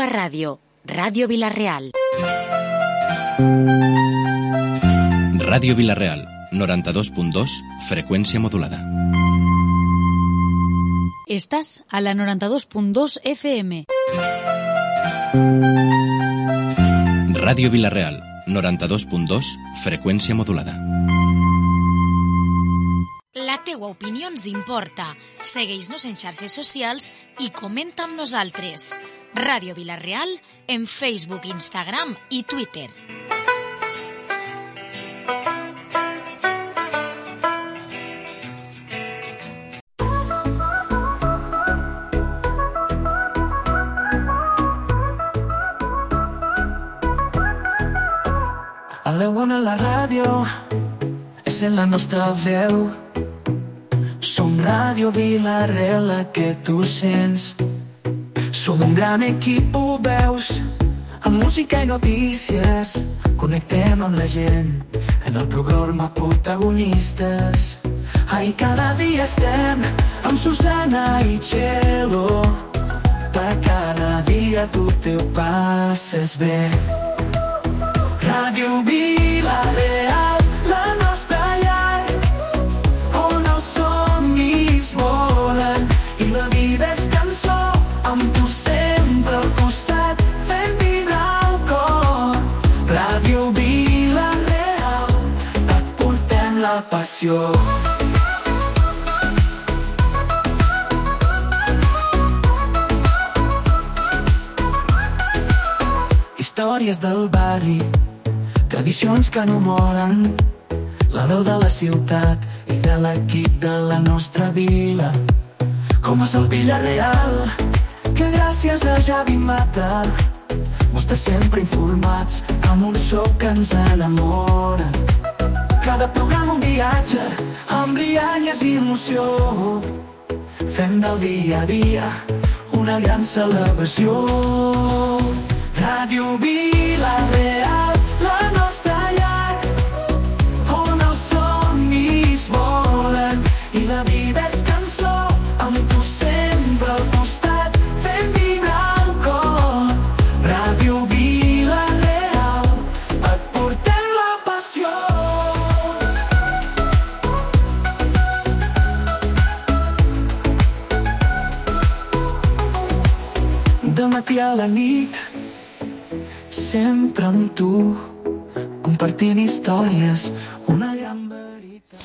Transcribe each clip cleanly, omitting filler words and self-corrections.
Ràdio, Ràdio Vila-real. Ràdio Vila-real, 92.2, freqüència modulada. Estàs a la 92.2 FM. Ràdio Vila-real, 92.2, freqüència modulada. La teua opinió ens importa. Segueix-nos en xarxes socials i comenta amb nosaltres. Ràdio Vila-real en Facebook, Instagram i Twitter. A l'Ewan a la ràdio és en la nostra veu. Som Ràdio Vila-real, la que tu sents. Som un gran equip, ho veus, amb música i notícies. Connectem amb la gent en el programa Protagonistes. Ai, cada dia estem amb Susana i Txelo. Per cada dia tu te ho passes bé. Ràdio Vila-real, la nostra llar, on els somnis volen i la vida és cançó, amb tu sempre al costat, fent vibrar el cor. Ràdio Vila-real, et portem la passió. Històries del barri, tradicions que no moren, la veu de la ciutat i de l'equip de la nostra vila. Com és el Vila-real, que gràcies a Javi Mata mos té sempre informats amb un so que ens enamora. Cada programa un viatge amb rialles i emoció. Fem del dia a dia una gran celebració. Ràdio Vila-real, la nostra llar, on els somnis volen i la vida és cançó, amb tu sempre al costat, fent vibrar el cor. Ràdio Vila-real, et portem la passió. De matí a la nit, sempre amb tu, compartint històries, una gran veritat.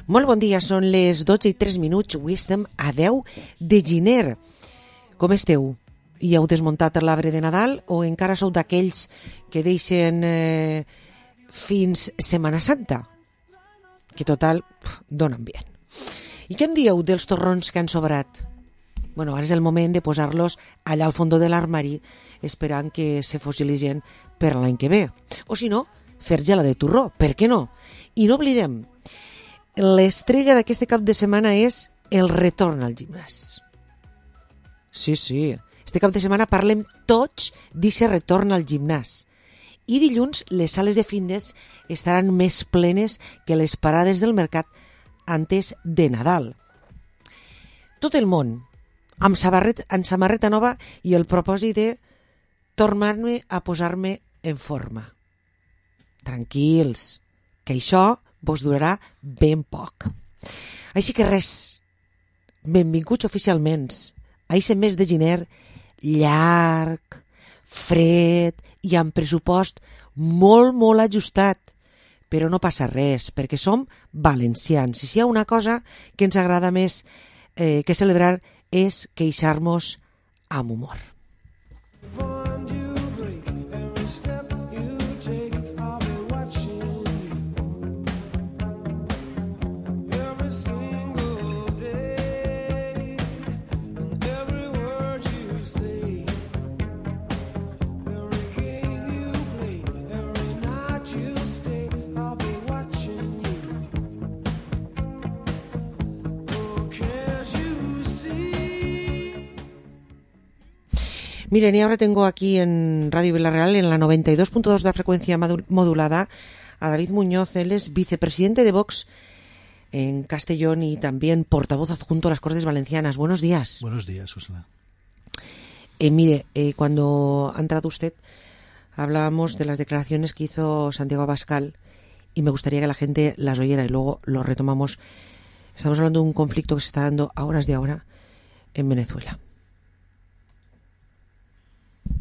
Molt bon dia, són les 12:03. Avui estem a 10 de gener. Com esteu? I heu desmuntat l'arbre de Nadal o encara sou d'aquells que deixen fins Setmana Santa? Que total, donen bien. I què en dieu dels torrons que han sobrat? Bueno, ara és el moment de posar-los allà al fons de l'armari esperant que se fossilitzen per l'any que ve. O si no, fer gela de torró, per què no? I no oblidem, l'estrella d'aquest cap de setmana és el retorn al gimnàs. Sí, este cap de setmana parlem tots d'aquest retorn al gimnàs. I dilluns les sales de fitness estaran més plenes que les parades del mercat antes de Nadal. Tot el món amb samarreta nova i el propòsit de tornar-me a posar-me en forma. Tranquils, que això vos durarà ben poc. Així que res, benvinguts oficialment a aquest mes de gener llarg, fred i amb pressupost molt, molt ajustat. Però no passa res, perquè som valencians. I si hi ha una cosa que ens agrada més que celebrar és queixar-nos amb humor. Miren, y ahora tengo aquí en Radio Vila-real, en la 92.2 de la frecuencia modulada, a David Muñoz. Él es vicepresidente de Vox en Castellón y también portavoz adjunto a las Cortes Valencianas. Buenos días. Buenos días, Susana. Mire, cuando ha entrado usted, hablábamos de las declaraciones que hizo Santiago Abascal y me gustaría que la gente las oyera y luego lo retomamos. Estamos hablando de un conflicto que se está dando a horas de ahora en Venezuela.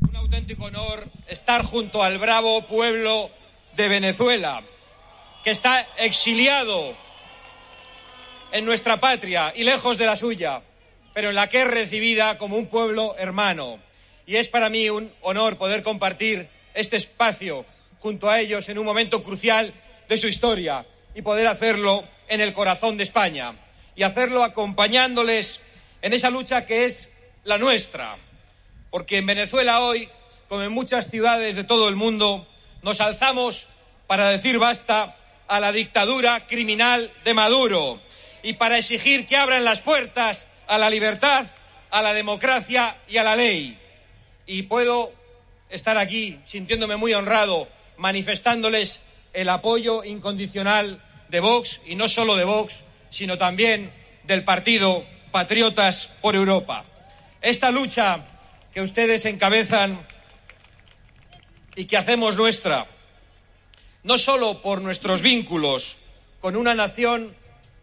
Un auténtico honor estar junto al bravo pueblo de Venezuela, que está exiliado en nuestra patria y lejos de la suya, pero en la que es recibida como un pueblo hermano. Y es para mí un honor poder compartir este espacio junto a ellos en un momento crucial de su historia y poder hacerlo en el corazón de España y hacerlo acompañándoles en esa lucha que es la nuestra. Porque en Venezuela hoy, como en muchas ciudades de todo el mundo, nos alzamos para decir basta a la dictadura criminal de Maduro y para exigir que abran las puertas a la libertad, a la democracia y a la ley. Y puedo estar aquí sintiéndome muy honrado, manifestándoles el apoyo incondicional de Vox, y no solo de Vox, sino también del partido Patriotas por Europa. Esta lucha que ustedes encabezan y que hacemos nuestra, no solo por nuestros vínculos con una nación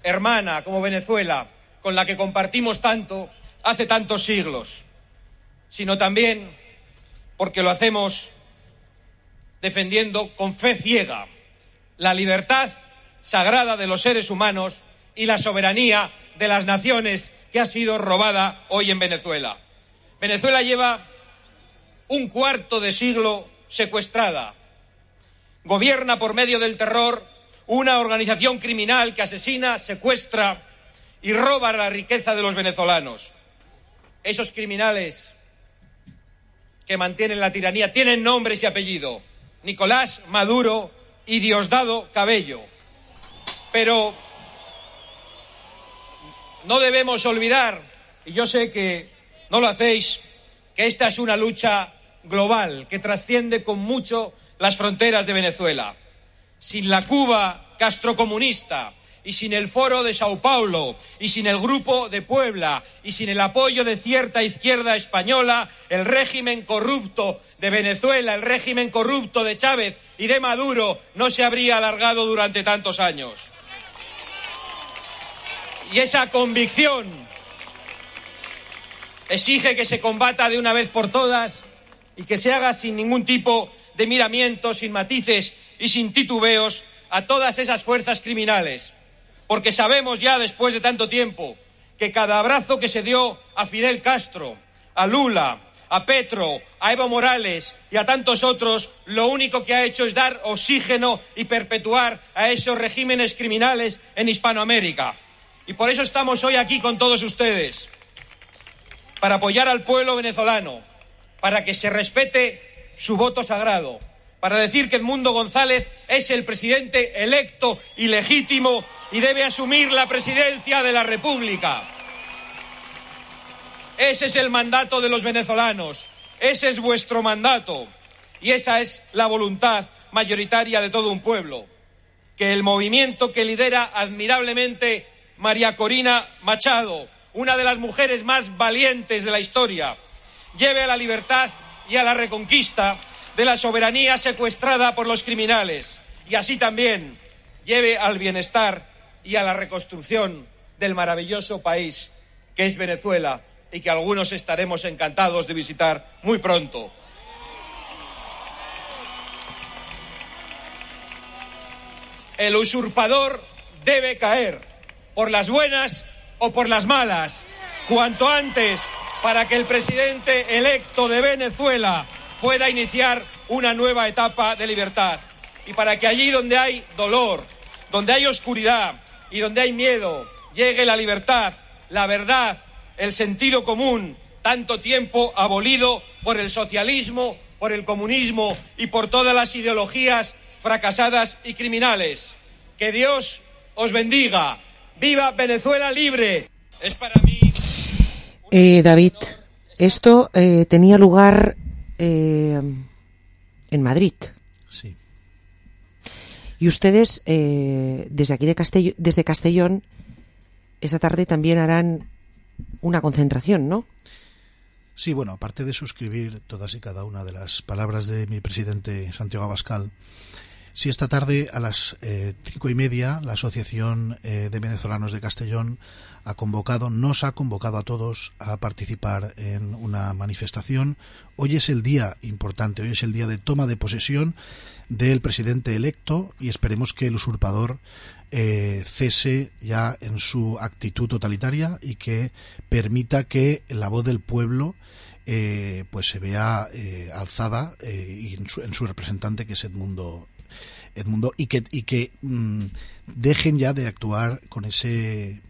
hermana como Venezuela, con la que compartimos tanto hace tantos siglos, sino también porque lo hacemos defendiendo con fe ciega la libertad sagrada de los seres humanos y la soberanía de las naciones que ha sido robada hoy en Venezuela. Venezuela lleva un cuarto de siglo secuestrada. Gobierna por medio del terror una organización criminal que asesina, secuestra y roba la riqueza de los venezolanos. Esos criminales que mantienen la tiranía tienen nombres y apellido: Nicolás Maduro y Diosdado Cabello. Pero no debemos olvidar, y yo sé que no lo hacéis, que esta es una lucha global que trasciende con mucho las fronteras de Venezuela. Sin la Cuba castrocomunista y sin el Foro de Sao Paulo y sin el Grupo de Puebla y sin el apoyo de cierta izquierda española, el régimen corrupto de Venezuela, el régimen corrupto de Chávez y de Maduro no se habría alargado durante tantos años. Y esa convicción exige que se combata de una vez por todas y que se haga sin ningún tipo de miramientos, sin matices y sin titubeos a todas esas fuerzas criminales. Porque sabemos ya, después de tanto tiempo, que cada abrazo que se dio a Fidel Castro, a Lula, a Petro, a Evo Morales y a tantos otros, lo único que ha hecho es dar oxígeno y perpetuar a esos regímenes criminales en Hispanoamérica. Y por eso estamos hoy aquí con todos ustedes, para apoyar al pueblo venezolano, para que se respete su voto sagrado, para decir que Edmundo González es el presidente electo y legítimo y debe asumir la presidencia de la República. Ese es el mandato de los venezolanos, ese es vuestro mandato y esa es la voluntad mayoritaria de todo un pueblo. Que el movimiento que lidera admirablemente María Corina Machado, una de las mujeres más valientes de la historia, lleve a la libertad y a la reconquista de la soberanía secuestrada por los criminales y así también lleve al bienestar y a la reconstrucción del maravilloso país que es Venezuela y que algunos estaremos encantados de visitar muy pronto. El usurpador debe caer, por las buenas o por las malas, cuanto antes, para que el presidente electo de Venezuela pueda iniciar una nueva etapa de libertad. Y para que allí donde hay dolor, donde hay oscuridad y donde hay miedo, llegue la libertad, la verdad, el sentido común, tanto tiempo abolido por el socialismo, por el comunismo y por todas las ideologías fracasadas y criminales. Que Dios os bendiga. ¡Viva Venezuela libre! Es para mí... David, esto tenía lugar en Madrid. Sí. Y ustedes, desde aquí desde Castellón, esta tarde también harán una concentración, ¿no? Sí, bueno, aparte de suscribir todas y cada una de las palabras de mi presidente Santiago Abascal, sí, esta tarde a las 5:30 la Asociación de Venezolanos de Castellón nos ha convocado a todos a participar en una manifestación. Hoy es el día importante, hoy es el día de toma de posesión del presidente electo y esperemos que el usurpador cese ya en su actitud totalitaria y que permita que la voz del pueblo pues se vea alzada y en su representante, que es Edmundo, y que dejen ya de actuar con ese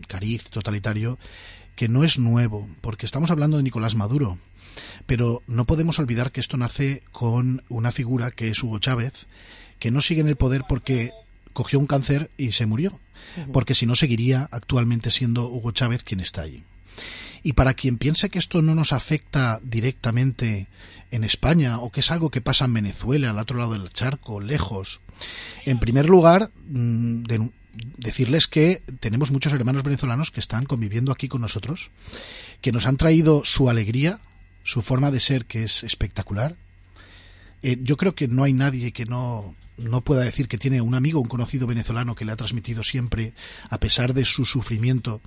cariz totalitario que no es nuevo, porque estamos hablando de Nicolás Maduro, pero no podemos olvidar que esto nace con una figura que es Hugo Chávez, que no sigue en el poder porque cogió un cáncer y se murió, porque si no seguiría actualmente siendo Hugo Chávez quien está allí. Y para quien piense que esto no nos afecta directamente en España o que es algo que pasa en Venezuela, al otro lado del charco, lejos, en primer lugar, decirles que tenemos muchos hermanos venezolanos que están conviviendo aquí con nosotros, que nos han traído su alegría, su forma de ser, que es espectacular. Yo creo que no hay nadie que no pueda decir que tiene un amigo, un conocido venezolano que le ha transmitido siempre, a pesar de su sufrimiento,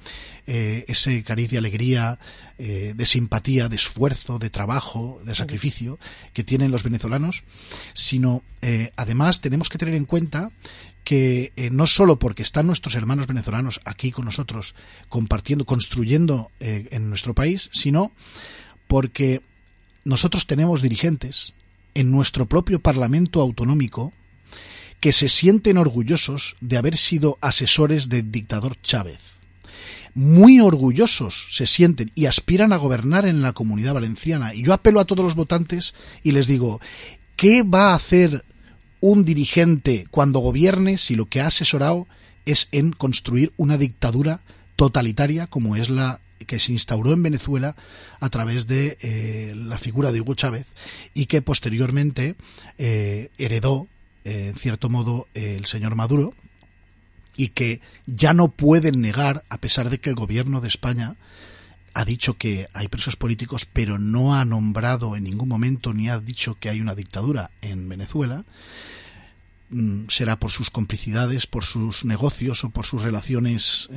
ese cariz de alegría, de simpatía, de esfuerzo, de trabajo, de sacrificio que tienen los venezolanos, sino además tenemos que tener en cuenta que no solo porque están nuestros hermanos venezolanos aquí con nosotros compartiendo, construyendo en nuestro país, sino porque nosotros tenemos dirigentes en nuestro propio Parlamento autonómico que se sienten orgullosos de haber sido asesores del dictador Chávez. Muy orgullosos se sienten y aspiran a gobernar en la Comunidad Valenciana. Y yo apelo a todos los votantes y les digo, ¿qué va a hacer un dirigente cuando gobierne si lo que ha asesorado es en construir una dictadura totalitaria como es la que se instauró en Venezuela a través de la figura de Hugo Chávez y que posteriormente heredó en cierto modo el señor Maduro, y que ya no pueden negar, a pesar de que el gobierno de España ha dicho que hay presos políticos, pero no ha nombrado en ningún momento ni ha dicho que hay una dictadura en Venezuela. Será por sus complicidades, por sus negocios o por sus relaciones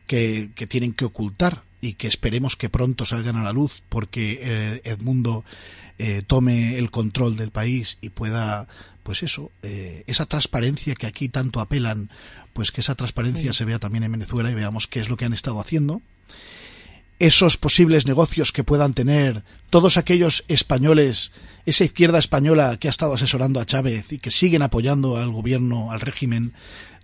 que tienen que ocultar y que esperemos que pronto salgan a la luz, porque Edmundo tome el control del país y pueda, pues eso, esa transparencia que aquí tanto apelan, pues que esa transparencia se vea también en Venezuela y veamos qué es lo que han estado haciendo. Esos posibles negocios que puedan tener todos aquellos españoles, esa izquierda española que ha estado asesorando a Chávez y que siguen apoyando al gobierno, al régimen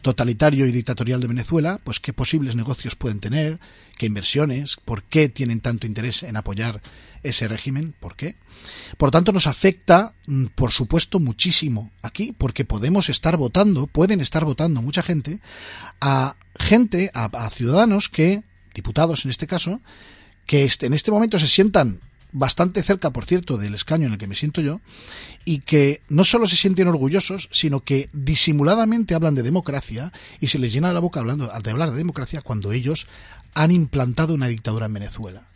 totalitario y dictatorial de Venezuela, pues qué posibles negocios pueden tener, qué inversiones, por qué tienen tanto interés en apoyar ese régimen, por qué. Por tanto, nos afecta, por supuesto, muchísimo aquí, porque pueden estar votando mucha gente, a ciudadanos que, diputados en este caso, que en este momento se sientan bastante cerca, por cierto, del escaño en el que me siento yo, y que no solo se sienten orgullosos, sino que disimuladamente hablan de democracia y se les llena la boca de hablar de democracia cuando ellos han implantado una dictadura en Venezuela.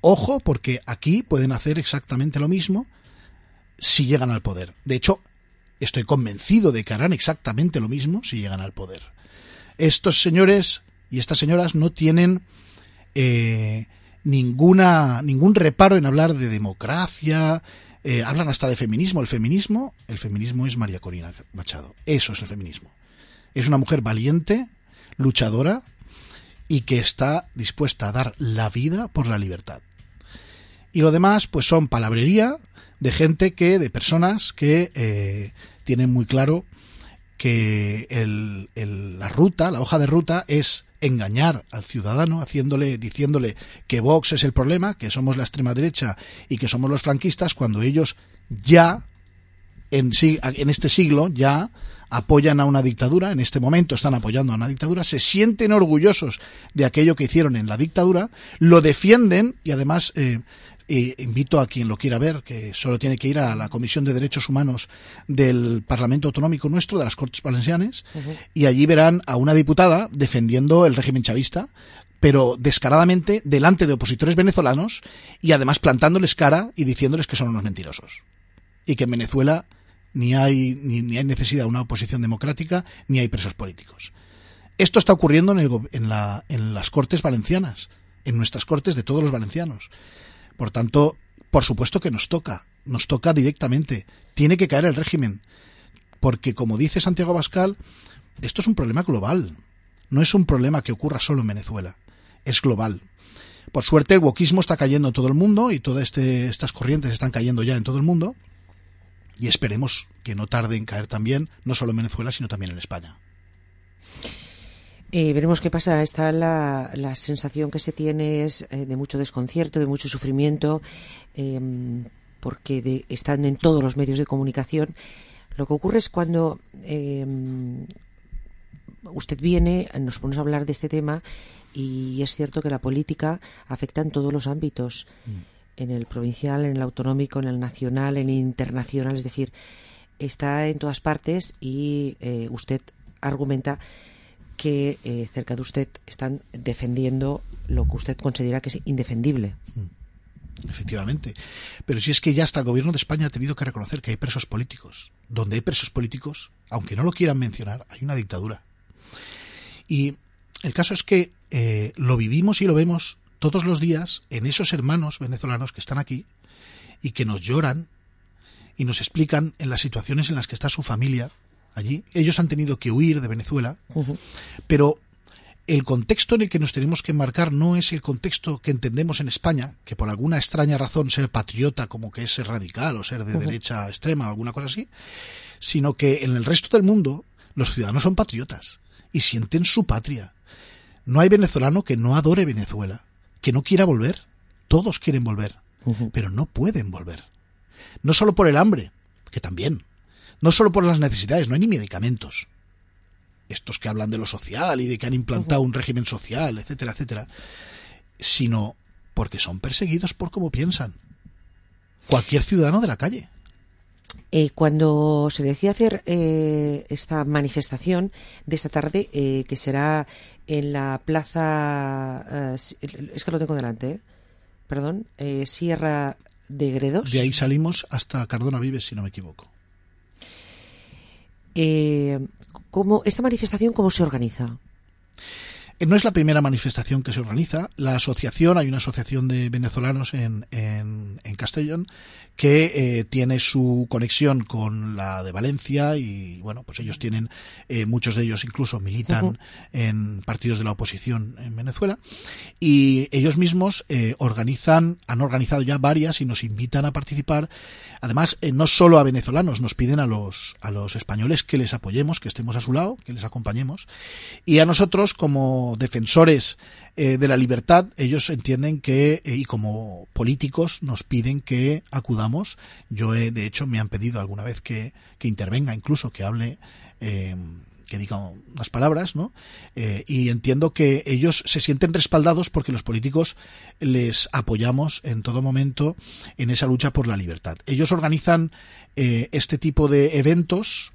Ojo, porque aquí pueden hacer exactamente lo mismo si llegan al poder. De hecho, estoy convencido de que harán exactamente lo mismo si llegan al poder. Estos señores y estas señoras no tienen ningún reparo en hablar de democracia, hablan hasta de feminismo. El feminismo es María Corina Machado. Eso es el feminismo. Es una mujer valiente, luchadora y que está dispuesta a dar la vida por la libertad. Y lo demás, pues son palabrería de personas que tienen muy claro que la hoja de ruta es engañar al ciudadano, diciéndole que Vox es el problema, que somos la extrema derecha y que somos los franquistas, cuando ellos ya en este siglo ya apoyan a una dictadura, en este momento están apoyando a una dictadura, se sienten orgullosos de aquello que hicieron en la dictadura, lo defienden y además invito a quien lo quiera ver, que solo tiene que ir a la Comisión de Derechos Humanos del Parlamento Autonómico nuestro, de las Cortes Valencianes, y allí verán a una diputada defendiendo el régimen chavista, pero descaradamente delante de opositores venezolanos y además plantándoles cara y diciéndoles que son unos mentirosos. Y que en Venezuela ni hay necesidad de una oposición democrática, ni hay presos políticos. Esto está ocurriendo en las Cortes Valencianas, en nuestras Cortes de todos los valencianos. Por tanto, por supuesto que nos toca directamente. Tiene que caer el régimen. Porque, como dice Santiago Abascal, esto es un problema global. No es un problema que ocurra solo en Venezuela. Es global. Por suerte, el wokismo está cayendo en todo el mundo y todas estas corrientes están cayendo ya en todo el mundo. Y esperemos que no tarde en caer también, no solo en Venezuela, sino también en España. Veremos qué pasa. Está la sensación que se tiene es de mucho desconcierto, de mucho sufrimiento, porque están en todos los medios de comunicación. Lo que ocurre es cuando usted viene, nos ponemos a hablar de este tema, y es cierto que la política afecta en todos los ámbitos, en el provincial, en el autonómico, en el nacional, en el internacional, es decir, está en todas partes, y usted argumenta que cerca de usted están defendiendo lo que usted considera que es indefendible. Efectivamente. Pero si es que ya hasta el gobierno de España ha tenido que reconocer que hay presos políticos. Donde hay presos políticos, aunque no lo quieran mencionar, hay una dictadura. Y el caso es que lo vivimos y lo vemos todos los días en esos hermanos venezolanos que están aquí y que nos lloran y nos explican en las situaciones en las que está su familia allí. Ellos han tenido que huir de Venezuela, pero el contexto en el que nos tenemos que enmarcar no es el contexto que entendemos en España, que por alguna extraña razón ser patriota como que es ser radical o ser de derecha extrema o alguna cosa así, sino que en el resto del mundo los ciudadanos son patriotas y sienten su patria. No hay venezolano que no adore Venezuela, que no quiera volver. Todos quieren volver, pero no pueden volver. No solo por el hambre, que también. No solo por las necesidades, no hay ni medicamentos. Estos que hablan de lo social y de que han implantado un régimen social, etcétera, etcétera, sino porque son perseguidos por cómo piensan. Cualquier ciudadano de la calle. Cuando se decía hacer esta manifestación de esta tarde, que será en la plaza, es que lo tengo delante, perdón, Sierra de Gredos. De ahí salimos hasta Cardona Vives, si no me equivoco. ¿Esta manifestación cómo se organiza? No es la primera manifestación que se organiza. La asociación, hay una asociación de venezolanos en Castellón que tiene su conexión con la de Valencia y, bueno, pues ellos tienen, muchos de ellos incluso militan en partidos de la oposición en Venezuela, y ellos mismos han organizado ya varias y nos invitan a participar. Además, no solo a venezolanos, nos piden a los españoles que les apoyemos, que estemos a su lado, que les acompañemos, y a nosotros como defensores de la libertad, ellos entienden que, y como políticos nos piden que acudamos. Yo de hecho me han pedido alguna vez que intervenga, incluso que hable, que diga unas palabras, ¿no? Y entiendo que ellos se sienten respaldados porque los políticos les apoyamos en todo momento en esa lucha por la libertad. Ellos organizan este tipo de eventos,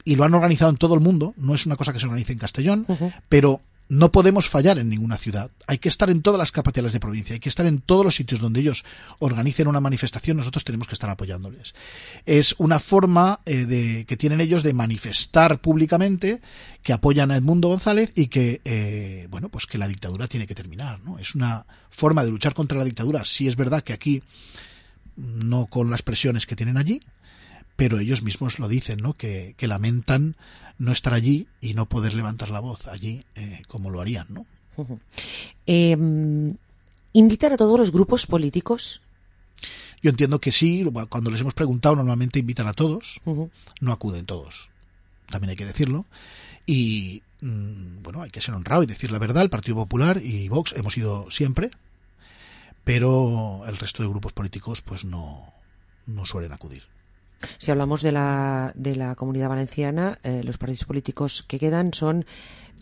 y lo han organizado en todo el mundo. No es una cosa que se organice en Castellón, pero no podemos fallar en ninguna ciudad. Hay que estar en todas las capitales de provincia, hay que estar en todos los sitios donde ellos organicen una manifestación. Nosotros tenemos que estar apoyándoles. Es una forma que tienen ellos de manifestar públicamente que apoyan a Edmundo González y que, bueno, pues que la dictadura tiene que terminar, ¿no? Es una forma de luchar contra la dictadura. Sí es verdad que aquí, no con las presiones que tienen allí, pero ellos mismos lo dicen, ¿no? Que lamentan no estar allí y no poder levantar la voz allí como lo harían, ¿no? ¿Invitar a todos los grupos políticos? Yo entiendo que sí. Cuando les hemos preguntado, normalmente invitan a todos. No acuden todos, también hay que decirlo. Y bueno, hay que ser honrado y decir la verdad. El Partido Popular y Vox hemos ido siempre, pero el resto de grupos políticos pues no suelen acudir. Si hablamos de la Comunidad Valenciana, los partidos políticos que quedan son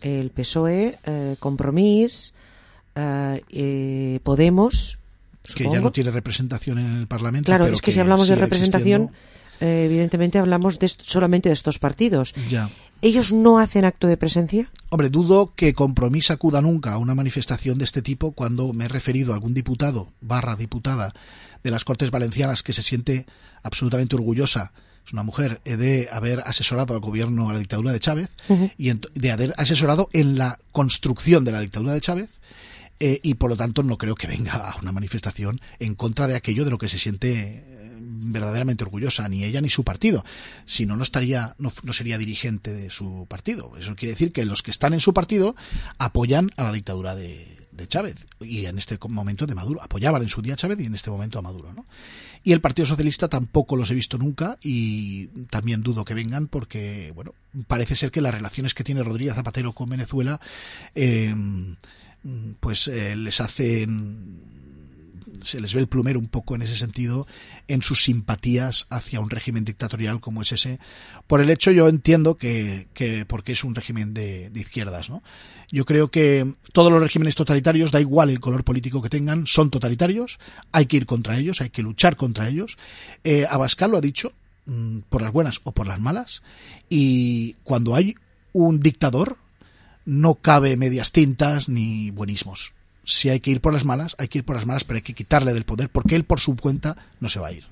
el PSOE, Compromís, Podemos que ya no tiene representación en el Parlamento. Claro, pero es que si hablamos de representación, evidentemente hablamos solamente de estos partidos. Ya. ¿Ellos no hacen acto de presencia? Hombre, dudo que Compromís acuda nunca a una manifestación de este tipo cuando me he referido a algún diputado / diputada de las Cortes Valencianas que se siente absolutamente orgullosa, es una mujer, de haber asesorado al gobierno, a la dictadura de Chávez, y de haber asesorado en la construcción de la dictadura de Chávez, y por lo tanto no creo que venga a una manifestación en contra de aquello de lo que se siente verdaderamente orgullosa, ni ella ni su partido. Si no, no sería dirigente de su partido. Eso quiere decir que los que están en su partido apoyan a la dictadura de Chávez, y en este momento de Maduro. Apoyaban en su día a Chávez y en este momento a Maduro, ¿no? Y el Partido Socialista tampoco los he visto nunca, y también dudo que vengan porque, bueno, parece ser que las relaciones que tiene Rodríguez Zapatero con Venezuela se les ve el plumero un poco en ese sentido, en sus simpatías hacia un régimen dictatorial como es ese, por el hecho, yo entiendo que porque es un régimen de izquierdas, ¿no? Yo creo que todos los regímenes totalitarios, da igual el color político que tengan, son totalitarios, hay que ir contra ellos, hay que luchar contra ellos. Abascal lo ha dicho, por las buenas o por las malas, y cuando hay un dictador no cabe medias tintas ni buenismos. Si hay que ir por las malas, hay que ir por las malas, pero hay que quitarle del poder, porque él por su cuenta no se va a ir.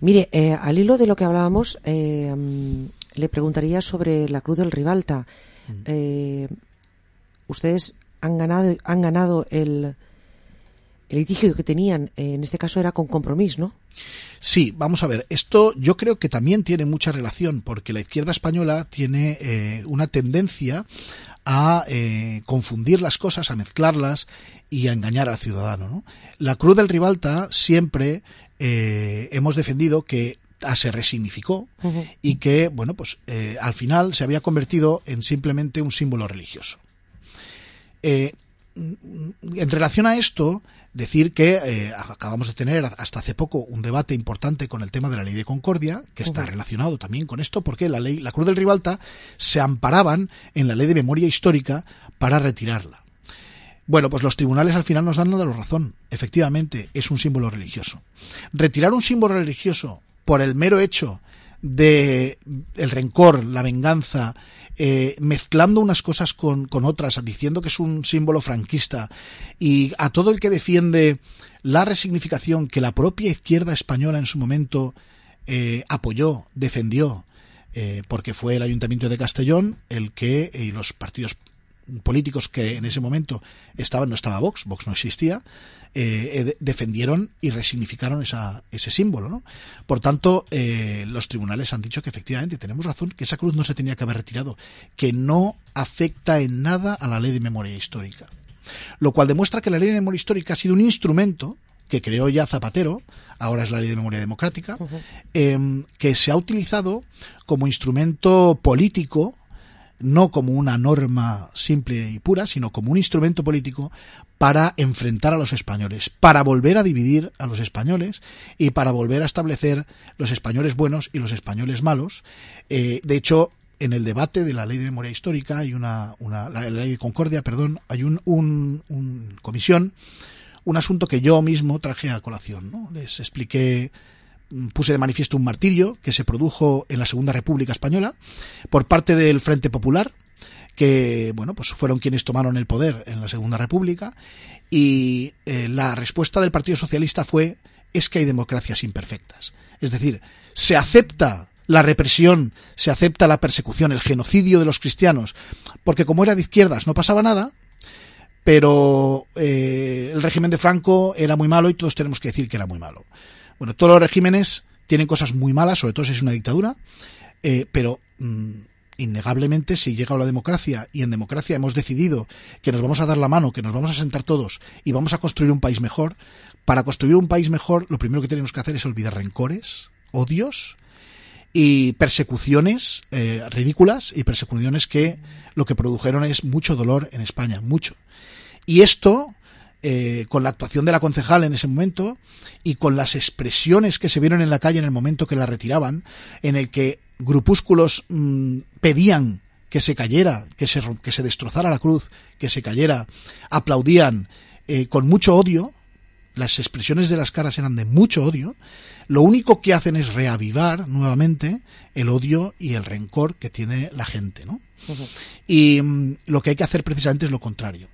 Mire, al hilo de lo que hablábamos, le preguntaría sobre la Cruz del Ribalta. Ustedes han ganado el litigio que tenían, en este caso era con Compromís, ¿no? Sí, vamos a ver, esto yo creo que también tiene mucha relación, porque la izquierda española tiene una tendencia a confundir las cosas, a mezclarlas y a engañar al ciudadano, ¿no? La Cruz del Ribalta siempre hemos defendido que se resignificó y que, bueno, pues al final se había convertido en simplemente un símbolo religioso. En relación a esto, decir que acabamos de tener hasta hace poco un debate importante con el tema de la Ley de Concordia, que está relacionado también con esto, porque la Cruz del Ribalta se amparaban en la Ley de Memoria Histórica para retirarla. Bueno, pues los tribunales al final nos dan la razón. Efectivamente, es un símbolo religioso. Retirar un símbolo religioso por el mero hecho de el rencor, la venganza, mezclando unas cosas con otras, diciendo que es un símbolo franquista, y a todo el que defiende la resignificación que la propia izquierda española en su momento apoyó, defendió, porque fue el Ayuntamiento de Castellón el que, y los partidos políticos que en ese momento estaban, no estaba Vox no existía, defendieron y resignificaron ese símbolo, ¿no? Por tanto, los tribunales han dicho que efectivamente tenemos razón, que esa cruz no se tenía que haber retirado, que no afecta en nada a la Ley de Memoria Histórica, lo cual demuestra que la Ley de Memoria Histórica ha sido un instrumento que creó ya Zapatero, ahora es la Ley de Memoria Democrática, que se ha utilizado como instrumento político, no como una norma simple y pura, sino como un instrumento político para enfrentar a los españoles, para volver a dividir a los españoles y para volver a establecer los españoles buenos y los españoles malos. De hecho, en el debate de la Ley de Memoria Histórica hay la Ley de Concordia, perdón, hay un comisión, un asunto que yo mismo traje a colación, ¿no? Les expliqué, puse de manifiesto un martirio que se produjo en la Segunda República Española por parte del Frente Popular, que, bueno, pues fueron quienes tomaron el poder en la Segunda República, y la respuesta del Partido Socialista fue: es que hay democracias imperfectas. Es decir, se acepta la represión, se acepta la persecución, el genocidio de los cristianos, porque como era de izquierdas no pasaba nada, pero el régimen de Franco era muy malo y todos tenemos que decir que era muy malo. Bueno, todos los regímenes tienen cosas muy malas, sobre todo si es una dictadura, pero innegablemente si llega a la democracia, y en democracia hemos decidido que nos vamos a dar la mano, que nos vamos a sentar todos y vamos a construir un país mejor, para construir un país mejor lo primero que tenemos que hacer es olvidar rencores, odios y persecuciones ridículas, y persecuciones que lo que produjeron es mucho dolor en España, mucho. Y esto, con la actuación de la concejal en ese momento y con las expresiones que se vieron en la calle en el momento que la retiraban, en el que grupúsculos pedían que se cayera, que se destrozara la cruz, que se cayera, aplaudían con mucho odio, las expresiones de las caras eran de mucho odio, lo único que hacen es reavivar nuevamente el odio y el rencor que tiene la gente, ¿no? Uh-huh. Y lo que hay que hacer precisamente es lo contrario,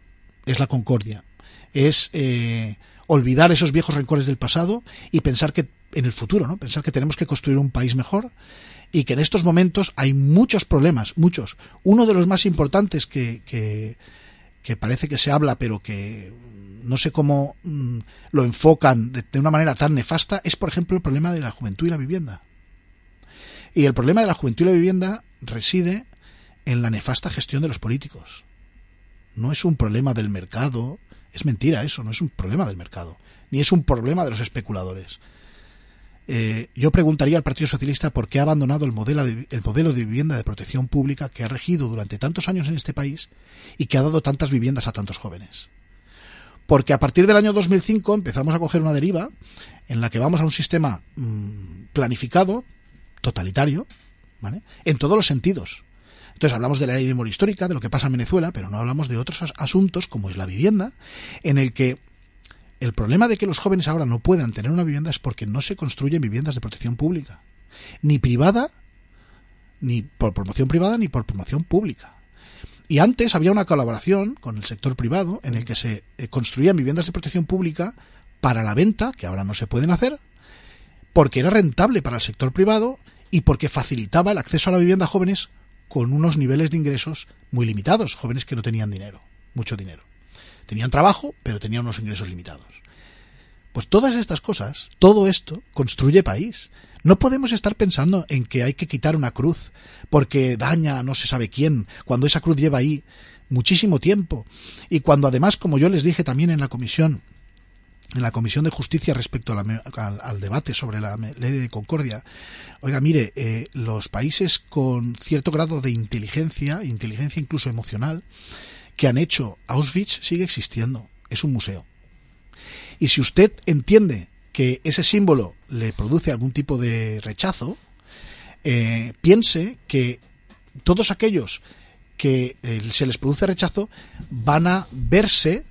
es la concordia, es olvidar esos viejos rencores del pasado y pensar que en el futuro, ¿no? Pensar que tenemos que construir un país mejor y que en estos momentos hay muchos problemas, muchos. Uno de los más importantes que parece que se habla, pero que no sé cómo lo enfocan de una manera tan nefasta, es, por ejemplo, el problema de la juventud y la vivienda. Y el problema de la juventud y la vivienda reside en la nefasta gestión de los políticos. No es un problema del mercado, es mentira eso, no es un problema del mercado, ni es un problema de los especuladores. Yo preguntaría al Partido Socialista por qué ha abandonado el modelo de vivienda de protección pública que ha regido durante tantos años en este país y que ha dado tantas viviendas a tantos jóvenes. Porque a partir del año 2005 empezamos a coger una deriva en la que vamos a un sistema planificado, totalitario, ¿vale? En todos los sentidos. Entonces hablamos de la ley de memoria histórica, de lo que pasa en Venezuela, pero no hablamos de otros asuntos como es la vivienda, en el que el problema de que los jóvenes ahora no puedan tener una vivienda es porque no se construyen viviendas de protección pública, ni privada, ni por promoción privada, ni por promoción pública. Y antes había una colaboración con el sector privado en el que se construían viviendas de protección pública para la venta, que ahora no se pueden hacer, porque era rentable para el sector privado y porque facilitaba el acceso a la vivienda a jóvenes con unos niveles de ingresos muy limitados, jóvenes que no tenían dinero, mucho dinero. Tenían trabajo, pero tenían unos ingresos limitados. Pues todas estas cosas, todo esto, construye país. No podemos estar pensando en que hay que quitar una cruz porque daña a no se sabe quién, cuando esa cruz lleva ahí muchísimo tiempo. Y cuando además, como yo les dije también en la Comisión de Justicia respecto al debate sobre la ley de concordia, oiga, mire, los países con cierto grado de inteligencia incluso emocional, que han hecho Auschwitz sigue existiendo, es un museo. Y si usted entiende que ese símbolo le produce algún tipo de rechazo, piense que todos aquellos que se les produce rechazo van a verse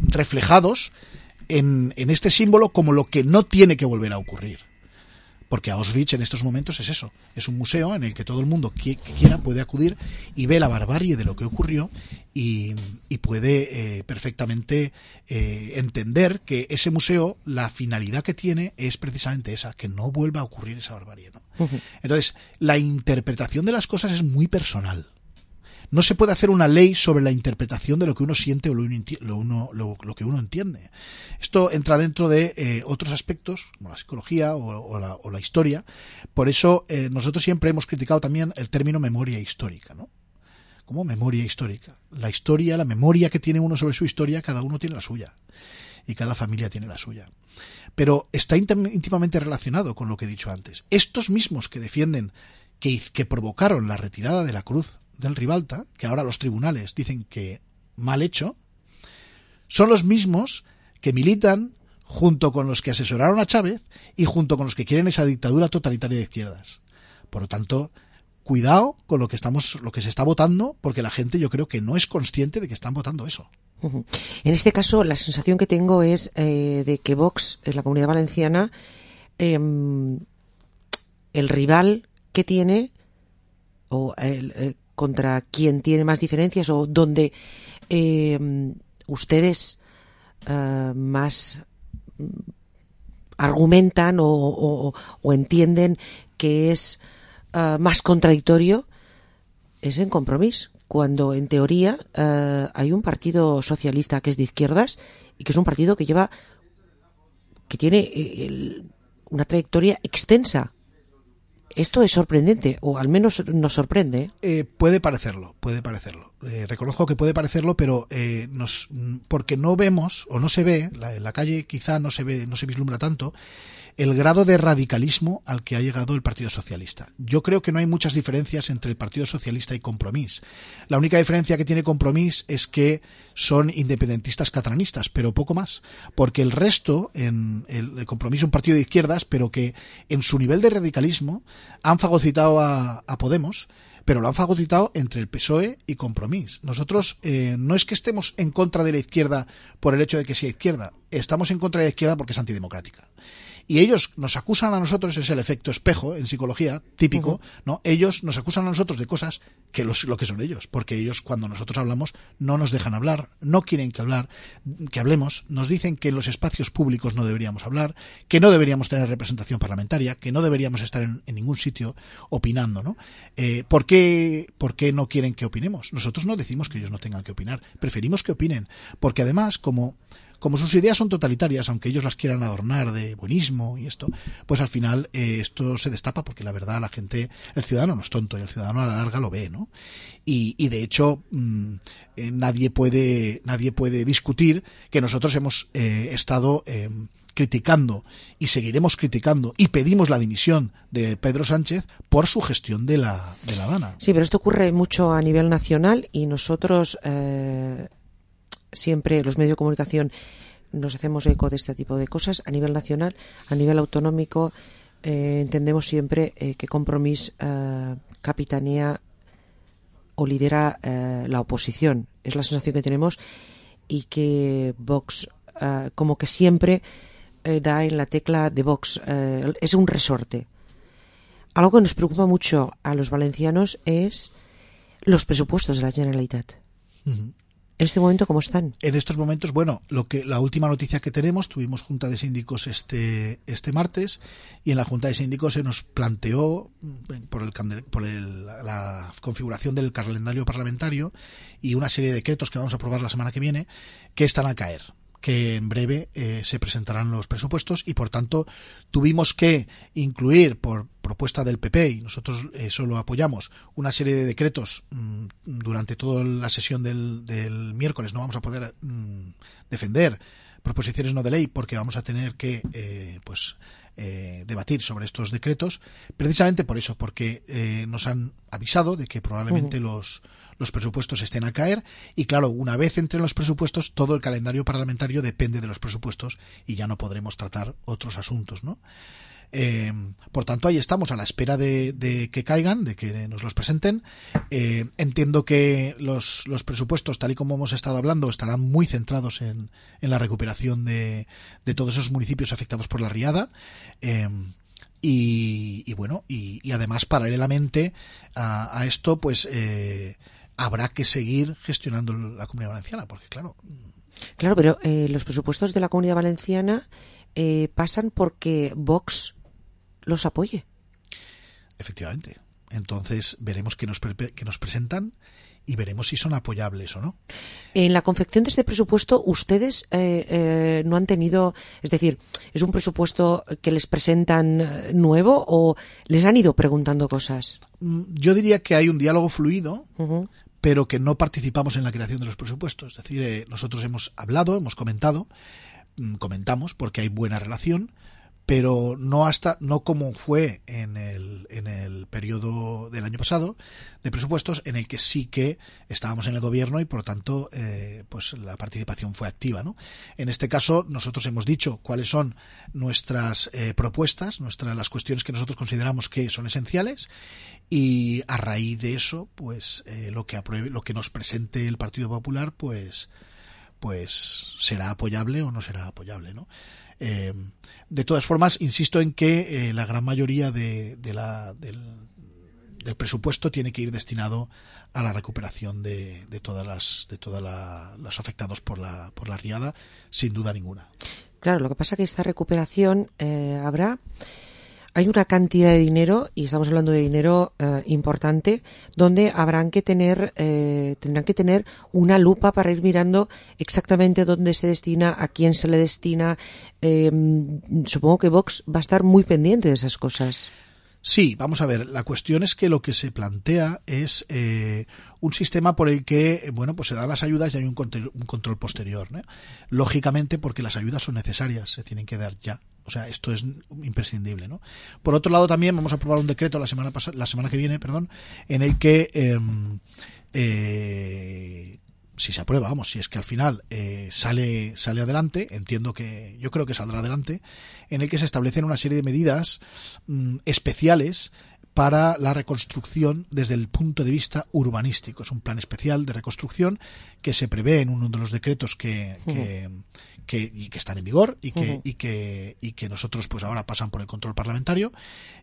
reflejados en este símbolo como lo que no tiene que volver a ocurrir. Porque Auschwitz en estos momentos es eso, es un museo en el que todo el mundo que quiera puede acudir y ve la barbarie de lo que ocurrió y puede perfectamente entender que ese museo, la finalidad que tiene es precisamente esa, que no vuelva a ocurrir esa barbarie, ¿no? Uh-huh. Entonces, la interpretación de las cosas es muy personal. No se puede hacer una ley sobre la interpretación de lo que uno siente o lo que uno entiende. Esto entra dentro de otros aspectos, como la psicología o la historia. Por eso nosotros siempre hemos criticado también el término memoria histórica, ¿no? Como memoria histórica. La historia, la memoria que tiene uno sobre su historia, cada uno tiene la suya. Y cada familia tiene la suya. Pero está íntimamente relacionado con lo que he dicho antes. Estos mismos que defienden que provocaron la retirada de la cruz del Ribalta, que ahora los tribunales dicen que mal hecho, son los mismos que militan junto con los que asesoraron a Chávez y junto con los que quieren esa dictadura totalitaria de izquierdas. Por lo tanto, cuidado con lo que se está votando, porque la gente yo creo que no es consciente de que están votando eso. Uh-huh. En este caso, la sensación que tengo es de que Vox, en la Comunidad Valenciana, el rival que tiene, o contra quien tiene más diferencias, o donde ustedes más argumentan o entienden que es más contradictorio, es en Compromís, cuando en teoría hay un partido socialista que es de izquierdas y que es un partido que tiene una trayectoria extensa. Esto es sorprendente, o al menos nos sorprende. Puede parecerlo. Reconozco que puede parecerlo, pero porque no vemos, o no se ve, en la calle quizá no se vislumbra tanto, el grado de radicalismo al que ha llegado el Partido Socialista. Yo creo que no hay muchas diferencias entre el Partido Socialista y Compromís. La única diferencia que tiene Compromís es que son independentistas catalanistas, pero poco más. Porque el resto, el Compromís es un partido de izquierdas, pero que en su nivel de radicalismo han fagocitado a Podemos, pero lo han fagocitado entre el PSOE y Compromís. Nosotros no es que estemos en contra de la izquierda por el hecho de que sea izquierda, estamos en contra de la izquierda porque es antidemocrática. Y ellos nos acusan a nosotros, es el efecto espejo en psicología típico, ¿no? Ellos nos acusan a nosotros de cosas que lo que son ellos, porque ellos cuando nosotros hablamos no nos dejan hablar, no quieren que hablemos, nos dicen que en los espacios públicos no deberíamos hablar, que no deberíamos tener representación parlamentaria, que no deberíamos estar en ningún sitio opinando, ¿no? ¿Por qué no quieren que opinemos? Nosotros no decimos que ellos no tengan que opinar, preferimos que opinen, porque además como sus ideas son totalitarias, aunque ellos las quieran adornar de buenismo y esto, pues al final esto se destapa porque la verdad el ciudadano no es tonto y el ciudadano a la larga lo ve, ¿no? Y de hecho nadie puede discutir que nosotros hemos estado criticando y seguiremos criticando y pedimos la dimisión de Pedro Sánchez por su gestión de la Dana. Sí, pero esto ocurre mucho a nivel nacional y nosotros siempre los medios de comunicación nos hacemos eco de este tipo de cosas a nivel nacional, a nivel autonómico. Entendemos siempre que Compromís capitanea o lidera la oposición. Es la sensación que tenemos y que Vox como que siempre da en la tecla de Vox. Es un resorte. Algo que nos preocupa mucho a los valencianos es los presupuestos de la Generalitat. Uh-huh. ¿En este momento cómo están? En estos momentos, bueno, la última noticia que tenemos, tuvimos Junta de Síndicos este martes y en la Junta de Síndicos se nos planteó por la configuración del calendario parlamentario y una serie de decretos que vamos a aprobar la semana que viene que están a caer, que en breve se presentarán los presupuestos y por tanto tuvimos que incluir por propuesta del PP y nosotros eso lo apoyamos, una serie de decretos durante toda la sesión del miércoles. No vamos a poder defender proposiciones no de ley porque vamos a tener que debatir sobre estos decretos precisamente por eso, porque nos han avisado de que probablemente los presupuestos estén a caer y claro, una vez entren los presupuestos todo el calendario parlamentario depende de los presupuestos y ya no podremos tratar otros asuntos, ¿no? Por tanto, ahí estamos a la espera de que caigan, de que nos los presenten. Entiendo que los presupuestos, tal y como hemos estado hablando, estarán muy centrados en la recuperación de todos esos municipios afectados por la riada. Y bueno, y además, paralelamente a esto, pues habrá que seguir gestionando la Comunidad Valenciana, porque claro, pero los presupuestos de la Comunidad Valenciana pasan porque Vox los apoye. Efectivamente. Entonces veremos qué nos presentan y veremos si son apoyables o no. En la confección de este presupuesto, ustedes no han tenido, es decir, ¿es un presupuesto que les presentan nuevo o les han ido preguntando cosas? Yo diría que hay un diálogo fluido, pero que no participamos en la creación de los presupuestos. Es decir, nosotros hemos hablado, hemos comentamos porque hay buena relación, pero no como fue en el periodo del año pasado de presupuestos, en el que sí que estábamos en el gobierno y por lo tanto pues la participación fue activa, ¿no? En este caso nosotros hemos dicho cuáles son nuestras propuestas, las cuestiones que nosotros consideramos que son esenciales y a raíz de eso pues lo que nos presente el Partido Popular pues será apoyable o no será apoyable, ¿no? De todas formas, insisto en que la gran mayoría del presupuesto tiene que ir destinado a la recuperación de todas los afectados por la riada, sin duda ninguna. Claro, lo que pasa es que esta recuperación hay una cantidad de dinero, y estamos hablando de dinero importante, donde tendrán que tener una lupa para ir mirando exactamente dónde se destina, a quién se le destina. Supongo que Vox va a estar muy pendiente de esas cosas. Sí, vamos a ver, la cuestión es que lo que se plantea es un sistema por el que, pues se dan las ayudas y hay un control posterior, ¿no? Lógicamente, porque las ayudas son necesarias, se tienen que dar ya. O sea, esto es imprescindible, ¿no? Por otro lado, también vamos a aprobar un decreto la semana que viene, en el que si se aprueba, si es que al final sale adelante, yo creo que saldrá adelante, en el que se establecen una serie de medidas especiales para la reconstrucción desde el punto de vista urbanístico. Es un plan especial de reconstrucción que se prevé en uno de los decretos que están en vigor y que nosotros pues ahora pasan por el control parlamentario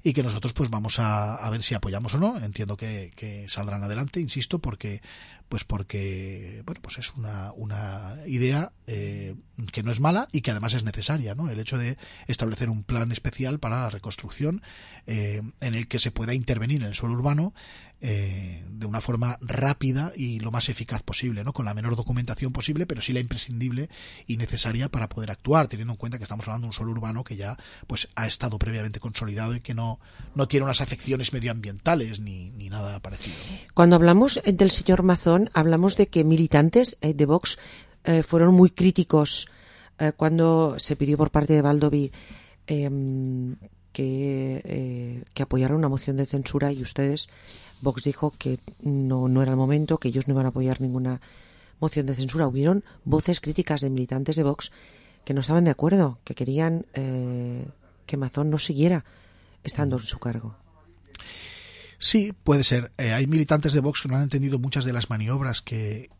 y que nosotros pues vamos a ver si apoyamos o no. Entiendo que saldrán adelante, insisto, porque bueno, pues es una idea que no es mala y que además es necesaria, ¿no? El hecho de establecer un plan especial para la reconstrucción en el que se pueda intervenir en el suelo urbano de una forma rápida y lo más eficaz posible, ¿no? Con la menor documentación posible, pero sí la imprescindible y necesaria para poder actuar, teniendo en cuenta que estamos hablando de un suelo urbano que ya pues ha estado previamente consolidado y que no tiene unas afecciones medioambientales ni nada parecido, ¿no? Cuando hablamos del señor Mazón, hablamos de que militantes de Vox fueron muy críticos cuando se pidió por parte de Baldoví que apoyara una moción de censura, y ustedes, Vox dijo que no era el momento, que ellos no iban a apoyar ninguna moción de censura. Hubieron voces críticas de militantes de Vox que no estaban de acuerdo, que querían que Mazón no siguiera estando en su cargo. Sí, puede ser. Hay militantes de Vox que no han entendido muchas de las maniobras que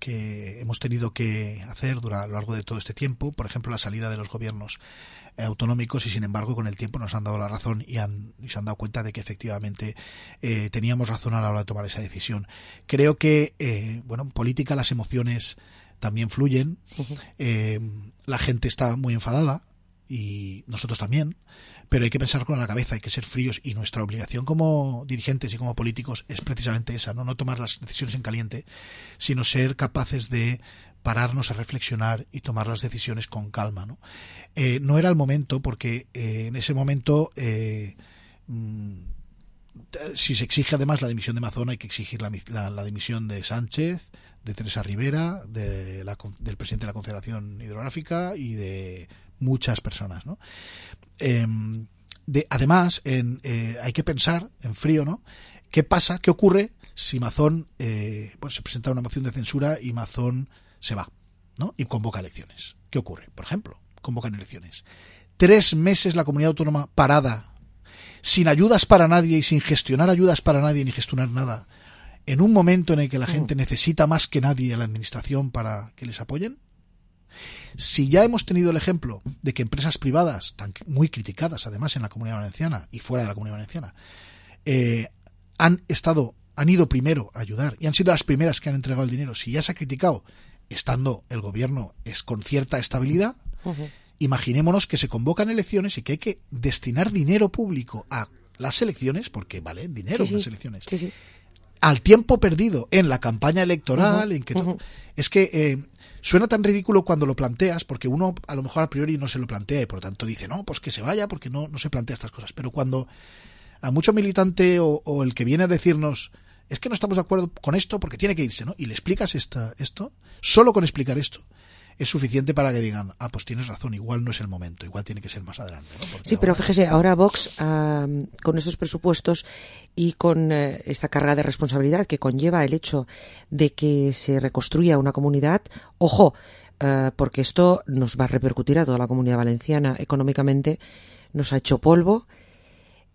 hemos tenido que hacer a lo largo de todo este tiempo. Por ejemplo, la salida de los gobiernos autonómicos, y sin embargo con el tiempo nos han dado la razón y se han dado cuenta de que efectivamente teníamos razón a la hora de tomar esa decisión. Creo que en política las emociones también fluyen. La gente está muy enfadada y nosotros también, pero hay que pensar con la cabeza, hay que ser fríos, y nuestra obligación como dirigentes y como políticos es precisamente esa, no tomar las decisiones en caliente, sino ser capaces de pararnos a reflexionar y tomar las decisiones con calma, ¿no? No era el momento, porque en ese momento si se exige además la dimisión de Mazón, hay que exigir la dimisión de Sánchez, de Teresa Rivera, del presidente de la Confederación Hidrográfica y de muchas personas, ¿no? Además, hay que pensar en frío, ¿no? ¿Qué pasa? ¿Qué ocurre si Mazón se presenta una moción de censura y Mazón se va, ¿no? Y convoca elecciones? ¿Qué ocurre? Por ejemplo, convocan elecciones. 3 meses la comunidad autónoma parada, sin ayudas para nadie y sin gestionar ayudas para nadie ni gestionar nada, en un momento en el que la gente necesita más que nadie a la administración para que les apoyen. Si ya hemos tenido el ejemplo de que empresas privadas, muy criticadas además en la Comunidad Valenciana y fuera de la Comunidad Valenciana, han ido primero a ayudar y han sido las primeras que han entregado el dinero, si ya se ha criticado estando el gobierno con cierta estabilidad, imaginémonos que se convocan elecciones y que hay que destinar dinero público a las elecciones, porque vale dinero las elecciones. Sí. Al tiempo perdido en la campaña electoral, en que es que suena tan ridículo cuando lo planteas, porque uno a lo mejor a priori no se lo plantea y por lo tanto dice, no, pues que se vaya, porque no se plantea estas cosas. Pero cuando a mucho militante o el que viene a decirnos, es que no estamos de acuerdo con esto porque tiene que irse, ¿no? Y le explicas esto, solo con explicar esto es suficiente para que digan, pues tienes razón, igual no es el momento, igual tiene que ser más adelante, ¿no? Porque sí, pero fíjese, ahora Vox, con estos presupuestos y con esta carga de responsabilidad que conlleva el hecho de que se reconstruya una comunidad, ojo, porque esto nos va a repercutir a toda la Comunidad Valenciana económicamente, nos ha hecho polvo,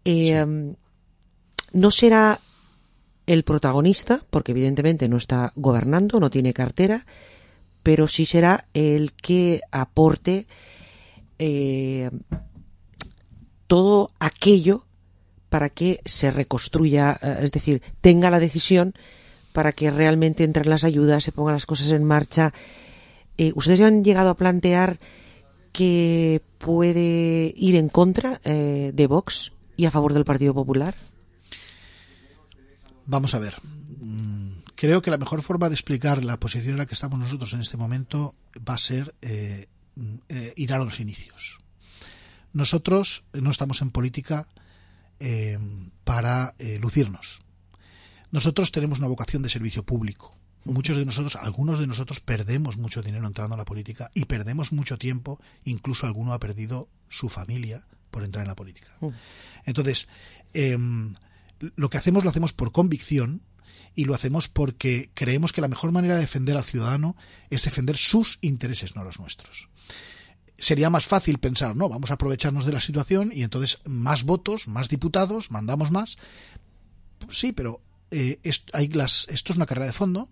no será el protagonista, porque evidentemente no está gobernando, no tiene cartera, pero sí será el que aporte todo aquello para que se reconstruya, es decir, tenga la decisión para que realmente entren las ayudas, se pongan las cosas en marcha. ¿Ustedes ya han llegado a plantear que puede ir en contra de Vox y a favor del Partido Popular? Vamos a ver. Creo que la mejor forma de explicar la posición en la que estamos nosotros en este momento va a ser ir a los inicios. Nosotros no estamos en política para lucirnos. Nosotros tenemos una vocación de servicio público. Algunos de nosotros perdemos mucho dinero entrando a la política y perdemos mucho tiempo, incluso alguno ha perdido su familia por entrar en la política. Entonces, lo que hacemos lo hacemos por convicción y lo hacemos porque creemos que la mejor manera de defender al ciudadano es defender sus intereses, no los nuestros. Sería más fácil pensar, no, vamos a aprovecharnos de la situación y entonces más votos, más diputados, mandamos más. sí, pero esto es una carrera de fondo.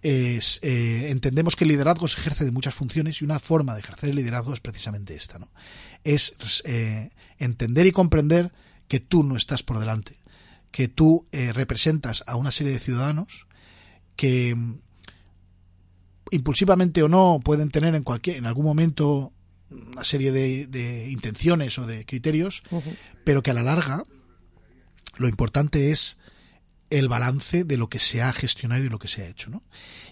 Entendemos que el liderazgo se ejerce de muchas funciones y una forma de ejercer el liderazgo es precisamente esta, ¿no? Es entender y comprender que tú no estás por delante, que tú representas a una serie de ciudadanos que impulsivamente o no pueden tener en algún momento una serie de intenciones o de criterios, pero que a la larga lo importante es el balance de lo que se ha gestionado y de lo que se ha hecho, ¿no?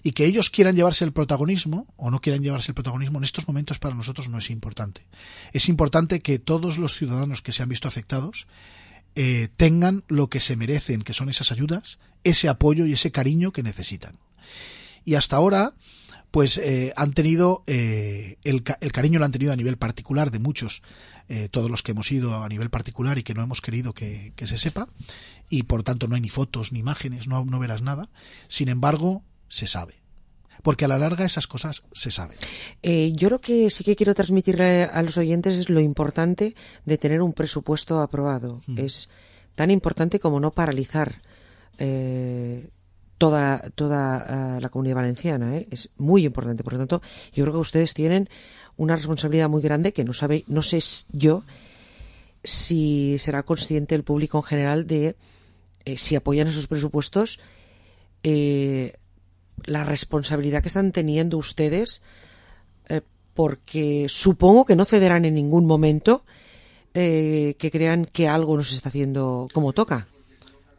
Y que ellos quieran llevarse el protagonismo o no quieran llevarse el protagonismo en estos momentos para nosotros no es importante. Es importante que todos los ciudadanos que se han visto afectados tengan lo que se merecen, que son esas ayudas, ese apoyo y ese cariño que necesitan. Y hasta ahora pues han tenido el cariño lo han tenido a nivel particular de muchos, todos los que hemos ido a nivel particular y que no hemos querido que se sepa, y por tanto no hay ni fotos ni imágenes, no verás nada. Sin embargo, se sabe, porque a la larga esas cosas se saben. Yo lo que sí que quiero transmitirle a los oyentes es lo importante de tener un presupuesto aprobado. Es tan importante como no paralizar toda la Comunidad Valenciana, ¿eh? Es muy importante. Por lo tanto, yo creo que ustedes tienen una responsabilidad muy grande que no sé yo si será consciente el público en general de si apoyan esos presupuestos, la responsabilidad que están teniendo ustedes, porque supongo que no cederán en ningún momento que crean que algo no se está haciendo como toca.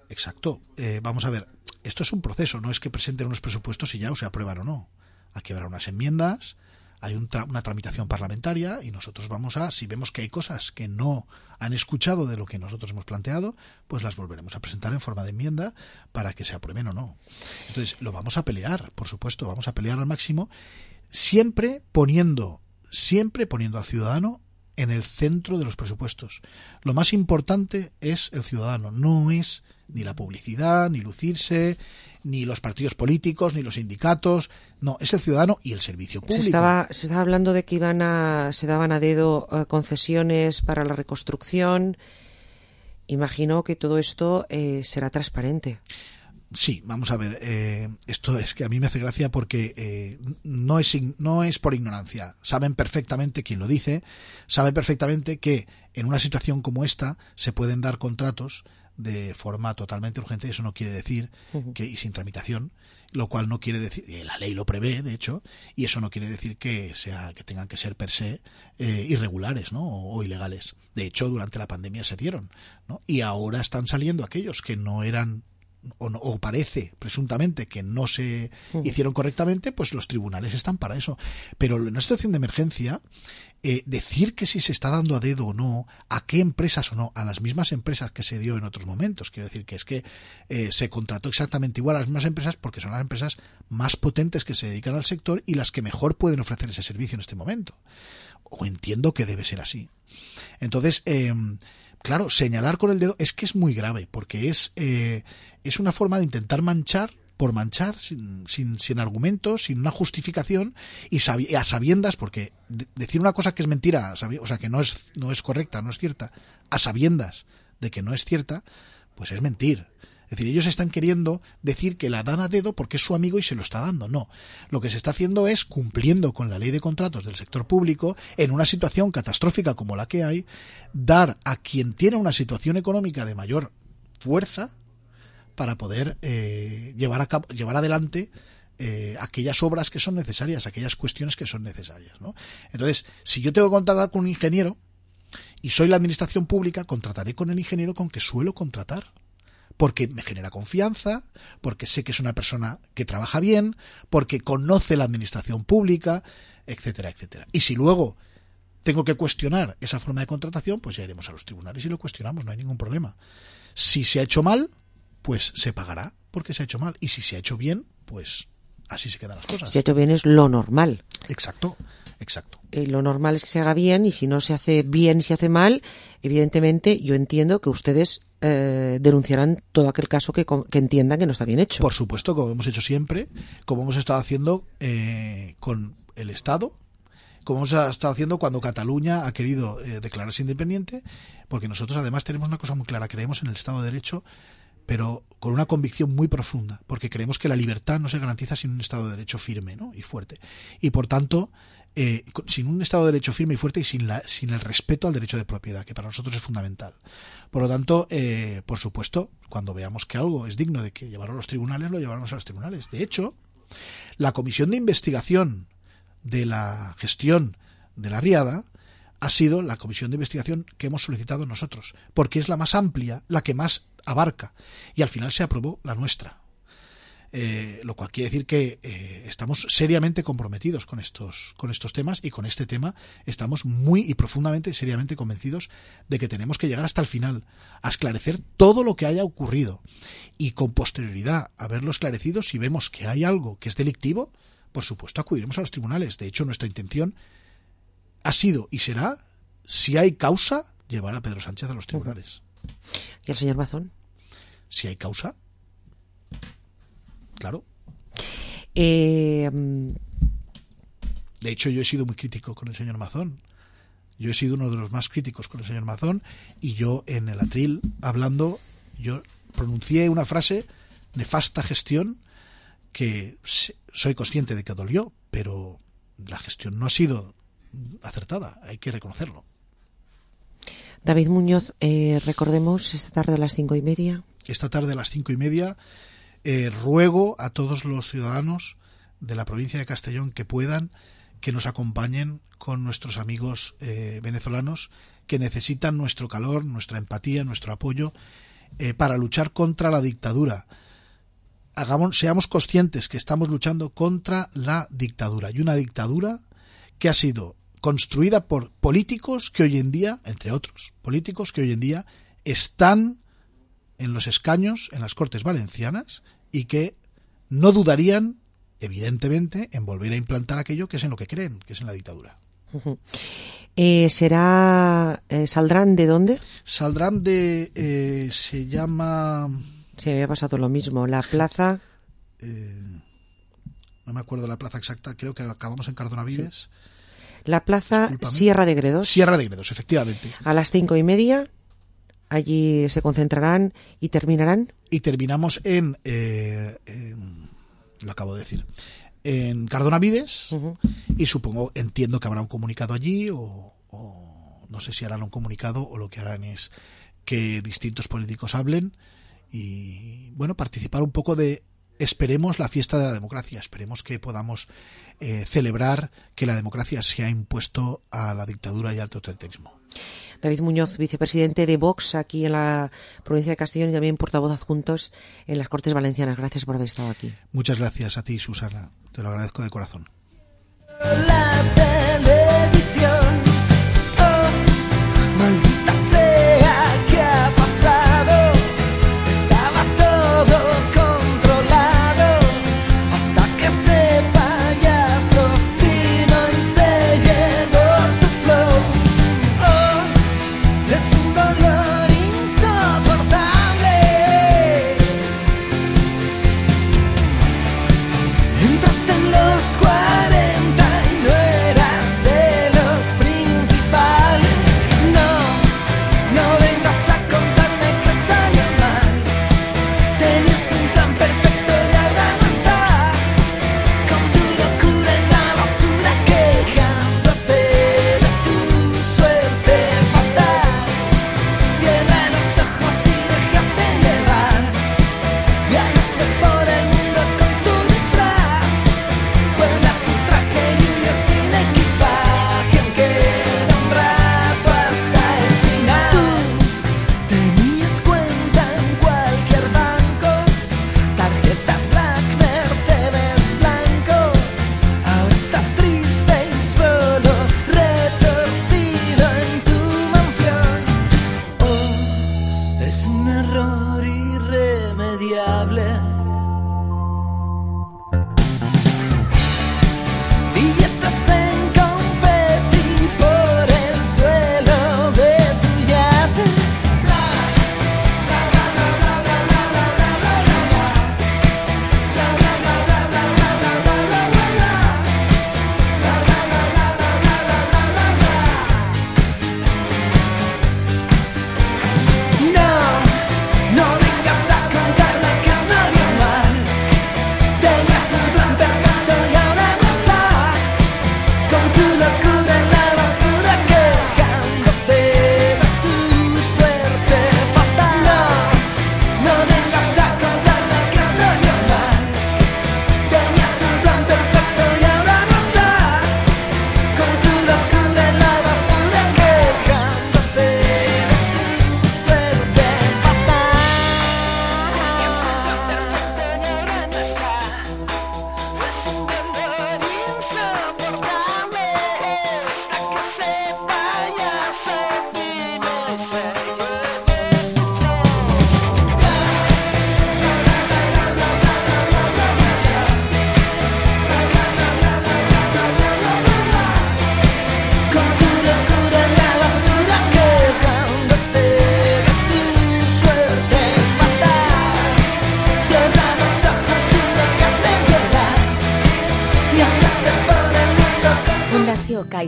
Exacto. Vamos a ver. Esto es un proceso, no es que presenten unos presupuestos y ya o se aprueban o no. Aquí habrá unas enmiendas, hay una tramitación parlamentaria y nosotros si vemos que hay cosas que no han escuchado de lo que nosotros hemos planteado, pues las volveremos a presentar en forma de enmienda para que se aprueben o no. Entonces, lo vamos a pelear, por supuesto, vamos a pelear al máximo, siempre poniendo al ciudadano en el centro de los presupuestos. Lo más importante es el ciudadano, no es ni la publicidad, ni lucirse, ni los partidos políticos, ni los sindicatos. No, es el ciudadano y el servicio público. Se estaba hablando de que se daban a dedo concesiones para la reconstrucción. Imagino que todo esto será transparente. Sí, vamos a ver. Esto es que a mí me hace gracia porque no es por ignorancia. Saben perfectamente quién lo dice. Saben perfectamente que en una situación como esta se pueden dar contratos de forma totalmente urgente. Eso no quiere decir y sin tramitación, lo cual no quiere decir, la ley lo prevé, de hecho, y eso no quiere decir que tengan que ser per se irregulares, ¿no? O ilegales. De hecho, durante la pandemia se dieron, ¿no? Y ahora están saliendo aquellos que no eran o parece presuntamente que no se hicieron correctamente, pues los tribunales están para eso. Pero en una situación de emergencia, decir que si se está dando a dedo o no, a qué empresas o no, a las mismas empresas que se dio en otros momentos, quiero decir que es que se contrató exactamente igual a las mismas empresas porque son las empresas más potentes que se dedican al sector y las que mejor pueden ofrecer ese servicio en este momento. O entiendo que debe ser así. Entonces, claro, señalar con el dedo es que es muy grave, porque es una forma de intentar manchar por manchar, sin argumentos, sin una justificación y a sabiendas, porque decir una cosa que es mentira, o sea, que no es correcta, no es cierta, a sabiendas de que no es cierta, pues es mentir. Es decir, ellos están queriendo decir que la dan a dedo porque es su amigo y se lo está dando. No. Lo que se está haciendo es, cumpliendo con la ley de contratos del sector público, en una situación catastrófica como la que hay, dar a quien tiene una situación económica de mayor fuerza para poder llevar adelante aquellas obras que son necesarias, aquellas cuestiones que son necesarias, ¿no? Entonces, si yo tengo que contratar con un ingeniero y soy la administración pública, contrataré con el ingeniero con que suelo contratar. Porque me genera confianza, porque sé que es una persona que trabaja bien, porque conoce la administración pública, etcétera, etcétera. Y si luego tengo que cuestionar esa forma de contratación, pues ya iremos a los tribunales y lo cuestionamos, no hay ningún problema. Si se ha hecho mal, pues se pagará porque se ha hecho mal. Y si se ha hecho bien, pues así se quedan las cosas. Si se ha hecho bien es lo normal. Exacto. Lo normal es que se haga bien, y si no se hace bien, se hace mal, evidentemente yo entiendo que ustedes denunciarán todo aquel caso que entiendan que no está bien hecho. Por supuesto, como hemos hecho siempre, como hemos estado haciendo con el Estado, como hemos estado haciendo cuando Cataluña ha querido declararse independiente, porque nosotros además tenemos una cosa muy clara, creemos en el Estado de Derecho, pero con una convicción muy profunda, porque creemos que la libertad no se garantiza sin un Estado de Derecho firme, ¿no? Y fuerte. Y por tanto, sin un Estado de Derecho firme y fuerte y sin el respeto al derecho de propiedad, que para nosotros es fundamental. Por lo tanto, por supuesto, cuando veamos que algo es digno de que llevarlo a los tribunales, lo llevaremos a los tribunales. De hecho, la comisión de investigación de la gestión de la Riada ha sido la comisión de investigación que hemos solicitado nosotros, porque es la más amplia, la que más abarca, y al final se aprobó la nuestra. Lo cual quiere decir que estamos seriamente comprometidos con estos temas, y con este tema estamos muy y profundamente, seriamente convencidos de que tenemos que llegar hasta el final, a esclarecer todo lo que haya ocurrido, y con posterioridad a verlo esclarecido, si vemos que hay algo que es delictivo, por supuesto acudiremos a los tribunales. De hecho, nuestra intención ha sido y será, si hay causa, llevar a Pedro Sánchez a los tribunales. ¿Y el señor Mazón? Si hay causa, claro. De hecho, yo he sido muy crítico con el señor Mazón. Yo he sido uno de los más críticos con el señor Mazón, y yo en el atril, hablando, yo pronuncié una frase: nefasta gestión, que soy consciente de que dolió, pero la gestión no ha sido acertada, hay que reconocerlo. David Muñoz, recordemos esta tarde a las 5:30. Esta tarde a las 5:30 ruego a todos los ciudadanos de la provincia de Castellón que puedan, que nos acompañen con nuestros amigos venezolanos, que necesitan nuestro calor, nuestra empatía, nuestro apoyo para luchar contra la dictadura. Seamos conscientes que estamos luchando contra la dictadura, y una dictadura que ha sido construida por políticos que hoy en día, entre otros políticos que hoy en día están en los escaños en las Cortes Valencianas, y que no dudarían, evidentemente, en volver a implantar aquello que es en lo que creen, que es en la dictadura. ¿Saldrán de dónde? Saldrán de... se llama... Sí, me había pasado lo mismo. La plaza... no me acuerdo la plaza exacta, creo que acabamos en Cardona Vives. Sí. La plaza Sierra de Gredos. Sierra de Gredos, efectivamente. A las 5:30, allí se concentrarán y terminarán. Y terminamos lo acabo de decir, en Cardona Vives, y entiendo que habrá un comunicado allí, o no sé si harán un comunicado, o lo que harán es que distintos políticos hablen y, bueno, participar un poco de, esperemos, la fiesta de la democracia. Esperemos que podamos celebrar que la democracia se ha impuesto a la dictadura y al totalitarismo. David Muñoz, vicepresidente de Vox aquí en la provincia de Castellón, y también portavoz adjuntos en las Cortes Valencianas. Gracias por haber estado aquí. Muchas gracias a ti, Susana. Te lo agradezco de corazón. La televisión, oh, maldita sea, ¿qué ha pasado? Estaba todo controlado hasta que ese payaso vino y se llevó tu flow. Oh, es un dolor insoportable. Entraste en los 40 y no eras de los principales. No vengas a contarme que salió mal. Tenías un plan perfecto y ahora no está. Con tu locura en la basura, quejándote de tu suerte fatal.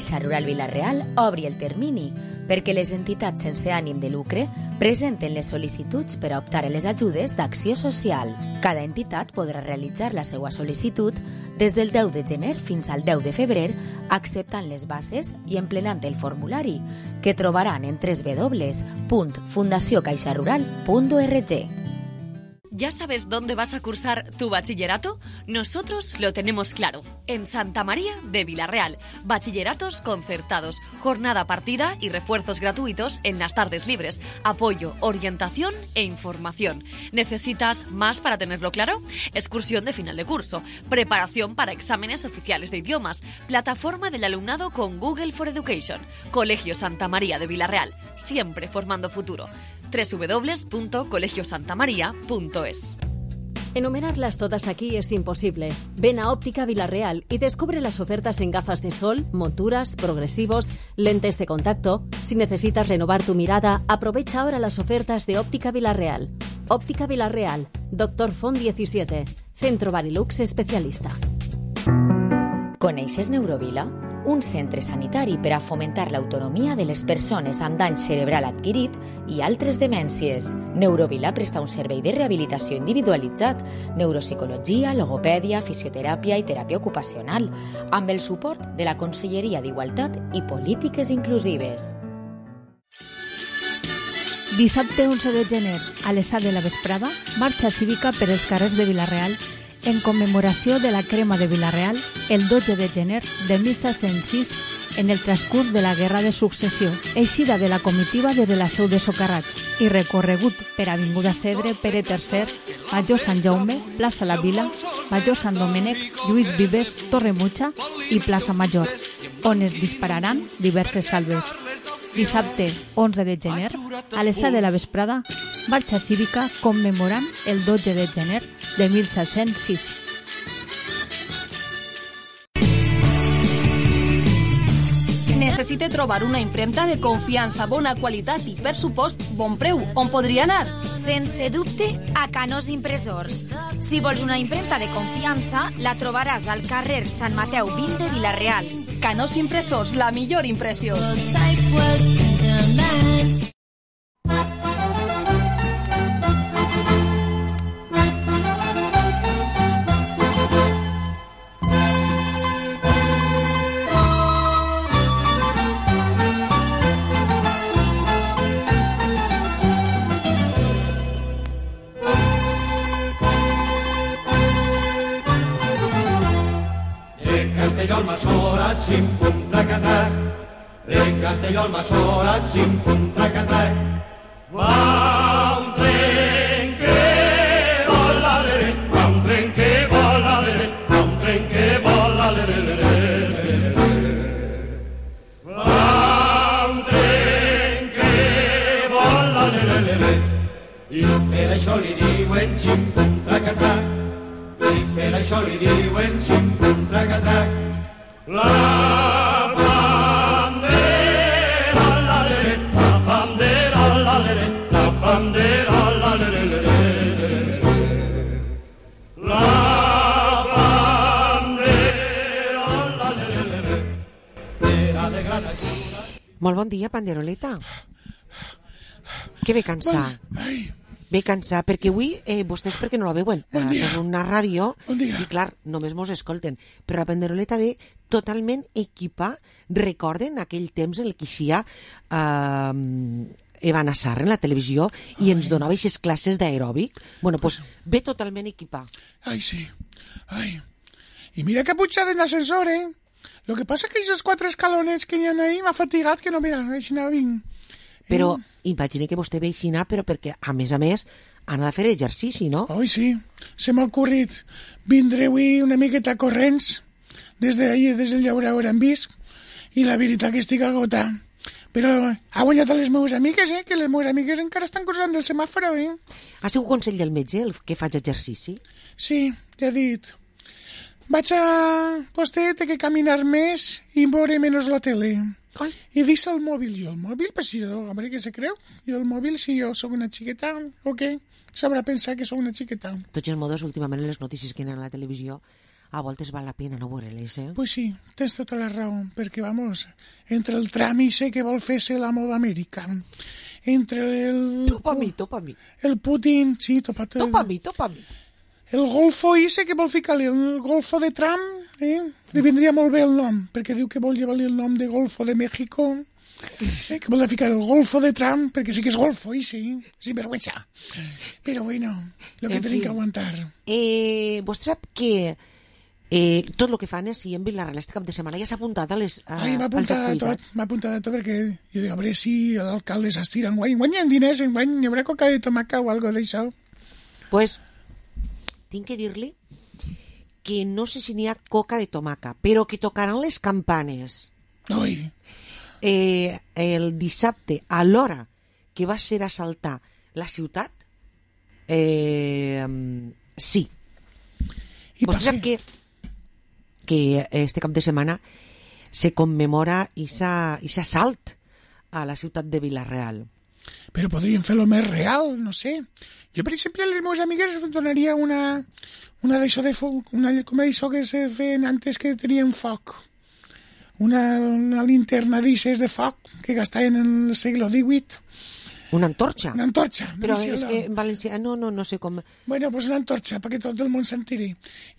Caixa Rural Vila-real obri el termini perquè les entitats sense ànim de lucre presenten les sol·licituds per a optar a les ajudes d'acció social. Cada entitat podrà realitzar la seva sol·licitud des del 10 de gener fins al 10 de febrer, acceptant les bases i emplenant el formulari, que trobaran en www.fundaciocaixarural.org. ¿Ya sabes dónde vas a cursar tu bachillerato? Nosotros lo tenemos claro. En Santa María de Vila-real. Bachilleratos concertados, jornada partida y refuerzos gratuitos en las tardes libres. Apoyo, orientación e información. ¿Necesitas más para tenerlo claro? Excursión de final de curso. Preparación para exámenes oficiales de idiomas. Plataforma del alumnado con Google for Education. Colegio Santa María de Vila-real. Siempre formando futuro. www.colegiosantamaria.es. Enumerarlas todas aquí es imposible. Ven a Óptica Vila-real y descubre las ofertas en gafas de sol, monturas, progresivos, lentes de contacto. Si necesitas renovar tu mirada, aprovecha ahora las ofertas de Óptica Vila-real. Óptica Vila-real, Dr. Font 17, Centro Barilux especialista. Coneixes Neurovila? Un centre sanitari per a fomentar l'autonomia de les persones amb dany cerebral adquirit i altres demències. Neurovila presta un servei de rehabilitació individualitzat, neuropsicologia, logopèdia, fisioteràpia i teràpia ocupacional, amb el suport de la Conselleria d'Igualtat i Polítiques Inclusives. Dissabte 11 de gener, a les 7 de la vesprada, marxa cívica per els carrers de Vila-real en commemoració de la crema de Vila-real el 12 de gener de 1706 en el transcurs de la Guerra de Successió, eixida de la comitiva des de la seu de Socarrats i recorregut per Avinguda Segre, Pere III, Major Sant Jaume, Plaça La Vila, Major Sant Domènec, Lluís Vives, Torre Mutxa i Plaça Major, on es dispararan diverses salves. Dissabte 11 de gener, a les 7 de la vesprada, marxa cívica commemorant el 12 de gener de 1706. Necessite trobar una impremta de confiança, bona qualitat i, per supost, bon preu. On podria anar? Sense dubte, a Canós Impressors. Si vols una impremta de confiança, la trobaràs al carrer Sant Mateu 20 de Vila-real. Canós Impressors, la millor impressió. Castelló al Masorat, sim, pum, tracatac. De Castelló al Masorat, sim, pum, tracatac. Va un tren que vola, lere, va un tren que vola, lere, va un tren que vola, lere, lere. Va un tren que vola, lere, lere. I per això li diuen sim, pum, tracatac. I per això li diuen sim, pum, tracatac. La bandera, la lere, la bandera, la lere, la bandera, la lere, lere. La bandera, la lere, lere. Era de gran ajuda. Molt bon dia, panderoleta. Que ve cansar? Ve cansar, perquè avui, vostès perquè no la veuen, això és una ràdio, i clar, només mos escolten, però la panderoleta ve totalment equipa. Recorden aquell temps en el que hi ha Evan Assar en la televisió i ens donava aquestes classes d'aeròbic? Bueno, doncs ve totalment equipa. Ai, sí. Ai. I mira que pujada en l'ascensor, eh? Lo que passa que aquests 4 escalones que hi ha ahí m'ha fatigat, que no, mira, així no vinc. Però imagina que vostè ve així, però perquè, a més, han de fer exercici, no? Oi, sí. Se m'ha ocorrit vindre avui una miqueta corrents des d'ahir, des del llaure on visc, i la veritat que estic agotat. Però ha guanyat a les meves amigues, que les meves amigues encara estan cursant el semàforo, Ha sigut consell del metge el que faig exercici? Sí, ja he dit. Vaig a... Vostè té que caminar més i veure menys la tele. Ai. I deixa el mòbil. Jo el mòbil, pues jo, hombre, què se creu? Jo el mòbil, si jo sóc una xiqueta, o què? Sabrà pensar que sóc una xiqueta. Tots els modos, últimament, les notícies que hi ha a la televisió, a voltes val la pena no veure-les, Pues sí, tens tota la raó, perquè, vamos, entre el Trump i que vol fer-se l'amo d'Amèrica, entre el... Topa a mi. El Putin, sí, topa a mi. El golfo ese que vol ficar-li, el golfo de Trump, li vindria molt bé el nom, perquè diu que vol llevar-li el nom de Golfo de México, que vol ficar el golfo de Trump, perquè sí que és golfo, sí, sinvergüenza. Però bueno, lo que tenim que aguantar. Vostè sap que tot el que fan és, si en Vilareal este cap de setmana ja s'ha apuntat als activitats. M'ha apuntat a tot, perquè jo dic, a veure si l'alcalde s'estira enguany hi ha diners, enguany hi haurà coca de tomaca o algo d'això. Pues, tinc que dir-li que no sé si n'hi ha coca de tomaca, però que tocaran les campanes. Oi. El dissabte, a l'hora que va ser assaltar la ciutat, sí. I vostè sap que este cap de setmana se commemora aquest assalt a la ciutat de Vila-real. Però podríem fer-lo més real, no sé. Jo, per exemple, a les meves amigues donaria una d'això de foc, com això que se feien antes que tenien foc. Una linterna d'aixes de foc que gastaven en el segle XVIII. Una antorxa? Una antorxa. Però és que en valencià no sé com... Bueno, pues una antorxa, perquè tot el món s'entiri.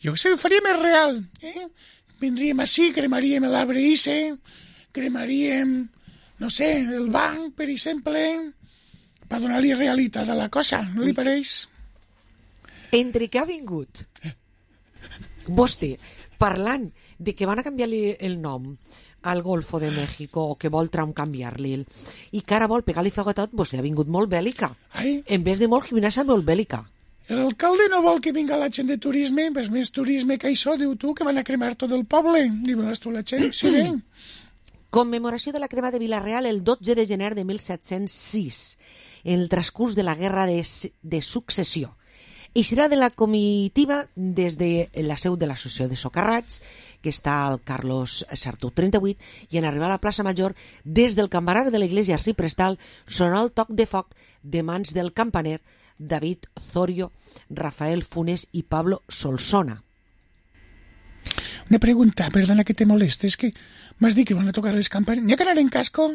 Jo sé, ho faria més real. Vindríem així, cremaríem l'arbre ise, cremaríem, no sé, el banc, per exemple, per donar-li realitat a la cosa, no li pareix? Entre que ha vingut vostè parlant de que van a canviar-li el nom al Golfo de México, o que vol Trump canviar-li, i que ara vol pegar-li foc a tot, vostè ha vingut molt bèl·lica. En vez de molt gimnàsia, molt bèl·lica. L'alcalde no vol que vinga la gent de turisme, pues més turisme que això, diu tu, que van a cremar tot el poble. Dius tu la gent, sí, bé. Commemoració de la crema de Vila-real el 12 de gener de 1706, en el transcurs de la Guerra de Successió. I serà de la comitiva des de la seu de l'Associació de Socarrats, que està al Carlos Sartú 38, i en arribar a la plaça Major, des del campanar de l'església Arciprestal, sonarà el toc de foc de mans del campaner David Zorio, Rafael Funes i Pablo Solsona. Una pregunta, perdona que te molestes, que m'has dit que van a tocar les campanes. N'hi ha que anar en casco?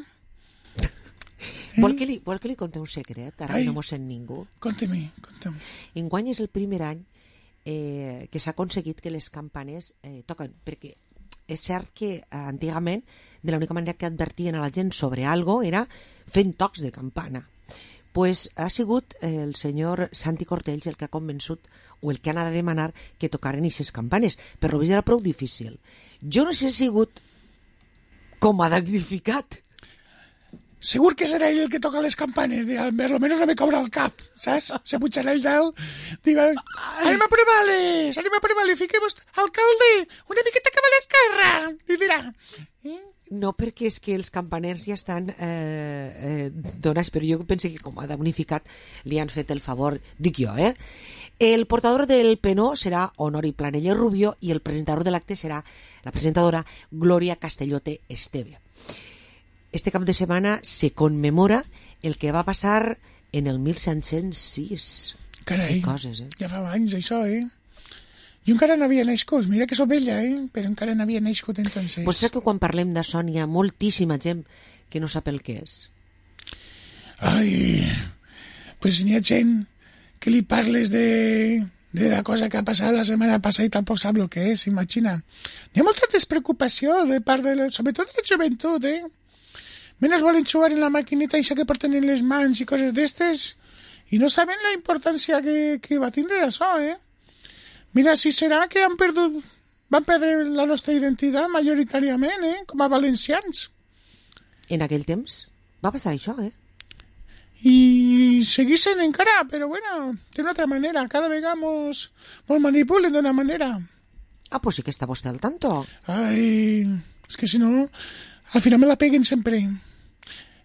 Vol que li conte un secret? Ara no m'ho sent ningú. Conta'm. Enguany és el primer any que s'ha aconseguit que les campanes toquen, perquè és cert que antigament de l'única manera que advertien a la gent sobre algo era fent tocs de campana. Pues ha sigut el senyor Santi Cortells el que ha convençut o el que ha anat a demanar que tocaren aquestes campanes, però era prou difícil. Jo no sé si ha sigut com a damnificat. Segur que serà ell el que toca les campanes, almenys no me cobra el cap, saps? Se pujarà el dalt, diga, anem a provar-les, fiquem-nos, alcalde, una miqueta cap a l'esquerra, li dirà. No, perquè és que els campaners ja estan donats, però jo penso que com a damnificat li han fet el favor, dic jo, El portador del penó serà Honori Planella Rubio i el presentador de l'acte serà la presentadora Glòria Castellote Esteve. Este cap de setmana se commemora el que va passar en el 1706. Carai, coses, ja fa anys això, Jo encara no havia nascut, mira que sóc vella, però encara no havia nascut entonces. Pues sap que quan parlem de son hi ha moltíssima gent que no sap el que és. Ai, pues n'hi ha gent que li parles de la cosa que ha passat la setmana passada i tampoc sap el que és, imagina. N'hi ha molta despreocupació de part sobretot de la joventut, Menos volen jugar en la maquineta això que porten en les mans i coses d'estes i no saben la importància que va tindre això, Mira, si serà que van perdre la nostra identitat majoritàriament, com a valencians. En aquell temps va passar això, I seguissin encara, però bueno, d'una altra manera, cada vegada mos manipulen d'una manera. Ah, pues sí que està vostè al tanto. Ai, és que si no, al final me la peguen sempre.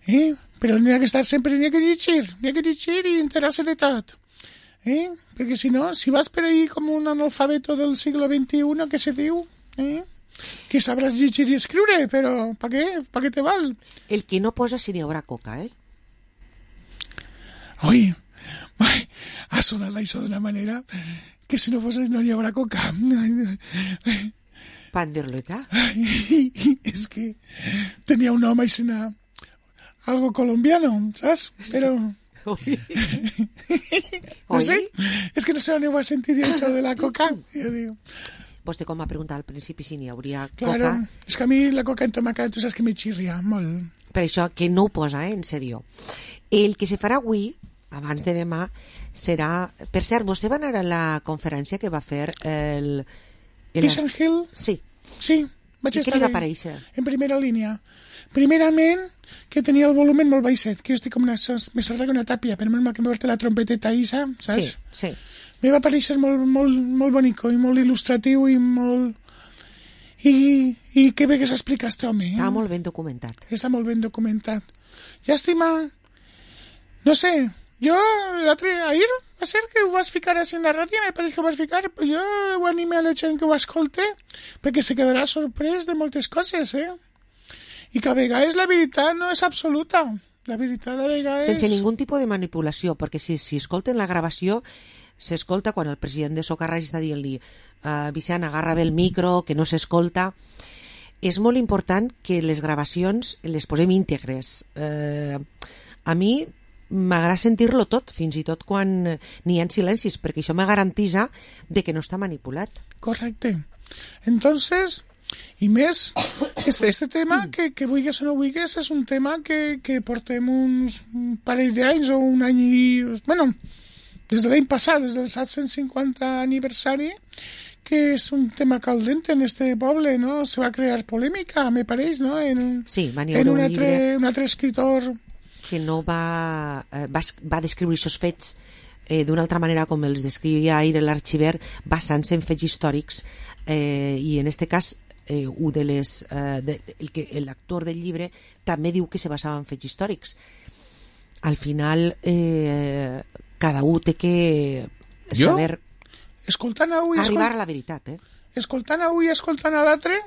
Però n'hi ha que estar sempre, n'hi ha que llegir i enterar-se de tot. Perquè si no, si vas per ahí com un analfabeto del segle XXI, que se diu, que sabràs llegir i escriure, però pa què te val? El que no posa si n'hi haurà coca, Oi, ha sonat això d'una manera que si no fos no hi haurà coca. Pan de ruleta. És que tenia un home i sena algo colombiano, saps? Però... No sé, és que no sé on ho va sentir dir això de la coca. Jo dic... Vostè com va preguntar al principi si n'hi hauria Claro, coca. és que a mi la coca entomacada, tu saps que me xirria molt. Per això que no ho posa, en sèrio. El que se farà avui, abans de demà, serà... Per cert, vostè va anar a la conferència que va fer el... Vincent Hill? Sí. Sí, vaig I estar què li va aparèixer? En primera línia. Primerament, que tenia el volumen molt baixet, que jo estic com més sorda que una tàpia, però menys mal que m'ha portat la trompeteta Isa, saps? Sí, sí. Me va aparèixer molt bonico i molt il·lustratiu i molt... I que bé que s'explica este home. Està molt ben documentat. Està molt ben documentat. Llàstima... No sé, jo ahir va ser que ho vas ficar així en la ràdio, me pareix que ho vas ficar, però jo ho anime a la gent que ho escolte, perquè se quedarà sorprès de moltes coses, I que a vegades la veritat no és absoluta. La veritat a vegades... Sense ningú tipus de manipulació, perquè si escolten la gravació, s'escolta quan el president de Socarrats està dient-li Vicent, agarra bé el micro, que no s'escolta. És molt important que les gravacions les posem íntegres. A mi m'agrada sentir-lo tot, fins i tot quan n'hi ha silencis, perquè això me garantisa de que no està manipulat. Correcte. Entonces... I més, este tema, que vulguis o no vulguis, és un tema que portem un parell d'anys o un any i... Bueno, des de l'any passat, des del 750 aniversari, que és un tema caldent en este poble, no? Se va crear polèmica, me pareix, no? Sí, va n'hi haver un altre escritor... Que no va descriure aquests fets d'una altra manera com els descrivia ahir l'arxiver, basant-se en fets històrics, i en este cas l'actor del llibre també diu que se basava en fets històrics. Al final cada un té que saber arribar a la veritat. Escoltant a un i escoltant a l'altre,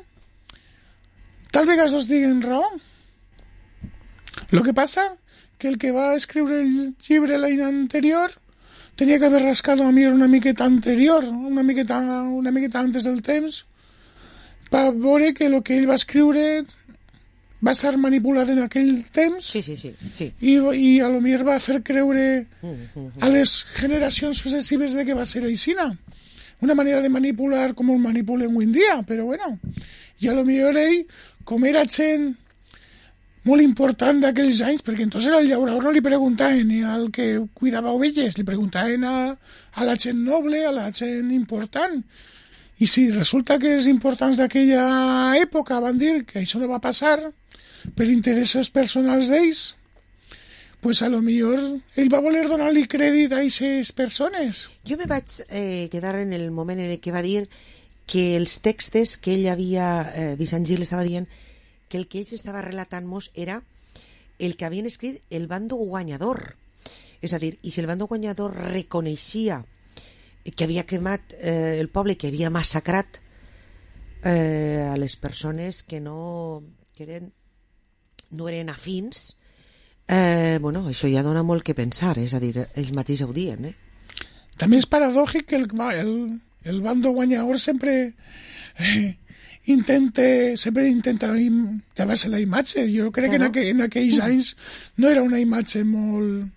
tal vegades dos diguen raó. Lo que passa que el que va escriure el llibre l'any anterior tenia que haver rascat una miqueta anterior, una miqueta antes del temps, per veure que el que ell va escriure va estar manipulat en aquell temps. Sí. I a lo millor va fer creure a les generacions successives de que va ser aixina. Una manera de manipular com ho manipulen avui en dia, però bueno. I a lo millor ell, com era gent molt important d'aquells anys, perquè entonces al llaurador no li preguntaven ni al que cuidava ovelles, li preguntaven a la gent noble, a la gent important. I si resulta que els importants d'aquella època van dir que això no va passar per interessos personals d'ells, pues a lo millor ell va voler donar-li crèdit a aquestes persones. Jo me vaig quedar en el moment en què va dir que els textos que ell havia... Vicent Gil estava dient que el que ells estava relatant-nos era el que havien escrit el bando guanyador. És a dir, i si el bando guanyador reconeixia que havia cremat el poble, que havia massacrat a les persones que no eren afins, bueno, això ja dona molt que pensar, és a dir, ells mateixos ho diuen. També és paradògic que el bando guanyador sempre intenta llevar-se la imatge. Jo crec que en aquells anys no era una imatge molt...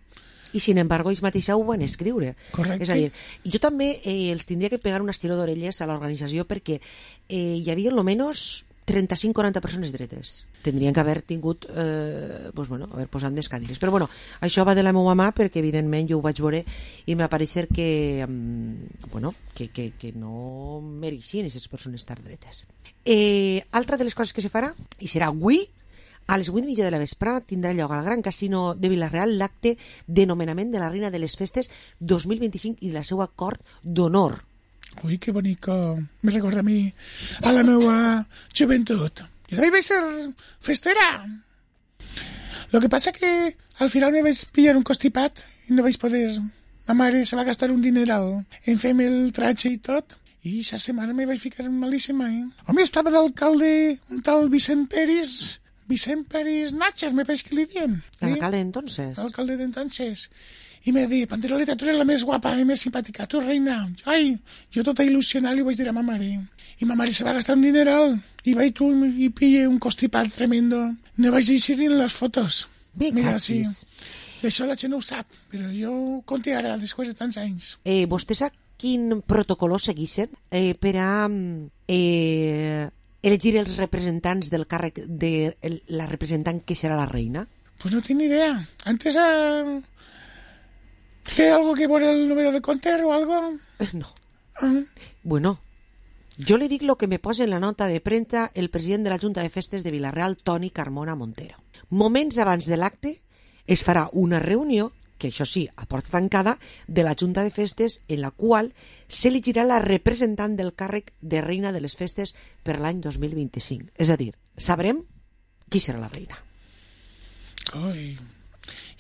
I sin embargo ells mateixos ho van escriure. Correcte. És a dir, jo també els tindria que pegar un estiró d'orelles a l'organització perquè hi havia almenys 35-40 persones dretes. Tindrien que haver tingut haver posat més cadires. Però bueno, això va de la meva mà perquè evidentment jo ho vaig veure i m'ha pareixer que que no mereixien aquestes persones estar dretes. Altra de les coses que se farà, i serà avui, a les 8:30 de la vesprada tindrà lloc al Gran Casino de Vila-real l'acte de nomenament de la reina de les festes 2025 i de la seva cort d'honor. Ui, que bonico. Me recorda a mi, a la meva joventut. Jo també vaig ser festera. Lo que passa que al final me vaig pillar un constipat i no vaig poder... Ma mare se va gastar un dineral en fer-me el tratge i tot. I aquesta setmana me vaig ficar malíssima, Home, estava d'alcalde un tal Vicent Peris Vicent Peris Natcher, me parece que li diuen. El alcalde entonces. El alcalde de entonces. I me diu, Panderoleta, tu eres la més guapa i més simpàtica, tu reina. Ai, jo tota il·lusionada li vaig dir a ma mare. I ma mare se va gastar un dineral i vaig tu i pille un constipat tremendo. No vaig dir ni en les fotos. Bé, mira, cachis. Sí. Això la gent no ho sap, però jo ho conté ara, després de tants anys. Vostè sap quin protocol segueixen per a elegir els representants del càrrec de la representant que serà la reina? Pues no tinc ni idea. Antes ¿Té algo que ver el número de Conter o algo? No. Bueno, yo le dic lo que me posa en la nota de premsa el president de la Junta de Festes de Vila-real, Toni Carmona Montero. Moments abans de l'acte es farà una reunió, que això sí, a porta tancada, de la Junta de Festes, en la qual s'elegirà la representant del càrrec de reina de les festes per l'any 2025. És a dir, sabrem qui serà la reina. Ui.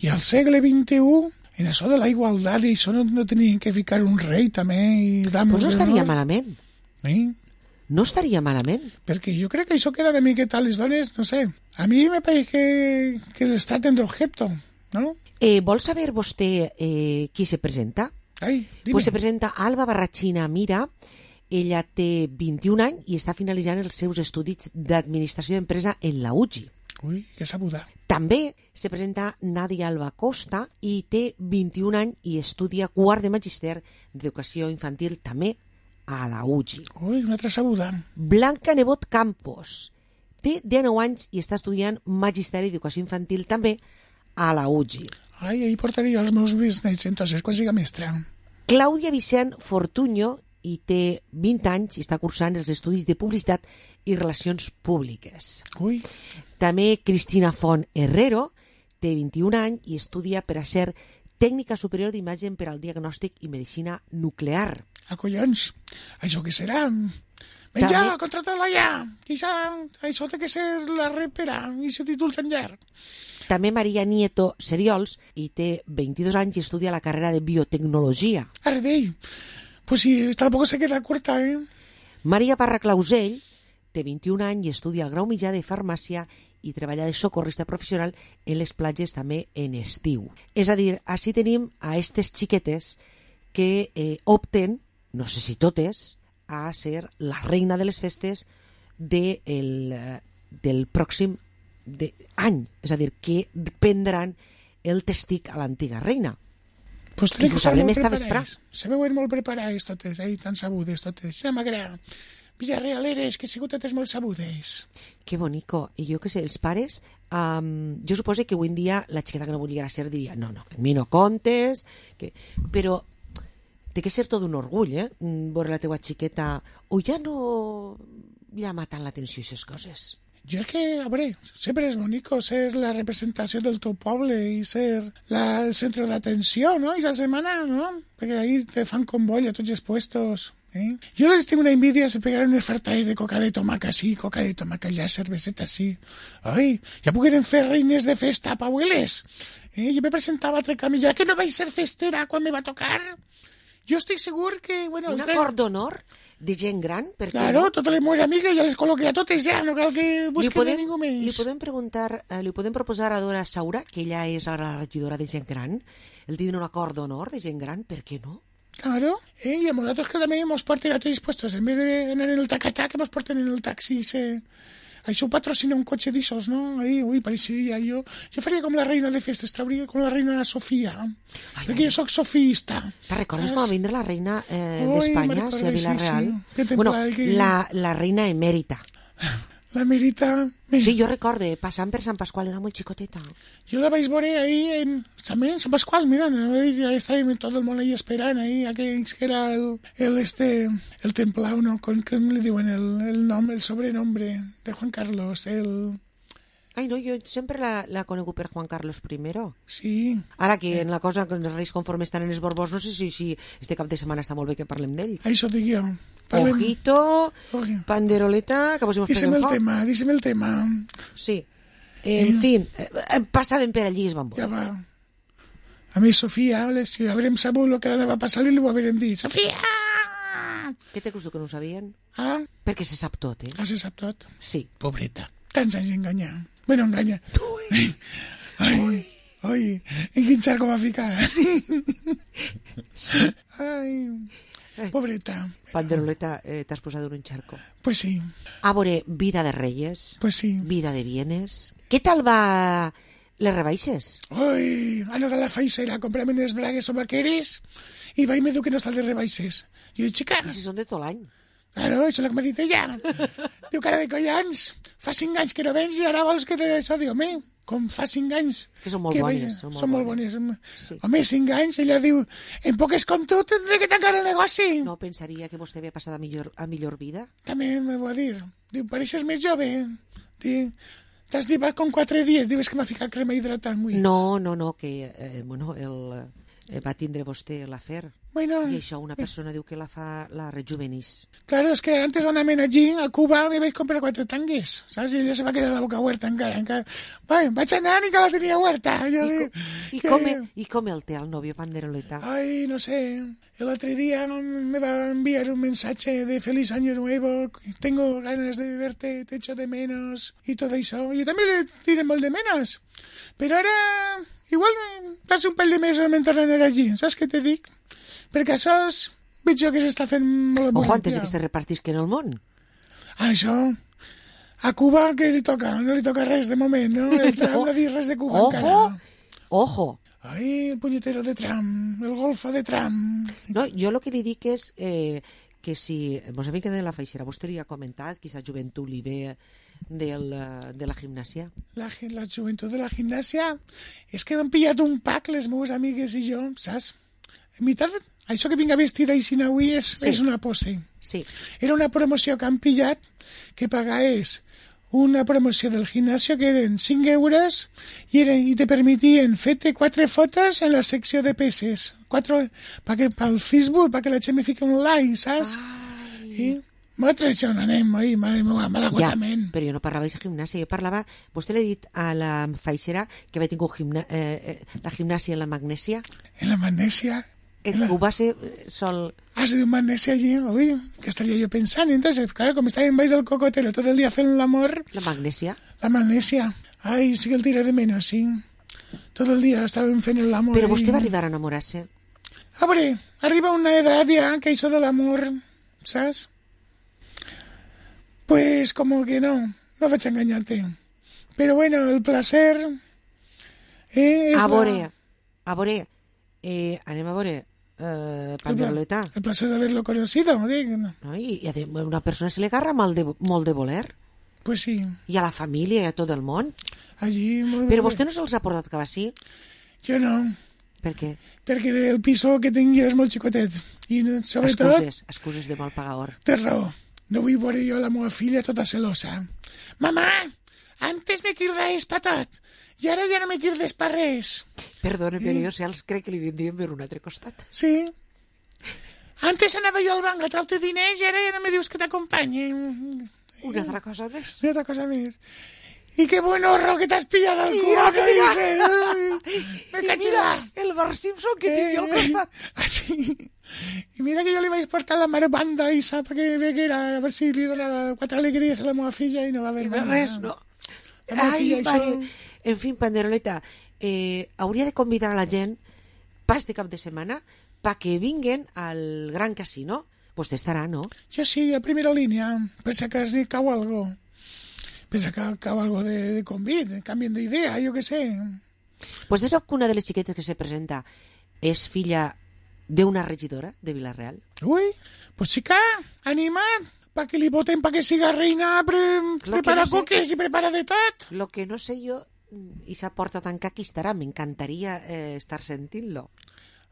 I al segle XXI... En això de la igualtat i això no tenien que ficar un rei també i damos pues no estaria malament. No estaria malament. Perquè jo crec que això queda una miqueta a les dones, no sé. A mi me pareix que les traten d'objecto, ¿no? Vol saber vostè qui se presenta? Ai, dime. Pues se presenta Alba Barrachina Mira. Ella té 21 anys i està finalitzant els seus estudis d'administració d'empresa en la UGI. Ui, que sabuda. També se presenta Nadia Alba Costa i té 21 anys i estudia quart de magíster d'educació infantil també a la UGI. Ui, una altra sabuda. Blanca Nebot Campos té 19 anys i està estudiant magisteri d'educació infantil també a la UGI. Ai, ahí portaria els meus bisnets, entonces, quan siga mestra. Clàudia Vicent Fortuño i té 20 anys i està cursant els estudis de publicitat i relacions públiques. Ui. També Cristina Font Herrero té 21 anys i estudia per a ser tècnica superior d'imatge per al diagnòstic i medicina nuclear. Collons, això què serà? Menja, contrata-la ja! Això té que ser la repera, i se títol tan llarg. També Maria Nieto Seriols i té 22 anys i estudia la carrera de biotecnologia. Ara d'ell. Pues sí, tampoc se queda curta, Maria Parra Clausell té 21 anys i estudia el grau mitjà de farmàcia i treballa de socorrista professional en les platges també en estiu. És a dir, així tenim a aquestes xiquetes que opten, no sé si totes, a ser la reina de les festes del pròxim any. És a dir, que prendran el testic a l'antiga reina. Pues crec que saben molt preparades. Se veuen molt preparades totes, tan sabudes totes. Se m'agrada. Villarrealeres, que sigut totes molt sabudes. Que bonico. I jo que sé, els pares, jo suposo que avui en dia la xiqueta que no volguera ser diria, no, a mi no contes, però té que ser tot un orgull, veure la teua xiqueta, o ja no llama tant l'atenció aquestes coses. Jo és que, a veure, sempre és bonico ser la representació del teu poble i ser el centre d'atenció, no? I la setmana, no? Perquè ahí te fan convoy a tots els puestos. Jo les tinc una envidia, se pegaran unes fartades de coca de tomaca sí, coca de tomaca allà, cerveseta sí. Ai, ja pogueren fer reines de festa, paueles. Jo me presentava a Trecamilla, que no vaig ser festera quan me va tocar. Jo estic segur que... Bueno, un acord d'honor de gent gran? Claro, no? Totes les meves amigues ja les col·loqué a totes ja, no cal que busquen de ningú més. Li podem proposar a Dora Saura, que ella és la regidora de gent gran, el tindre un acord d'honor de gent gran, per què no? Claro, y a nosotros que también nos porten a todos dispuestos, en vez de anar en el tacatá, que nos porten en el taxi. Això ho patrocina un cotxe d'issos, no? Ui, pareixeria jo faria com la reina de festes, trauria com la reina Sofia, perquè jo soc sofiista. Te recordes quan va vindre la reina d'Espanya, a Vila-real? Sí. Bueno, la reina emèrita. La Merita... Sí, jo recorde, passant per Sant Pasqual, era molt xicoteta. Jo la vaig veure ahí també en Sant Pasqual, mira, ja estàvem tot el món ahí esperant, ahí, aquells que era el templau, no? Com li diuen el nom, el sobrenombre de Juan Carlos, Ai, no, jo sempre la conegut per Juan Carlos I. Sí. Ara que en la cosa, que els reis conforme estan en els Borbons, no sé si este cap de setmana està molt bé que parlem d'ells. Això dic jo. Ojito, panderoleta, que vos hi Dísem el tema. Sí. En fi, passaven per allí i es van veure. Ja va. A mi, Sofia, si haurem sabut el que va passar, li ho haurem dit. Sofia! Què te creus que no ho sabien? Ah? Perquè se sap tot, Ah, se sap tot? Sí. Pobreta. Tants anys enganyar. Bueno, enganya. Ai, en quin xarco va ficar? Sí. Ai, pobreta. Panderoleta, t'has posat en un xarco. Pues sí. A veure, vida de Reyes. Pues sí. Vida de bienes. Què tal va les rebaixes? Ai, he anat a la faixera a comprar-me unes bragues o vaqueres i vaig me diu que no està de rebaixes. I dic, xica... I si són de tot l'any. Claro, això és el que m'ha dit ella. Diu, cara de collons, fa 5 anys que no vens i ara vols que te això? Diu, home, com fa 5 anys... Que són molt bones. Són molt bones. Sí. Home, 5 anys, ella diu, en poques com tu tindré que tancar el negoci. No pensaria que vostè havia passat a millor vida? També me va dir. Diu, pareixes més jove. Diu, t'has llevat com 4 dies. Diu, és que m'ha ficat crema hidratant, avui. No, que va tindre vostè l'afer. Bueno, I això una persona diu que la rejuvenís. Claro, es que antes anaven allí, a Cuba, me vaig comprar 4 tangues, saps? I ella se va quedar la boca huerta encara. Vaig anar i que la tenia huerta. I com el té el novio Panderoleta? Ay, no sé. El otro día me va a enviar un mensaje de feliz año nuevo, tengo ganas de verte, te echo de menos y todo eso. Yo también le tiré molt de menos. Però ara, igual passa un parell de mesos mentre anar allí, saps què te dic? Perquè això veig jo que s'està fent molt... Ojo, antes de que se repartisquen el món. Això, a Cuba què li toca? No li toca res de moment, no? El Trump no ha dit res de Cuba encara. Ojo. Ai, el punyetero de Trump, el golfo de Trump. No, jo el que li dic és que si vos havia quedat de la feixera, vostè li ha comentat que aquesta joventut li ve de la gimnàsia. La joventut de la gimnàsia és que m'han pillat un pack les meves amigues i jo, saps? En veritat, això que vinga vestida així avui és una pose. Sí. Era una promoció que han pillat que pagaés una promoció del gimnasio que eren 5 euros i te permitien fer-te 4 fotos en la secció de peses. 4 pel Facebook, perquè la gent me fica un like, saps? I nosaltres això no anem, malagotament. Ja, però jo no parlava de gimnàsia, jo parlava... Vostè l'ha dit a la feixera que havia tingut la gimnàsia en la magnèsia? En la magnèsia? Ho va ser sol... Has de magnesia allí, uy, que estaría yo pensando. Entonces, claro, como estaba en baix del cocotero todo el día haciendo el amor... ¿La magnesia? La magnesia. Ay, sí que el tiré de menos, sí. Todo el día estaba haciendo el amor. Però vostè va arribar a enamorar-se? Hombre, arriba una edad ya que hizo del amor, ¿sabes? Pues como que no vaig a engañarte. Pero bueno, el placer... A veure, anem a veure... Panderoleta. El placer de haberlo conocido, dic. No, i a una persona se li agarra molt de voler. Pues sí. I a la família i a tot el món. Allí... Però vostè no se'ls ha portat cap així? Jo no. Per què? Perquè el piso que tinc jo és molt xicotet. I sobretot... Excuses de mal pagador. Té raó. No vull veure jo la meva filla tota celosa. Mamà, antes me quirdaes pa tot. I ara ja no me quirdes pa res. Perdona, però jo els crec que li vindrien per un altre costat. Sí. Antes anava jo al banc a traure'te diners i ara ja no me dius que t'acompanyi. Una altra cosa més. Una altra cosa més. I que buen horro que t'has pillat al cul, que dices. Me cachila. El Bar Simpson que tinc jo al costat. Sí. I mira que jo li vaig portar la mare banda i sap que era, a veure si li donava 4 alegries a la meva filla i no va haver res, no? Ai, pare. En fi, Panderoleta, hauria de convidar a la gent pas de cap de setmana perquè vinguen al Gran Casino. Vostè estarà, no? Jo sí, a primera línia, per si acaso cau algo. Per si cau algo de convit, canvien d'idea, jo què sé. Vostè sap que una de les xiquetes que se presenta és filla d'una regidora de Vila-real? Ui, pues xica, anima't. Pa que li voten, pa que siga reina, prepara coques i prepara de tot. Lo que no sé jo, i esa porta tan que aquí estarà, m'encantaria estar sentint-lo.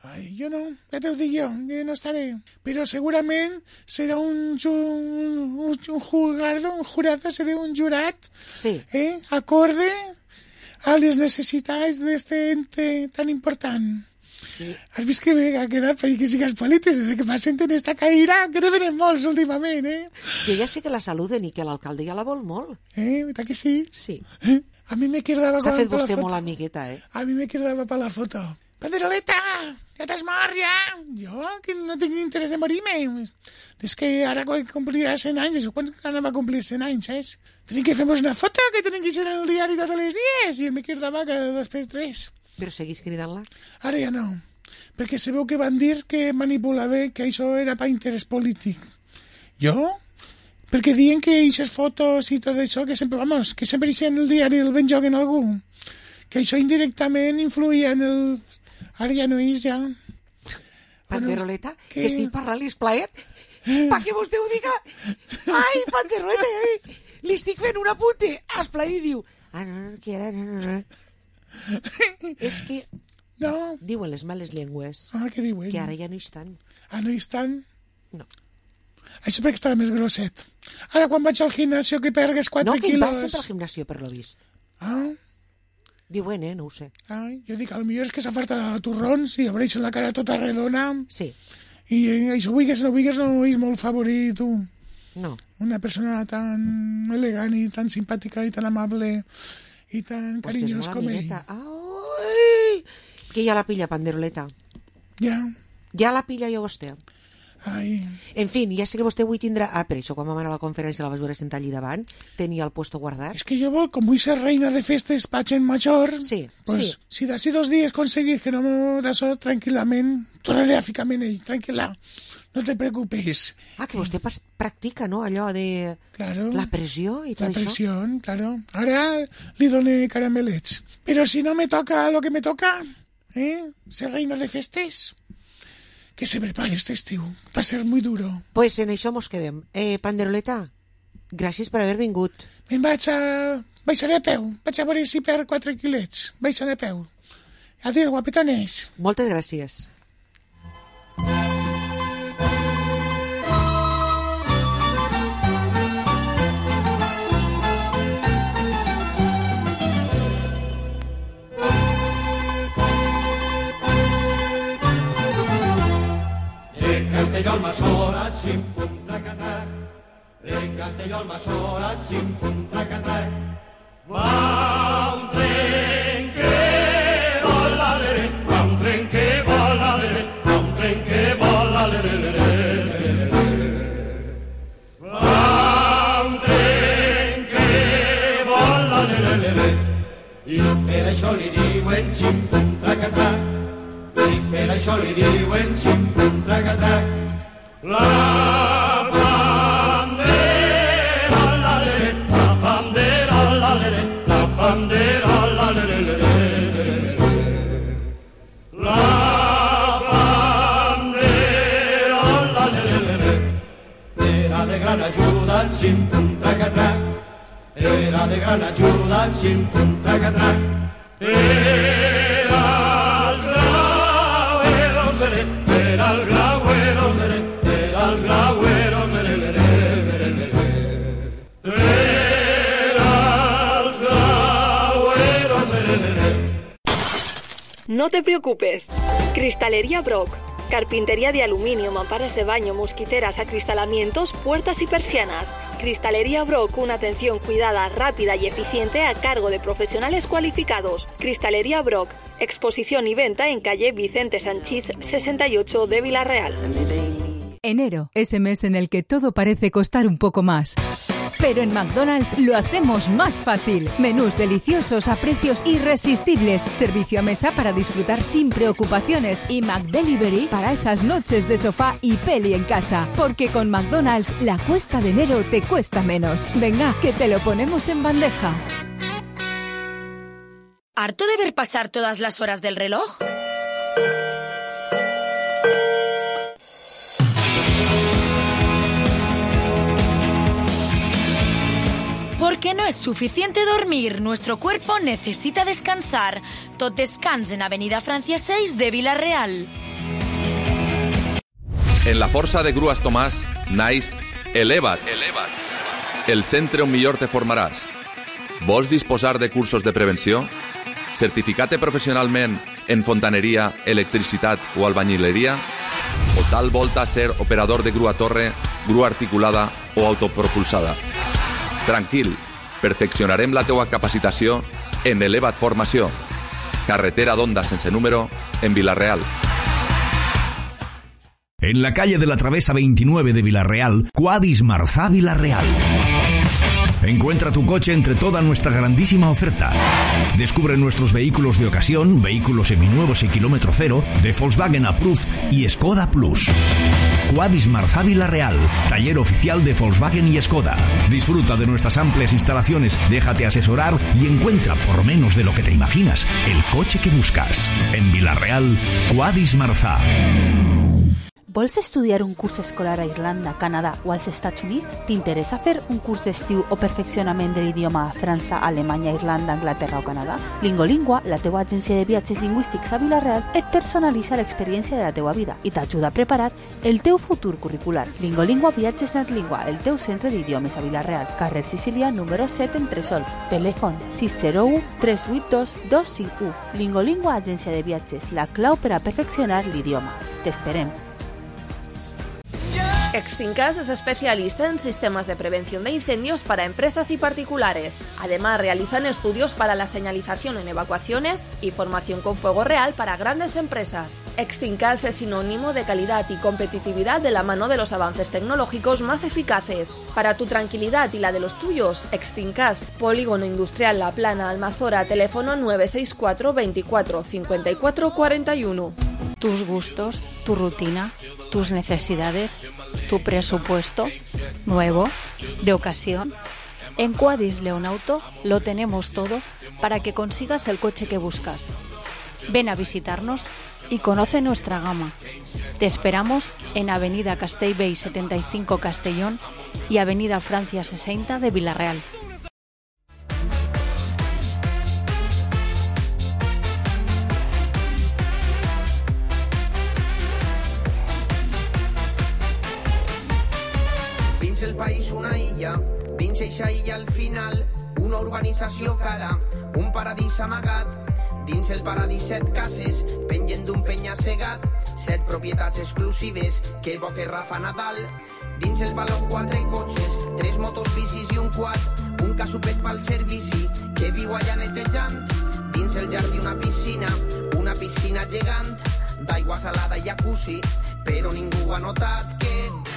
Ai, jo no, ja t'ho dic jo no estaré. Però segurament serà un jurado, serà un jurat, sí. Acorde a les necessitats d'este ente tan important. Sí. Has vist que ha quedat per que sigues polític, és que m'ha sentit esta caïra, que no venen molts últimament, Jo ja sé que la saluden i que l'alcalde ja la vol molt. Veritat que sí? Sí. A mi me quedava... S'ha fet vostè molt amigueta, A mi me quedava per la foto. Panderoleta, ja t'has mort, ja? Jo, que no tinc interès de morir-me. És que ara complirà 100 anys, quan anava a complir 100 anys, saps? tenim que fer-nos una foto, que tenim que ser en el diari tots els dies, i el me cridava cada 2x3. Però seguís cridant-la? Ara ja no, perquè sabeu que van dir que manipulava, que això era per interès polític. Jo? Perquè diuen que aquestes fotos i tot això, que sempre, que sempre hi en el diari el ben joguen algú, que això indirectament influïa en el... Ara ja no és, ja. Panderoleta, que estic parlant l'esplaet, perquè vostè ho diga. Ai, Panderoleta, li estic fent un apunte. Esplaet diu, no, que ara, no. És que... No. Diuen les males llengües. Què diuen? Que ara ja no hi estan. No hi estan? No. Això perquè estava més grosset. Ara quan vaig al gimnasio que pergues 4 quilos... No, que ell va sempre al gimnasio, per lo vist. Diuen, no ho sé. Jo dic, potser és que s'ha fartat de torrons i obreix la cara tota redona. Sí. I això, no és molt favorit, tu. No. Una persona tan elegant i tan simpàtica i tan amable i tan carinyós com ell. Ai! Que ja la pilla, Panderoleta. Ja. Ja la pilla jo vostè. Ai. En fi, ja sé que vostè avui tindrà... per això quan vam anar a la conferència la vas veure sentar allí davant, tenia el puesto guardat. És que jo, com vull ser reina de festes pa gent major, pues, si d'ací 2 dies aconseguís que no d'això tranquil·lament, tornaré a ficar-me en ell, tranquil·la, no te preocupes. Que vostè practica, no?, allò de... Claro. La pressió i tot això. La pressió, claro. Ara li doné caramelets. Però si no me toca lo que me toca, ser reina de festes... Que se prepare este estiu. Va ser muy duro. Pues en això mos quedem. Panderoleta, gràcies per haver vingut. Baixaré a peu. Vaig a veure si per 4 quilets. Baixaré a peu. Adéu, guapetones. Moltes gràcies. Castelló al Masora, xim, pum, tracatac. Castelló al Masora, xim, pum, tracatac. Va un tren que vola, lere, va un tren que vola, lere, va un tren que vola, lere, lere. Va un tren que vola, lere, lere. I per això li diuen xim, pum, tracatac. I per això li diuen xim, pum, tracatac. La bandera, la lere, la bandera, la lere, la bandera, la lere, lere. La bandera, la lere, lere. Era de gran ajuda, xim, pum, tracatac. Era de gran ajuda, xim, pum, tracatac. Era el grauero, lere, era el grauero, lere. Al grauero, mere, mere, mere, mere. Al grauero, mere, mere. No te preocupes. Cristalería Brock. Carpintería de aluminio, mamparas de baño, mosquiteras, acristalamientos, puertas y persianas. Cristalería Brock, una atención cuidada, rápida y eficiente a cargo de profesionales cualificados. Cristalería Brock. Exposición y venta en calle Vicente Sanchís 68 de Villarreal. Enero, ese mes en el que todo parece costar un poco más. Pero en McDonald's lo hacemos más fácil. Menús deliciosos a precios irresistibles. Servicio a mesa para disfrutar sin preocupaciones. Y McDelivery para esas noches de sofá y peli en casa. Porque con McDonald's la cuesta de enero te cuesta menos. Venga, que te lo ponemos en bandeja. ¿Harto de ver pasar todas las horas del reloj? Porque no es suficiente dormir, nuestro cuerpo necesita descansar. Tot descans en Avenida Francia 6 de Vila-real. En la Força de Grues Tomàs naix Eleva't, el centre on millor te formaràs. Vols disposar de cursos de prevenció? Certificat professionalment en fontaneria, electricitat o albañileria? O tal volta ser operador de grua torre, grua articulada o autopropulsada? Tranquil, perfeccionarem la teua capacitació en Eleva't Formació. Carretera d'Onda sense número, en Vila-real. En la calle de la Travesa 29 de Vila-real, Quadis Marzá Vila-real. Encuentra tu coche entre toda nuestra grandísima oferta. Descubre nuestros vehículos de ocasión, vehículos seminuevos y kilómetro cero, de Volkswagen Approved y Skoda Plus. Quadis Marzá Vila-real, taller oficial de Volkswagen y Skoda. Disfruta de nuestras amplias instalaciones, déjate asesorar y encuentra, por menos de lo que te imaginas, el coche que buscas. En Vila-real, Quadis Marzá. Vols estudiar un curs escolar a Irlanda, Canadà o als Estats Units? T'interessa fer un curs d'estiu o perfeccionament de l'idioma a França, Alemanya, Irlanda, Anglaterra o Canadà? Lingolingua, la teua agència de viatges lingüístics a Vila-real, et personalitza l'experiència de la teua vida i t'ajuda a preparar el teu futur curricular. Lingolingua Viatges Netlingua, el teu centre d'idiomes a Vila-real, carrer Sicília, número 7, Entresol. Telèfon 601 382 251. Lingolingua, agència de viatges, la clau per a perfeccionar l'idioma. T'esperem. Extincas es especialista en sistemas de prevención de incendios para empresas y particulares. Además, realizan estudios para la señalización en evacuaciones y formación con fuego real para grandes empresas. Extincas es sinónimo de calidad y competitividad de la mano de los avances tecnológicos más eficaces. Para tu tranquilidad y la de los tuyos, Extincas, Polígono Industrial La Plana, Almazora, teléfono 964 24 54 41. Tus gustos, tu rutina, tus necesidades, tu presupuesto, nuevo, de ocasión. En Quadis León Auto lo tenemos todo para que consigas el coche que buscas. Ven a visitarnos y conoce nuestra gama. Te esperamos en Avenida Castellbell 75 Castellón y Avenida Francia 60 de Vila-real. El país una illa, dins eixa illa al final, una urbanització cara, un paradís amagat. Dins el paradís 7 cases, pengen d'un penya-segat, 7 propietats exclusives, que bo que Rafa Nadal. Dins el baló 4 cotxes, 3 motos, bicis i un quad, un casupet pel servici, que viu allà netejant. Dins el jardí una piscina gegant, d'aigua salada i jacuzzi, però ningú ha notat que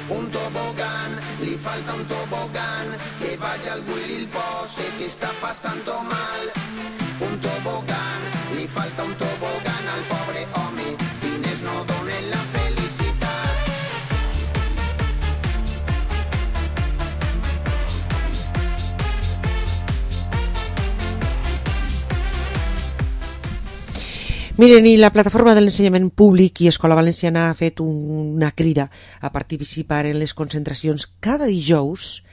un tobogán, li falta un tobogán, que vaya algú i li pose que està passant mal. Un tobogán, li falta un tobogán al pobre home, diners no donen la felicitat. Miren, i la plataforma de l'ensenyament públic i Escola Valenciana ha fet una crida a participar en les concentracions cada dijous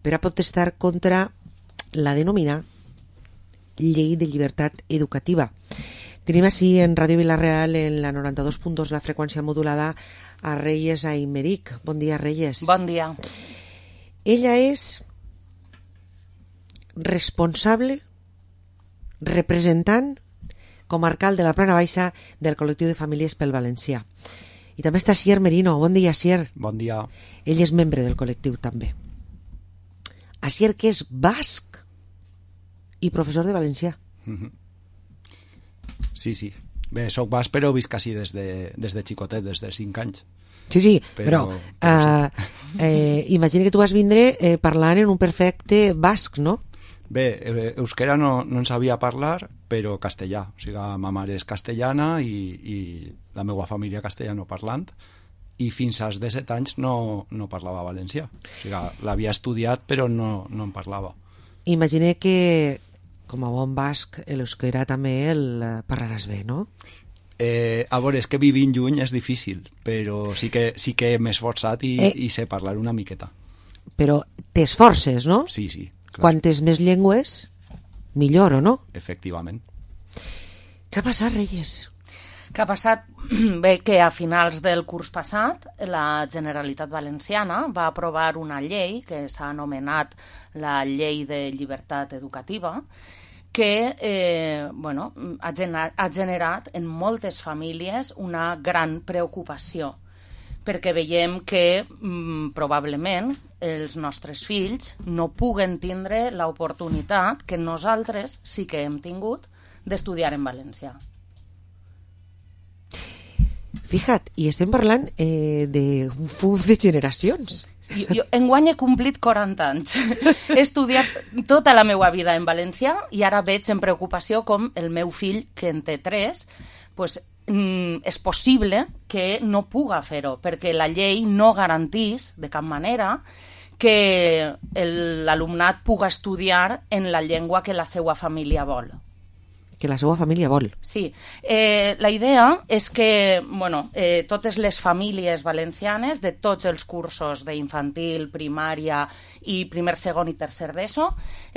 per a protestar contra la denominada Llei de Llibertat Educativa. Tenim així en Ràdio Vila-real, en la 92.2, la freqüència modulada, a Reyes Aymeric. Bon dia, Reyes. Bon dia. Ella és responsable, representant comarcal de la Plana Baixa del col·lectiu de famílies pel valencià. I també està Asier Merino. Bon dia, Asier. Bon dia. Ell és membre del col·lectiu també. Asier, que és basc i professor de valencià. Sí, sí. Bé, soc basc, però visc així des de xicotet, des de 5 anys. Sí, però imagina que tu vas vindre parlant en un perfecte basc, no? Bé, euskera no en sabia parlar, però castellà. O sigui, ma mare és castellana i la meva família castellano parlant, i fins als 17 anys no parlava valencià. O sigui, l'havia estudiat, però no en parlava. Imagina que, com a bon basc, l'euskera també el parlaràs bé, no? A veure, és que vivint lluny és difícil, però sí que m'he esforçat i sé parlar una miqueta. Però t'esforces, no? Sí, sí. Clar. Quantes més llengües, millor, o no? Efectivament. Què ha passat, Reyes? Què ha passat? Bé, que a finals del curs passat la Generalitat Valenciana va aprovar una llei que s'ha anomenat la Llei de Llibertat Educativa, que ha generat en moltes famílies una gran preocupació, perquè veiem que probablement els nostres fills no puguen tindre l'oportunitat que nosaltres sí que hem tingut d'estudiar en valencià. Fija't, i estem parlant d'un fum de generacions. Jo enguany he complit 40 anys. He estudiat tota la meva vida en valencià i ara veig en preocupació com el meu fill, que en té 3, pues, és possible que no puga fer-ho, perquè la llei no garantís de cap manera que l'alumnat puga estudiar en la llengua que la seva família vol. Que la seva família vol. Sí. La idea és que totes les famílies valencianes de tots els cursos d'infantil, primària i primer, segon i tercer d'ESO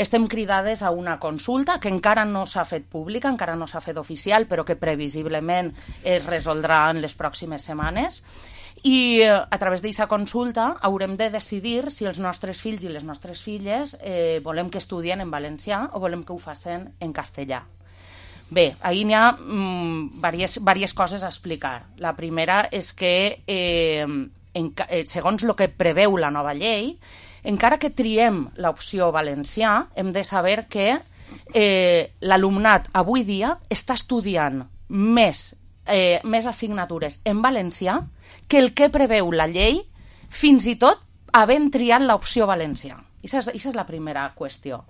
estem cridades a una consulta que encara no s'ha fet pública, encara no s'ha fet oficial, però que previsiblement es resoldrà en les pròximes setmanes. I a través d'aquesta consulta haurem de decidir si els nostres fills i les nostres filles volem que estudien en valencià o volem que ho facin en castellà. Bé, ahir n'hi ha diverses coses a explicar. La primera és que, segons el que preveu la nova llei, encara que triem l'opció valencià, hem de saber que l'alumnat avui dia està estudiant més assignatures en valencià que el que preveu la llei, fins i tot havent triat l'opció valencià. Aquesta és la primera qüestió.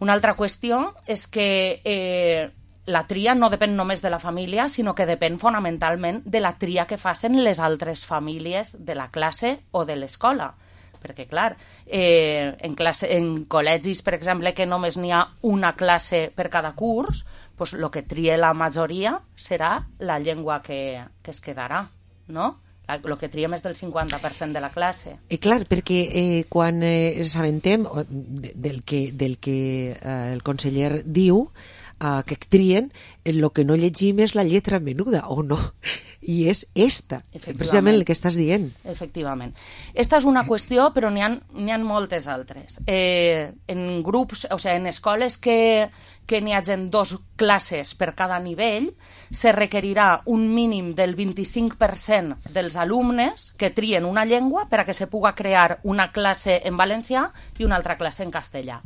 Una altra qüestió és que la tria no depèn només de la família, sinó que depèn fonamentalment de la tria que facin les altres famílies de la classe o de l'escola. Perquè, clar, en col·legis, per exemple, que només n'hi ha una classe per cada curs, doncs el que trie la majoria serà la llengua que es quedarà, no? El que tria més del 50% de la classe. Clar, perquè quan s'aventem del que el conseller diu, que trien, el que no llegim és la lletra menuda, o no? I és esta, precisament el que estàs dient. Efectivament. Esta és una qüestió, però n'hi ha moltes altres. En grups, o sigui, en escoles que n'hi hagin 2 classes per cada nivell, se requerirà un mínim del 25% dels alumnes que trien una llengua per a que se puga crear una classe en valencià i una altra classe en castellà.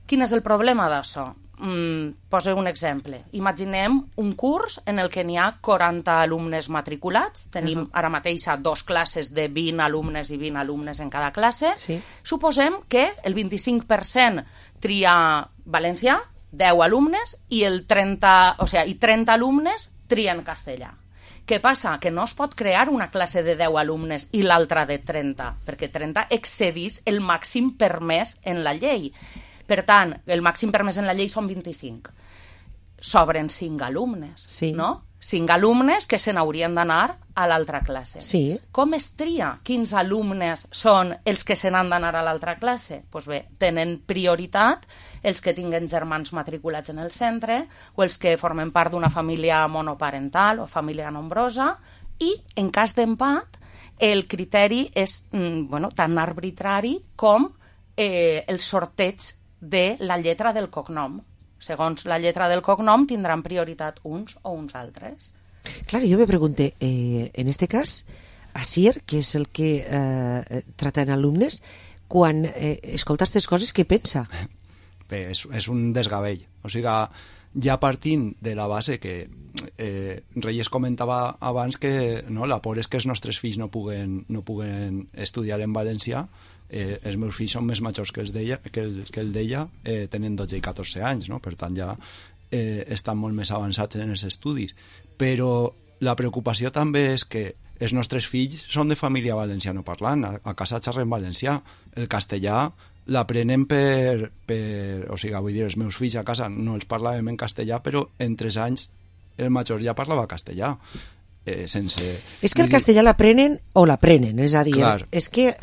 Quin és el problema d'això? Poso un exemple. Imaginem un curs en el que n'hi ha 40 alumnes matriculats. Tenim ara mateix 2 classes de 20 alumnes i 20 alumnes en cada classe. Sí. Suposem que el 25% tria valencià, 10 alumnes, i 30 alumnes trien castellà. Què passa? Que no es pot crear una classe de 10 alumnes i l'altra de 30, perquè 30 excedís el màxim permès en la llei. Per tant, el màxim permès en la llei són 25. Sobren 5 alumnes, no? 5 alumnes que se n'haurien d'anar a l'altra classe. Sí. Com es tria quins alumnes són els que se n'han d'anar a l'altra classe? Doncs bé, tenen prioritat els que tinguen germans matriculats en el centre o els que formen part d'una família monoparental o família nombrosa, i, en cas d'empat, el criteri és tan arbitrari com el sorteig de la lletra del cognom. Segons la lletra del cognom tindran prioritat uns o uns altres. Clar, jo me pregunté, en este cas, Asier, que és el que trata en alumnes, quan escolta aquestes coses, què pensa? Bé, és un desgavell. O sigui, ja partint de la base que Reyes comentava abans que la por és que els nostres fills no puguen estudiar en valencià. Els meus fills són més majors que el d'ella, tenen 12 i 14 anys, no? Per tant ja estan molt més avançats en els estudis. Però la preocupació també és que els nostres fills són de família valenciano parlant, a casa xerren valencià. El castellà l'aprenen o sigui, vull dir, els meus fills a casa no els parlàvem en castellà, però en 3 anys el major ja parlava castellà. És que el castellà l'aprenen o l'aprenen, és a dir, és que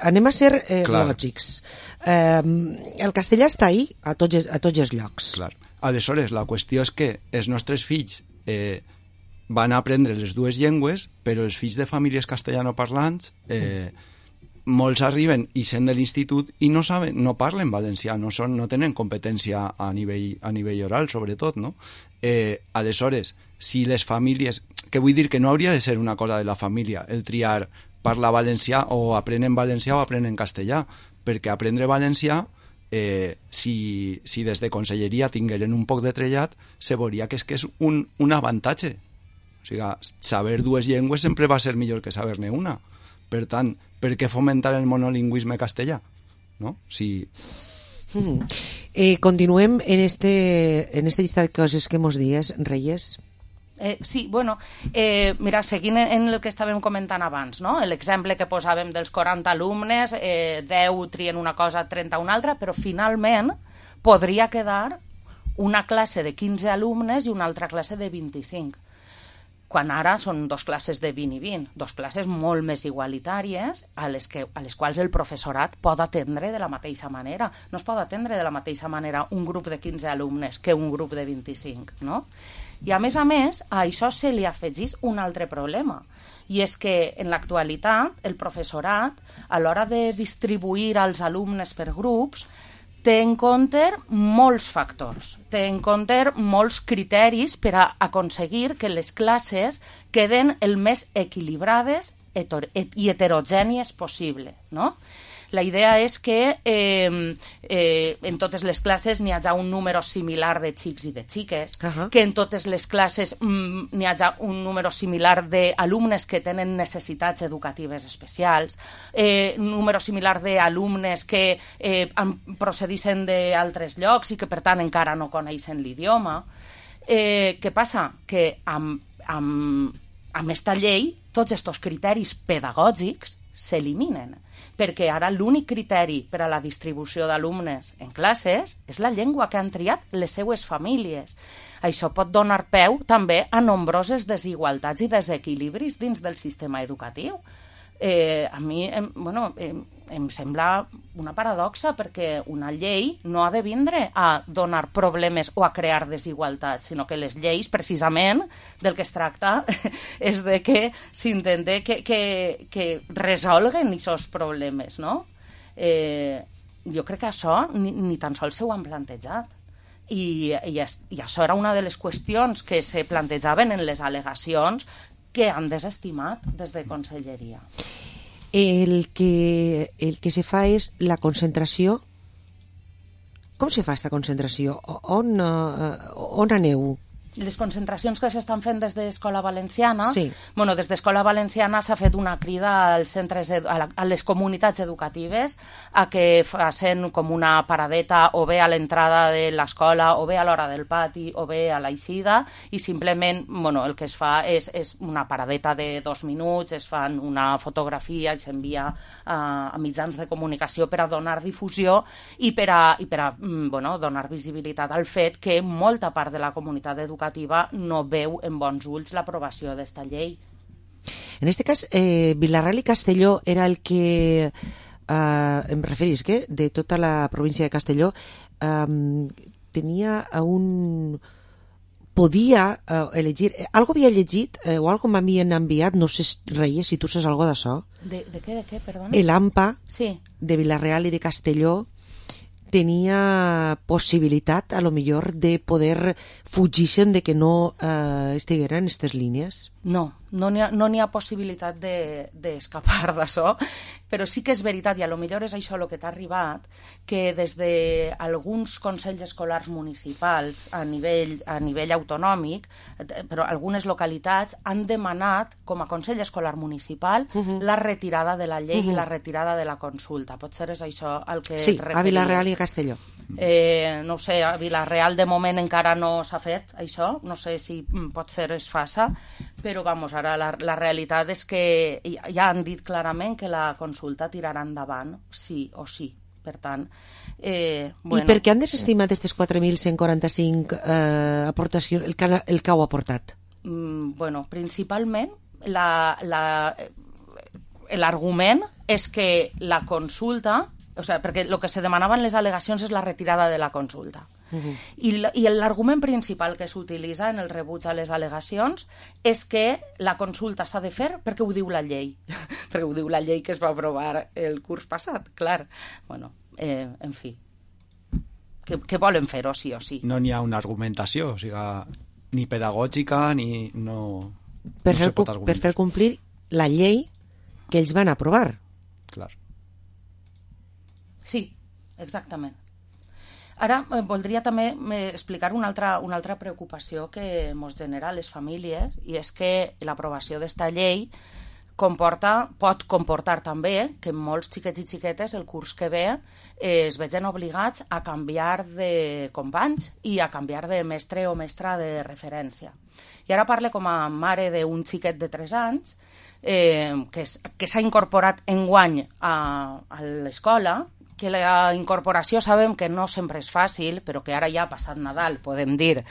anem a ser lògics. El castellà està ahí a tots els llocs. Clar. Aleshores, la qüestió és que els nostres fills van aprendre les 2 llengües, però els fills de famílies castellanoparlants molts arriben i sent de l'institut i no parlen valencià, no tenen competència a nivell oral, sobretot, no? Aleshores, si les famílies, que vull dir que no hauria de ser una cosa de la família el triar parlar valencià o aprenen valencià o aprenen castellà, perquè aprendre valencià, si des de conselleria tingueren un poc de trellat, se veuria que és un avantatge. O sigui, saber 2 llengües sempre va ser millor que saber-ne una, Per tant, per què fomentar el monolingüisme castellà? No? Si... Continuem en este llista de coses que mos dies, Reyes. Sí, bueno, mira, seguint en el que estàvem comentant abans, no? L'exemple que posàvem dels 40 alumnes, 10 trien una cosa, 30 una altra, però finalment podria quedar una classe de 15 alumnes i una altra classe de 25. Quan ara són dos classes de 20 i 20, dos classes molt més igualitàries a les quals el professorat pot atendre de la mateixa manera. No es pot atendre de la mateixa manera un grup de 15 alumnes que un grup de 25, no? I a més, a això se li afegís un altre problema, i és que en l'actualitat el professorat, a l'hora de distribuir els alumnes per grups, té en compte molts factors, té en compte molts criteris per a aconseguir que les classes queden el més equilibrades i heterogènies possible, no? La idea és que en totes les classes n'hi hagi un número similar de xics i de xiques, que en totes les classes n'hi hagi un número similar d'alumnes que tenen necessitats educatives especials, un número similar d'alumnes que procedixen d'altres llocs i que, per tant, encara no coneixen l'idioma. Què passa? Que amb esta llei tots aquests criteris pedagògics s'eliminen, perquè ara l'únic criteri per a la distribució d'alumnes en classes és la llengua que han triat les seues famílies. Això pot donar peu també a nombroses desigualtats i desequilibris dins del sistema educatiu. A mi, em sembla una paradoxa, perquè una llei no ha de vindre a donar problemes o a crear desigualtats, sinó que les lleis, precisament, del que es tracta és de que s'intente que resolguen aquests problemes, no? Jo crec que això ni tan sols ho han plantejat. I això era una de les qüestions que se plantejaven en les al·legacions que han desestimat des de Conselleria. El que se fa és la concentració. Com se fa aquesta concentració? On aneu? Les concentracions que s'estan fent des d'Escola Valenciana, sí. Bueno, des d'Escola Valenciana s'ha fet una crida als centres, a les comunitats educatives a que facin com una paradeta o bé a l'entrada de l'escola o bé a l'hora del pati o bé a l'eixida, i simplement el que es fa és una paradeta de 2 minuts, es fan una fotografia i s'envia a mitjans de comunicació per a donar difusió i per a donar visibilitat al fet que molta part de la comunitat educativa no veu en bons ulls l'aprovació d'esta llei. En aquest cas, Vila-real i Castelló era el que, em referís que de tota la província de Castelló tenia podia elegir, algo havia llegit o algo m'havien enviat, no sé, Reyes, si tu saps algo d'això. De què, perdona? L'AMPA sí. De Vila-real i de Castelló tenia possibilitat, a lo millor, de poder fugir-se'n de que no estigueren aquestes línies? No n'hi ha possibilitat d'escapar d'això, però sí que és veritat, i a lo millor és això el que t'ha arribat, que des d'alguns consells escolars municipals a nivell autonòmic, però algunes localitats han demanat, com a consell escolar municipal, la retirada de la llei i la retirada de la consulta. Potser és això al que sí, et referies. A Vila-real i a Castelló. No sé, a Vila-real de moment encara no s'ha fet això, no sé si potser es faça, però ara la realitat és que ja han dit clarament que la consulta tirarà endavant sí o sí. Per tant, I per què han desestimat aquestes 4.145 aportacions, el que heu aportat? Principalment l'argument és que la consulta, perquè el que se demanava en les al·legacions és la retirada de la consulta. I l'argument principal que s'utilitza en el rebuig a les al·legacions és que la consulta s'ha de fer perquè ho diu la llei, perquè ho diu la llei que es va aprovar el curs passat, clar. En fi, què volen fer-ho sí o sí? No n'hi ha una argumentació, o sigui, ni pedagògica ni no per se pot argumentar. Per fer complir la llei que ells van aprovar. Clar. Sí, exactament. Ara voldria també explicar una altra preocupació que ens genera a les famílies, i és que l'aprovació d'esta llei pot comportar també que molts xiquets i xiquetes el curs que ve es vegin obligats a canviar de companys i a canviar de mestre o mestra de referència. I ara parle com a mare d'un xiquet de 3 anys que s'ha incorporat enguany a l'escola, que la incorporació sabem que no sempre és fàcil, però que ara ja passat Nadal podem dir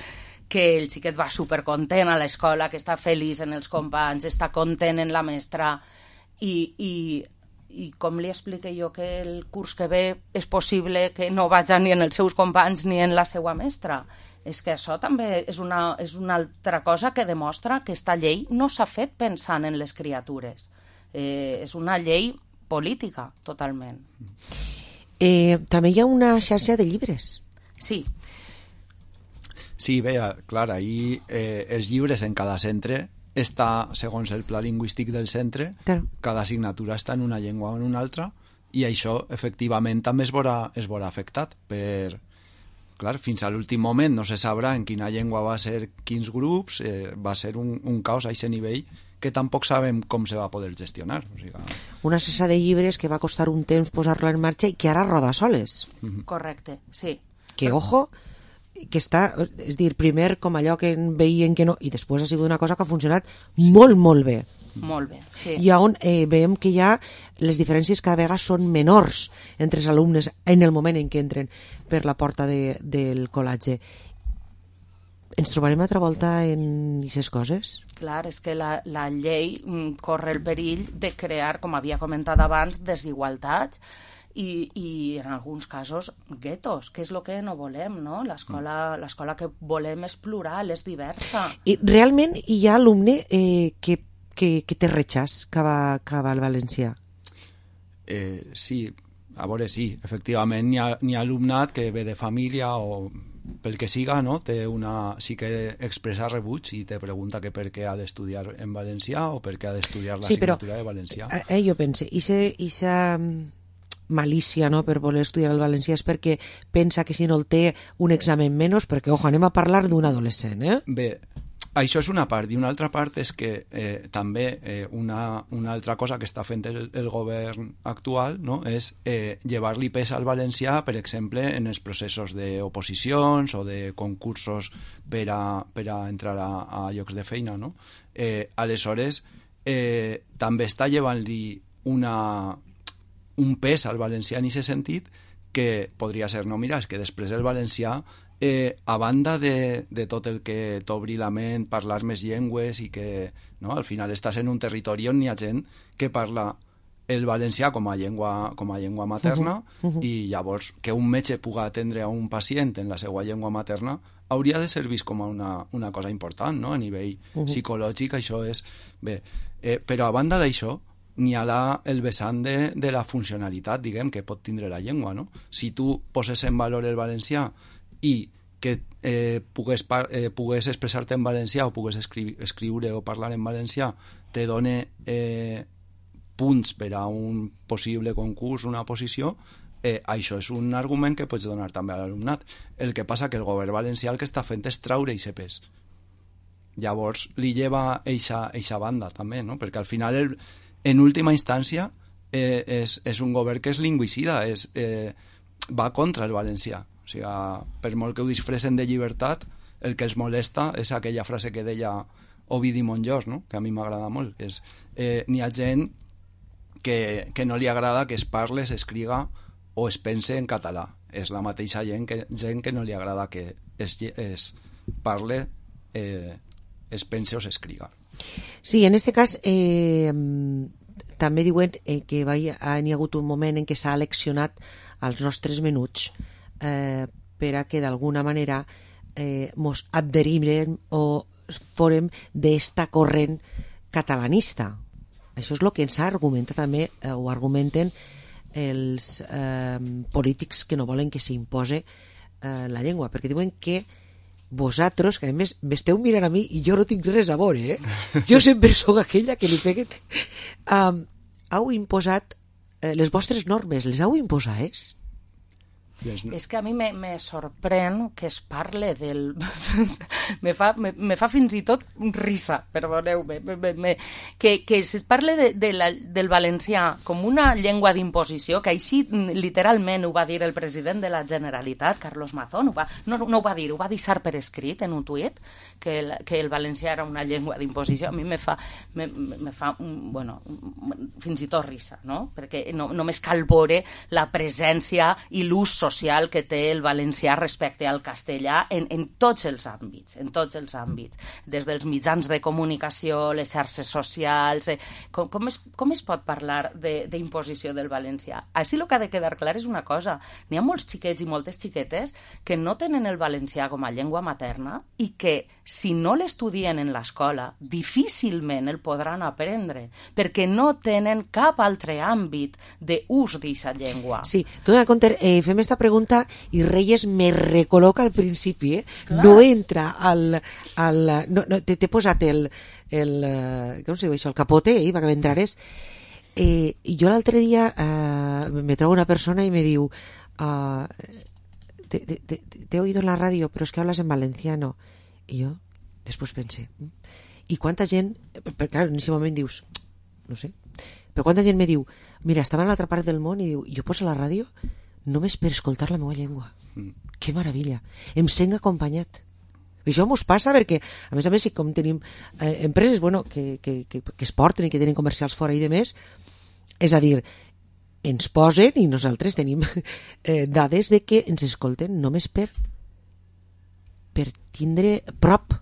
que el xiquet va supercontent a l'escola, que està feliç en els companys, està content en la mestra i com li explique jo que el curs que ve és possible que no vaja ni en els seus companys ni en la seva mestra. És que això també és una altra cosa que demostra que esta llei no s'ha fet pensant en les criatures. És una llei política, totalment. També hi ha una xarxa de llibres. Sí. Sí, bé, clar, ahir els llibres en cada centre està, segons el pla lingüístic del centre, claro. Cada assignatura està en una llengua o en una altra, i això, efectivament, també es veurà afectat per... Clar, fins a l'últim moment no se sabrà en quina llengua va ser quins grups, va ser un caos a aquest nivell que tampoc sabem com se va poder gestionar. O sigui, una xarxa de llibres que va costar un temps posar-la en marxa i que ara roda soles. Correcte, sí. Que, ojo, que està, és dir, primer com allò que veien que no, i després ha sigut una cosa que ha funcionat molt, molt bé. Molt bé, sí. I on veiem que ja les diferències cada vegada són menors entre els alumnes en el moment en què entren per la porta del col·legi. Ens trobarem altra volta en aquestes coses? Clar, és que la llei corre el perill de crear, com havia comentat abans, desigualtats i en alguns casos guetos, que és el que no volem, no? L'escola que volem és plural, és diversa. I realment hi ha alumne que té rechaç cap al valencià? Sí, a veure, sí, efectivament hi ha alumnat que ve de família o pel que siga, no? Sí que expressa rebuig i te pregunta que per què ha d'estudiar en valencià o per què ha d'estudiar l'assignatura de valencià. Jo pense, aquesta malícia, no?, per voler estudiar el valencià és perquè pensa que si no el té un examen menys, perquè, ojo, anem a parlar d'un adolescent, Bé, això és una part, i una altra part és que també una altra cosa que està fent el govern actual, no?, és llevar-li pes al valencià, per exemple, en els processos d'oposicions o de concursos per a entrar a llocs de feina, no? Aleshores, també està llevant-li un pes al valencià en aquest sentit que podria ser, no, mira, és que després el valencià a banda de tot el que t'obri la ment, parlar més llengües i que, no, al final estàs en un territori on hi ha gent que parla el valencià com a llengua materna i llavors que un metge pugui atendre a un pacient en la seva llengua materna hauria de ser vist com una cosa important, no? A nivell psicològic això és... Bé, però a banda d'això n'hi ha el vessant de la funcionalitat, diguem, que pot tindre la llengua, no? Si tu poses en valor el valencià i que pogués expressar-te en valencià o pogués escriure o parlar en valencià te dona punts per a un possible concurs, una posició, això és un argument que pots donar també a l'alumnat. El que passa que el govern valencià el que està fent és traure aquest pes. Llavors li lleva eixa banda també, no? Perquè al final en última instància és un govern que és lingüicida, va contra el valencià. O sigui, per molt que ho disfressen de llibertat, el que els molesta és aquella frase que deia Ovidi Montllors, no? Que a mi m'agrada molt, que és n'hi ha gent que no li agrada que es parle, s'escriga o es pense en català. És la mateixa gent que no li agrada que es parle, es pense o s'escriga. Sí, en aquest cas també diuen que hi ha hagut un moment en què s'ha eleccionat els nostres menuts per a que d'alguna manera mos adherim o forem d'esta corrent catalanista. Això és el que ens argumenta també, o argumenten els polítics que no volen que s'impose la llengua, perquè diuen que vosaltres, que a més m'esteu mirant a mi i jo no tinc res a veure, jo sempre sóc aquella que li peguen, heu imposat les vostres normes, les heu imposades? És que a mi me sorprèn que es parle del... me fa fins i tot risa, perdoneu-me, que es parle del valencià com una llengua d'imposició, que així literalment ho va dir el president de la Generalitat, Carlos Mazón, no ho va dir, ho va deixar per escrit en un tuit, que el valencià era una llengua d'imposició. A mi me fa fins i tot risa, no? Perquè només cal veure la presència i l'ús social que té el valencià respecte al castellà en tots els àmbits, des dels mitjans de comunicació, les xarxes socials... Com es pot parlar d'imposició del valencià? Així el que ha de quedar clar és una cosa: n'hi ha molts xiquets i moltes xiquetes que no tenen el valencià com a llengua materna i que, si no l'estudien en l'escola, difícilment el podran aprendre, perquè no tenen cap altre àmbit d'ús d'aquesta llengua. Sí, tu dona compte, fem esta pregunta i Reyes me recol·loca al principi, no entra t'he posat com se diu això, el capote, perquè m'entrares. Jo l'altre dia me trobo una persona i me diu te he oído en la radio, pero es que hablas en valenciano. I jo després pensé, i quanta gent, clar, en aquest moment dius, no sé, però quanta gent me diu, mira, estava a l'altra part del món i diu, jo poso la ràdio només per escoltar la meva llengua. Que meravella. Em sent acompanyat. Això mos passa perquè, a més, com tenim empreses que es porten i que tenen comercials fora i de més, és a dir, ens posen i nosaltres tenim dades de que ens escolten només per tindre prop.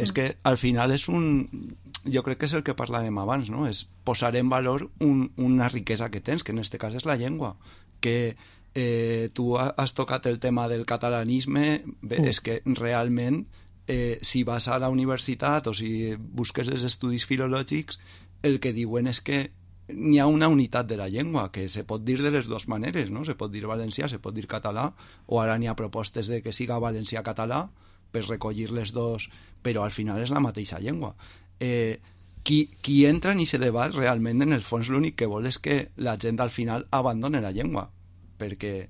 És que al final és jo crec que és el que parlàvem abans, no? És posar en valor una riquesa que tens, que en aquest cas és la llengua, que tu has tocat el tema del catalanisme. Bé, és que realment si vas a la universitat o si busques els estudis filològics, el que diuen és que n'hi ha una unitat de la llengua, que se pot dir de les dues maneres, no? Se pot dir valencià, se pot dir català, o ara n'hi ha propostes de que siga valencià-català per recollir les dos, però al final és la mateixa llengua. Qui entra en aquest debat realment, en el fons, l'únic que vol és que la gent al final abandone la llengua, perquè...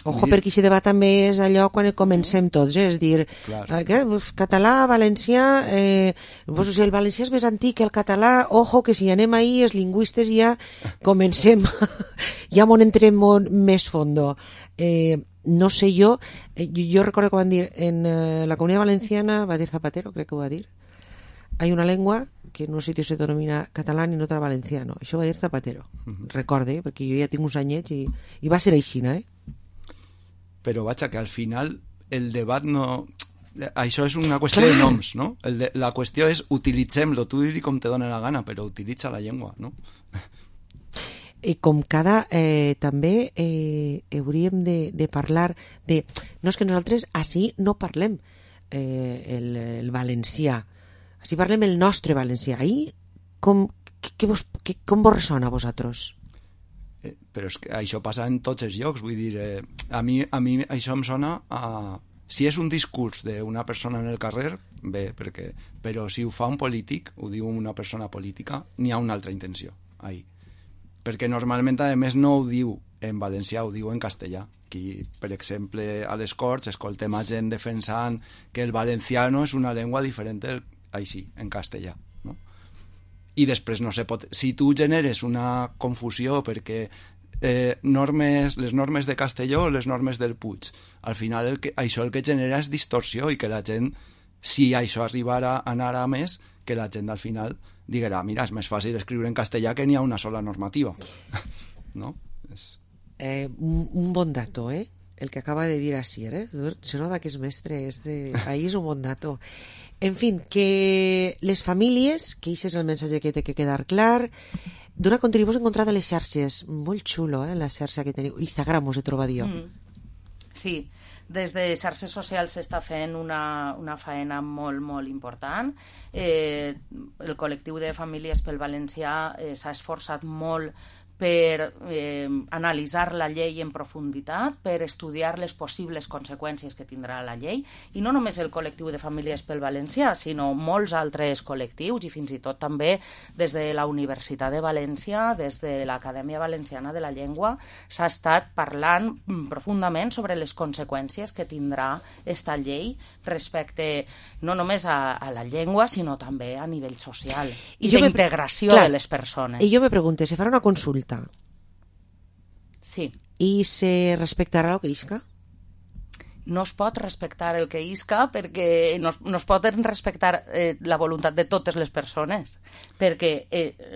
Ojo, perquè aquest debat també és allò quan comencem tots, és dir, català, valencià, si el valencià és més antic que el català, ojo, que si anem ahí, els lingüistes ja comencem, ja m'on entrem més fondo. No sé jo recordo que van dir, en la Comunitat Valenciana, va dir Zapatero, crec que ho va dir, hay una lengua que en un sitio se denomina catalán y en otra valenciano. Això va dir Zapatero. Recorde, perquè jo ja tinc uns anyets i va ser aixina, Però vaja, que al final el debat no... Això és una qüestió de noms, no? La qüestió és utilitzem-lo, tu dir com te dona la gana, però utilitza la llengua, no? I com cada... també hauríem de parlar de... No, és que nosaltres així no parlem el valencià. Així parlem el nostre valencià. Ahí, com vos ressona a vosaltres? Però és que això passa en tots els llocs, vull dir, a mi això em sona a... Si és un discurs d'una persona en el carrer, bé, però si ho fa un polític, ho diu una persona política, n'hi ha una altra intenció, ahí. Perquè normalment, a més, no ho diu en valencià, ho diu en castellà. Aquí, per exemple, a les Corts escoltem a gent defensant que el valenciano és una llengua diferent així, en castellà. I després no se pot... Si tu generes una confusió perquè les normes de Castelló o les normes del Puig, al final això el que genera és distorsió i que la gent, si això arribara a anar a més, que la gent al final diguera, mira, és més fàcil escriure en castellà que n'hi ha una sola normativa. No? Un bon dato, el que acaba de dir Asier, se nota que és mestre, ahí és un bon dato. En fin, que les famílies, que això és el missatge que té que quedar clar, d'una contribució encontrada a les xarxes, molt xulo, la xarxa que teniu, Instagram us he trobat jo. Sí, des de xarxes socials s'està fent una faena molt, molt important. El col·lectiu de famílies pel valencià s'ha esforçat molt per analitzar la llei en profunditat, per estudiar les possibles conseqüències que tindrà la llei, i no només el col·lectiu de famílies pel valencià, sinó molts altres col·lectius, i fins i tot també des de la Universitat de València, des de l'Acadèmia Valenciana de la Llengua, s'ha estat parlant profundament sobre les conseqüències que tindrà esta llei respecte no només a la llengua, sinó també a nivell social i d'integració de les persones. I jo me pregunto, se farà una consulta? Sí. I se respectarà el que isca? No es pot respectar el que isca perquè no es pot respectar la voluntat de totes les persones, perquè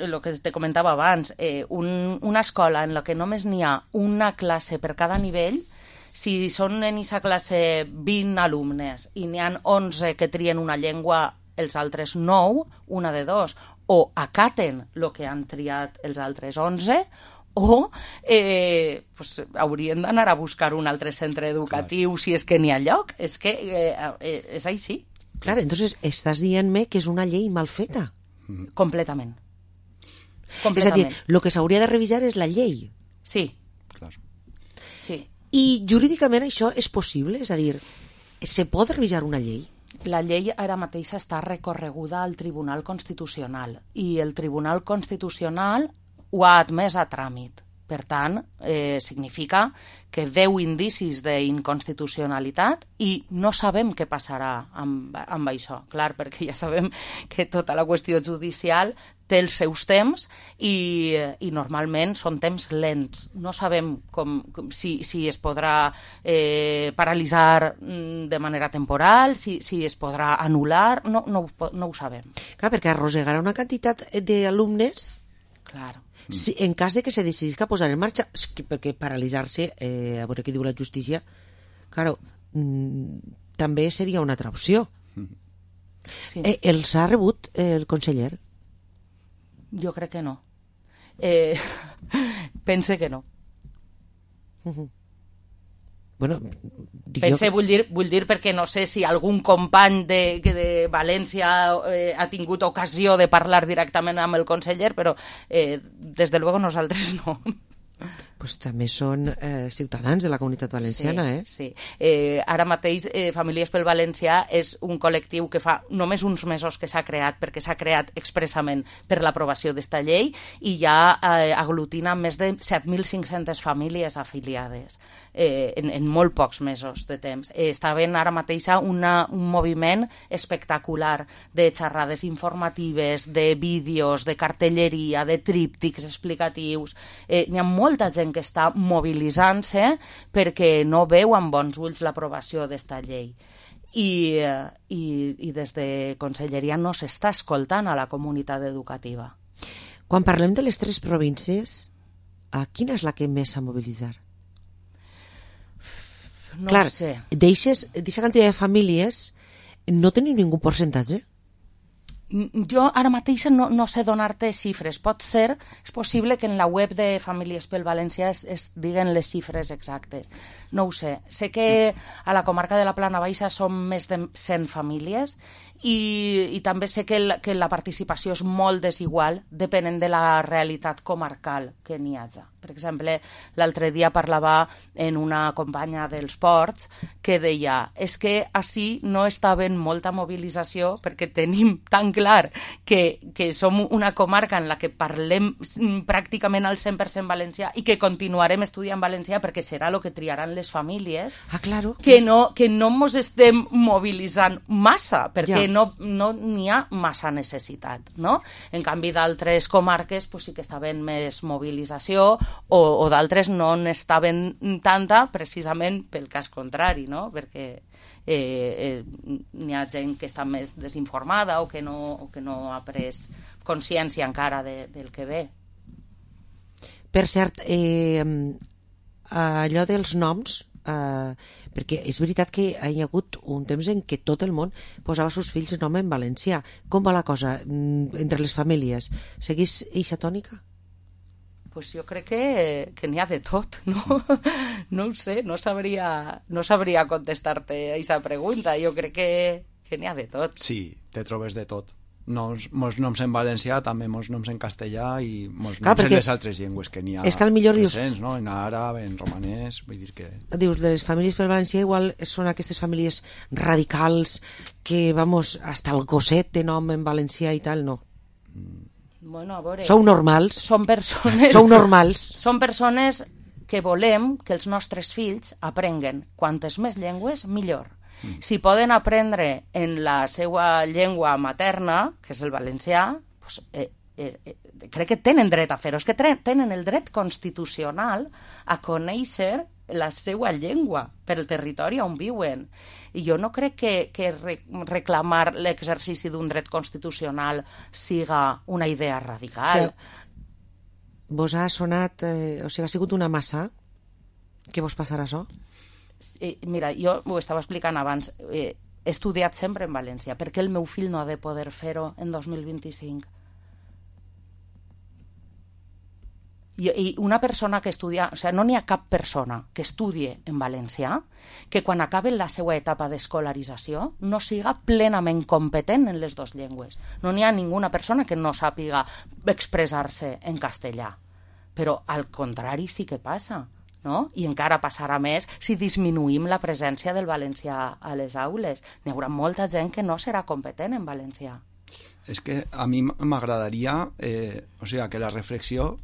el que te comentava abans, una escola en la que només n'hi ha una classe per cada nivell, si són en aquesta classe 20 alumnes i n'hi ha 11 que trien una llengua, els altres 9, una de dos, o acaten el que han triat els altres 11, o haurien d'anar a buscar un altre centre educatiu si és que n'hi ha lloc. És que és així. Clar, entonces estàs dient-me que és una llei mal feta. Completament. És a dir, el que s'hauria de revisar és la llei. Sí. Clar. Sí. I jurídicament això és possible? És a dir, se pot revisar una llei? La llei ara mateix està recorreguda al Tribunal Constitucional i el Tribunal Constitucional ho ha admès a tràmit. Per tant, significa que veu indicis d'inconstitucionalitat i no sabem què passarà amb això. Clar, perquè ja sabem que tota la qüestió judicial té els seus temps i normalment són temps lents. No sabem si es podrà paralitzar de manera temporal, si es podrà anul·lar, no ho sabem. Clar, perquè arrossegarà una quantitat d'alumnes. Clar. Si, en cas de que se decidisca posar en marxa, perquè paralitzar-se, a veure què diu la justícia, claro, també seria una altra opció. Sí. Els ha rebut el conseller? Jo crec que no. Pense que no. Bueno, vull dir perquè no sé si algun company de València ha tingut ocasió de parlar directament amb el conseller, però des de luego nosaltres no. Pues també són ciutadans de la comunitat valenciana, Sí. Ara mateix Famílies pel Valencià és un col·lectiu que fa només uns mesos que s'ha creat, perquè s'ha creat expressament per l'aprovació d'esta llei i ja aglutina més de 7.500 famílies afiliades en molt pocs mesos de temps. Està havent ara mateix un moviment espectacular de xerrades informatives, de vídeos, de cartelleria, de tríptics explicatius. N'hi ha molta gent que està mobilitzant-se perquè no veu amb bons ulls l'aprovació d'esta llei. I des de Conselleria no s'està escoltant a la comunitat educativa. Quan parlem de les 3 províncies, quina és la que més s'ha mobilitzat? No Clar, sé. D'aquesta quantitat de famílies no teniu ningú percentatge? Jo ara mateix no sé donar-te xifres. És possible que en la web de Famílies pel Valencià es diguen les xifres exactes. No ho sé. Sé que a la comarca de la Plana Baixa són més de 100 famílies i també sé que la participació és molt desigual depenent de la realitat comarcal que n'hi hagi. Per exemple, l'altre dia parlava en una companya dels Ports que deia que així no està havent molta mobilització perquè tenim tan clar que som una comarca en la que parlem pràcticament al 100% valencià i que continuarem estudiant valencià perquè serà el que triaran les famílies, claro. que no mos estem mobilitzant massa, perquè no n'hi ha massa necessitat, no? En canvi, d'altres comarques sí que està havent més mobilització o d'altres no n'estaven tanta precisament pel cas contrari, no? Perquè n'hi ha gent que està més desinformada o que no ha pres consciència encara del que ve. Per cert, allò dels noms, perquè és veritat que hi ha hagut un temps en què tot el món posava els seus fills nom en valencià. Com va la cosa entre les famílies? Seguís eixa tònica? Pues jo crec que n'hi ha de tot, no? No ho sé, no sabria contestar-te a aquesta pregunta. Jo crec que n'hi ha de tot. Sí, te trobes de tot. mos noms en valencià, també mos noms en castellà i mos Clar, noms en les altres llengües que n'hi ha és que al millor presents, no? En àrab, en romanès, vull dir que... Dius, les famílies pel valencià igual són aquestes famílies radicals que, vamos, hasta el gosset té nom en valencià i tal, no. Bueno, a veure... Sou normals. Són persones... Sou normals. Són persones que volem que els nostres fills aprenguen quantes més llengües, millor. Si poden aprendre en la seva llengua materna, que és el valencià, pues, crec que tenen dret a fer-ho. És que tenen el dret constitucional a conèixer la seva llengua per el territori on viuen. I jo no crec que reclamar l'exercici d'un dret constitucional siga una idea radical. O sigui, vos ha sonat... o sigui, ha sigut una massa? Què vos passarà això? Mira, jo ho estava explicant abans. He estudiat sempre en València. Per què el meu fill no ha de poder fer-ho en 2025? I una persona que estudia... O sigui, no n'hi ha cap persona que estudie en valencià que quan acabe la seva etapa d'escolarització no siga plenament competent en les dues llengües. No n'hi ha ninguna persona que no sàpiga expressar-se en castellà. Però al contrari sí que passa, no? I encara passarà més si disminuïm la presència del valencià a les aules. N'hi haurà molta gent que no serà competent en valencià. És que a mi m'agradaria o sigui, que la reflexió,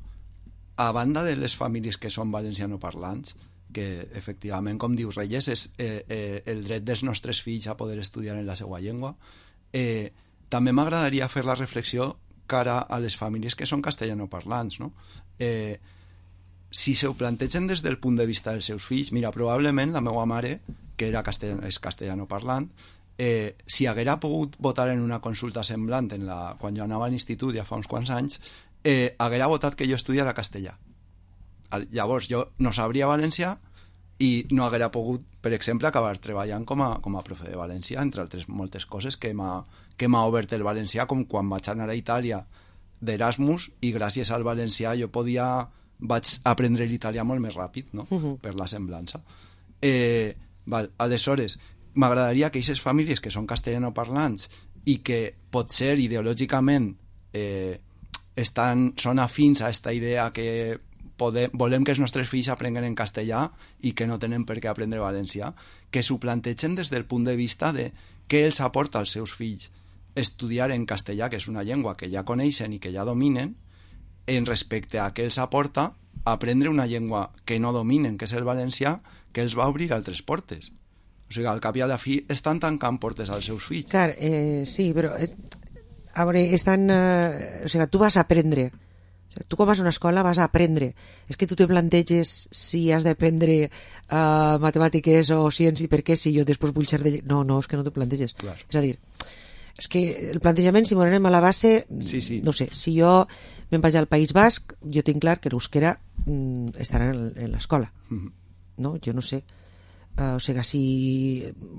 a banda de les famílies que són valencianoparlants, que efectivament, com dius Reyes, és el dret dels nostres fills a poder estudiar en la seva llengua, també m'agradaria fer la reflexió cara a les famílies que són castellanoparlants, no? Si se ho plantegen des del punt de vista dels seus fills, mira, probablement la meva mare, que és castellanoparlant, si haguera pogut votar en una consulta semblant quan jo anava a l'institut ja fa uns quants anys, haguera votat que jo estudiara castellà. Llavors jo no sabria valencià i no haguera pogut, per exemple, acabar treballant com a profe de valencià, entre altres moltes coses que m'ha obert el valencià, com quan vaig anar a Itàlia d'Erasmus i gràcies al valencià jo vaig aprendre l'italià molt més ràpid, no? Per la semblança. Aleshores, m'agradaria que aquestes famílies que són castellanoparlants i que potser ideològicament són afins a aquesta idea que volem que els nostres fills aprenguen en castellà i que no tenen per què aprendre valencià, que s'ho plantegen des del punt de vista de què els aporta als seus fills estudiar en castellà, que és una llengua que ja coneixen i que ja dominen, en respecte a què els aporta aprendre una llengua que no dominen, que és el valencià, que els va obrir altres portes. O sigui, al cap i a la fi estan tancant portes als seus fills. Clar, sí, però... A veure, o sigui, tu vas a aprendre. O sigui, tu quan vas a una escola vas a aprendre. És que tu te planteges si has d'aprendre matemàtiques o ciència i per què si jo després vull ser de... No, és que no t'ho planteges. Clar. És a dir, és que el plantejament, si m'ho anem a la base, sí. No sé, si jo me'n vaig al País Basc, jo tinc clar que l'euskera estarà en l'escola. No? Jo no sé. O sigui, si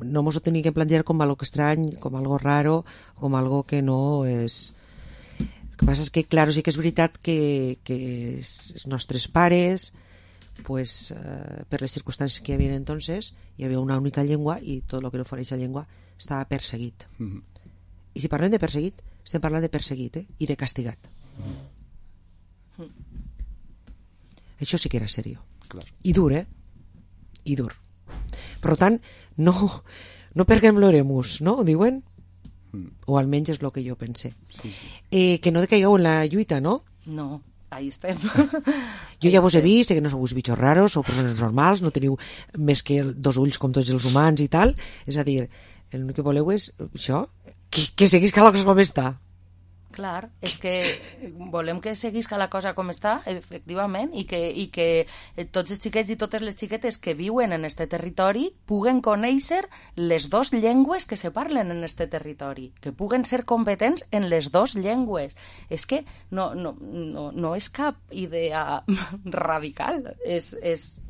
no mos ho tenim que plantejar com algo estrany, com algo raro, com algo que no és... El que passa és que, clar, sí que és veritat que els nostres pares, pues, per les circumstàncies que hi havia entonces, hi havia una única llengua i tot el que no fos aquesta llengua estava perseguit. I si parlem de perseguit, estem parlant de perseguit i de castigat. Això sí que era seriós. I dur, I dur. Per tant, no perguem l'oremus, no? Ho diuen? O almenys és el que jo pense. Sí. Que no decaigueu en la lluita, no? No, ahí estem. Jo ja vos he vist, que no sou bichos raros, sou persones normals, no teniu més que dos ulls com tots els humans i tal. És a dir, l'únic que voleu és això, que seguisca la cosa com està. Clar, és que volem que seguisca la cosa com està, efectivament, i que tots els xiquets i totes les xiquetes que viuen en este territori puguen conèixer les dues llengües que se parlen en este territori, que puguen ser competents en les dues llengües. És que no és cap idea radical,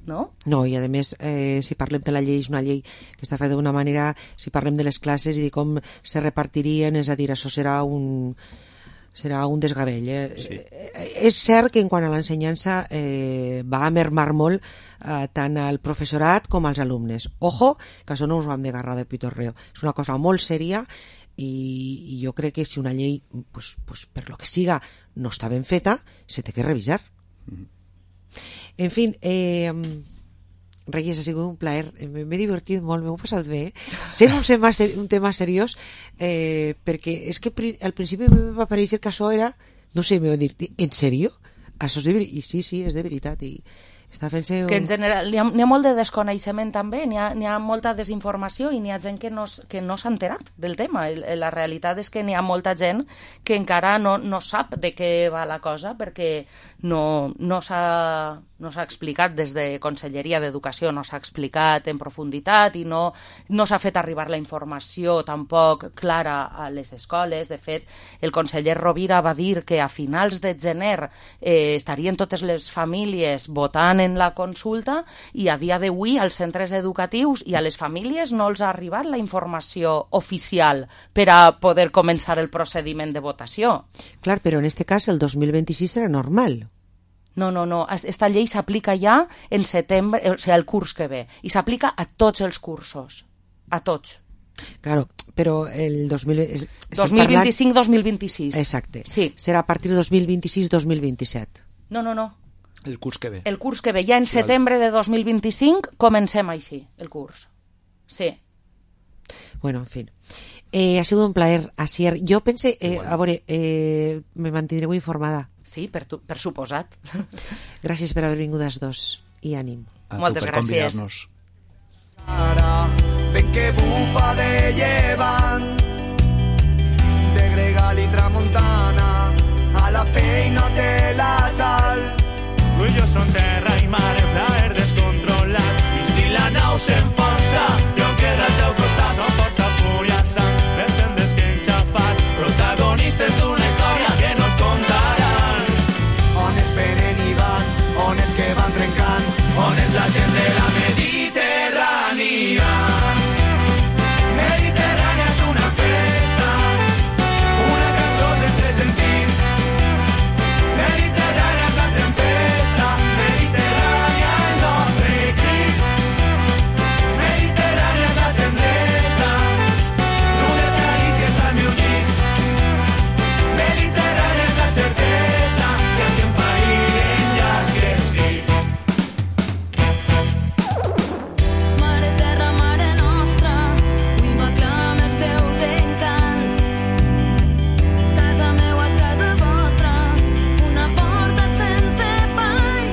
no? No, i a més, si parlem de la llei, és una llei que està feta d'una manera, si parlem de les classes i de com se repartirien, és a dir, això serà un desgavell. Sí. És cert que en quant a l'ensenyança va a mermar molt tant al professorat com als alumnes. Ojo, que això no us ho hem d'agarrar de pitorreo. És una cosa molt sèria i jo crec que si una llei pues, per lo que siga no està ben feta, se té que revisar. En fin, Reyes, ha sigut un plaer, m'he divertit molt, m'ho he passat bé, sent un tema seriós, perquè és que al principi em va aparèixer que això era, no sé, em va dir, en sèrio? Això és de veritat? I sí, és de veritat, i està fent-se... És que en general n'hi ha molt de desconeixement també, n'hi ha molta desinformació i n'hi ha gent que no s'ha enterat del tema. La realitat és que n'hi ha molta gent que encara no sap de què va la cosa perquè no s'ha explicat des de Conselleria d'Educació, no s'ha explicat en profunditat i no s'ha fet arribar la informació tampoc clara a les escoles. De fet, el conseller Rovira va dir que a finals de gener estarien totes les famílies votant en la consulta i a dia d'avui als centres educatius i a les famílies no els ha arribat la informació oficial per a poder començar el procediment de votació. Clar, però en este cas el 2026 serà normal. No. Esta llei s'aplica ja en setembre, o sigui, el curs que ve. I s'aplica a tots els cursos. A tots. Claro, però el 2025-2026. Exacte. Sí. Serà a partir de 2026-2027. No. El curs que ve. El curs que ve. Ja en setembre de 2025 comencem així, el curs. Sí. Bueno, en fin. Ha sigut un plaer, Asier. Jo pense, a veure, me mantindreu informada. Sí, per suposat. Gràcies per haver vingut els dos i ànim. Moltes gràcies. Ven que bufa de llevant, de Gregal i Tramuntana, a la peina de la sal. Tu i jo som terra i mar, el plaer descontrolat. I si la nau s'enfonsa, jo queda al teu costat. Som força, fúria, sang, descendes que enxafar, protagonistes d'una història que no et contaran. On es venen i van, on es que van trencant, on és la gent de la Mediterrània. Mediterrània és una festa, una cançó sense sentit. Mediterrània és la tempesta, Mediterrània el nostre crit. Mediterrània és la tendresa, d'unes carícies al meu llit. Mediterrània és la certesa, que si em païen ja si ets dit. Mare terra, mare nostra, avui m'aclama els teus encants. Casa meua és casa vostra, una porta sense pany.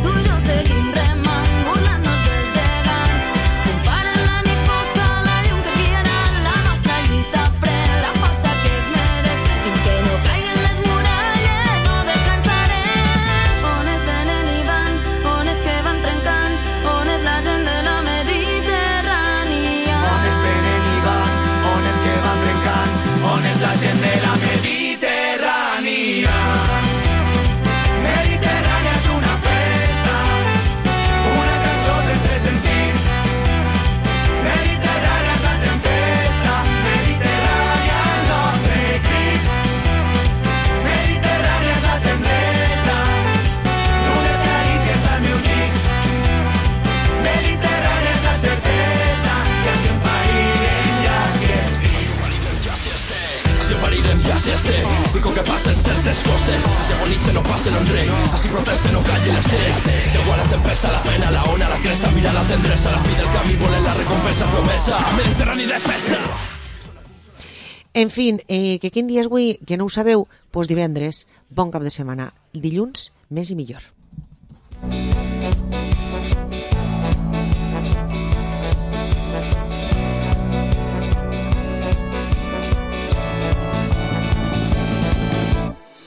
Tu i jo seguim remant, burlant-nos dels gegants. Comparen la nit fosca, la llum que guiarà la nostra lluita. Pren la força que es mereix, fins que no caiguen les muralles, no descansarem. On es venen i van, on és que van trencant, on és la gent de la Mediterrània. On es venen i van, on és que van trencant, on és la gent de la Mediterrània. Mediterrània és una festa, una cançó sense sentit. Mediterrània és la tempesta, Mediterrània el nostre crit. Mediterrània és la tendresa, d'unes carícies al meu llit. Mediterrània és la certesa, que si em païen ja si ets dit. Si parirem ja si estem, digo que passen certes coses, si agonitze no passen en rei, així proteste no calli l'estrell. Llegó a la tempesta, la pena, la ona, la cresta, mira la tendresa, la fi del camí, volen la recompensa promesa, Mediterrani de festa. En fin, que quin dia és avui, que no ho sabeu, doncs divendres, bon cap de setmana. Dilluns, més i millor.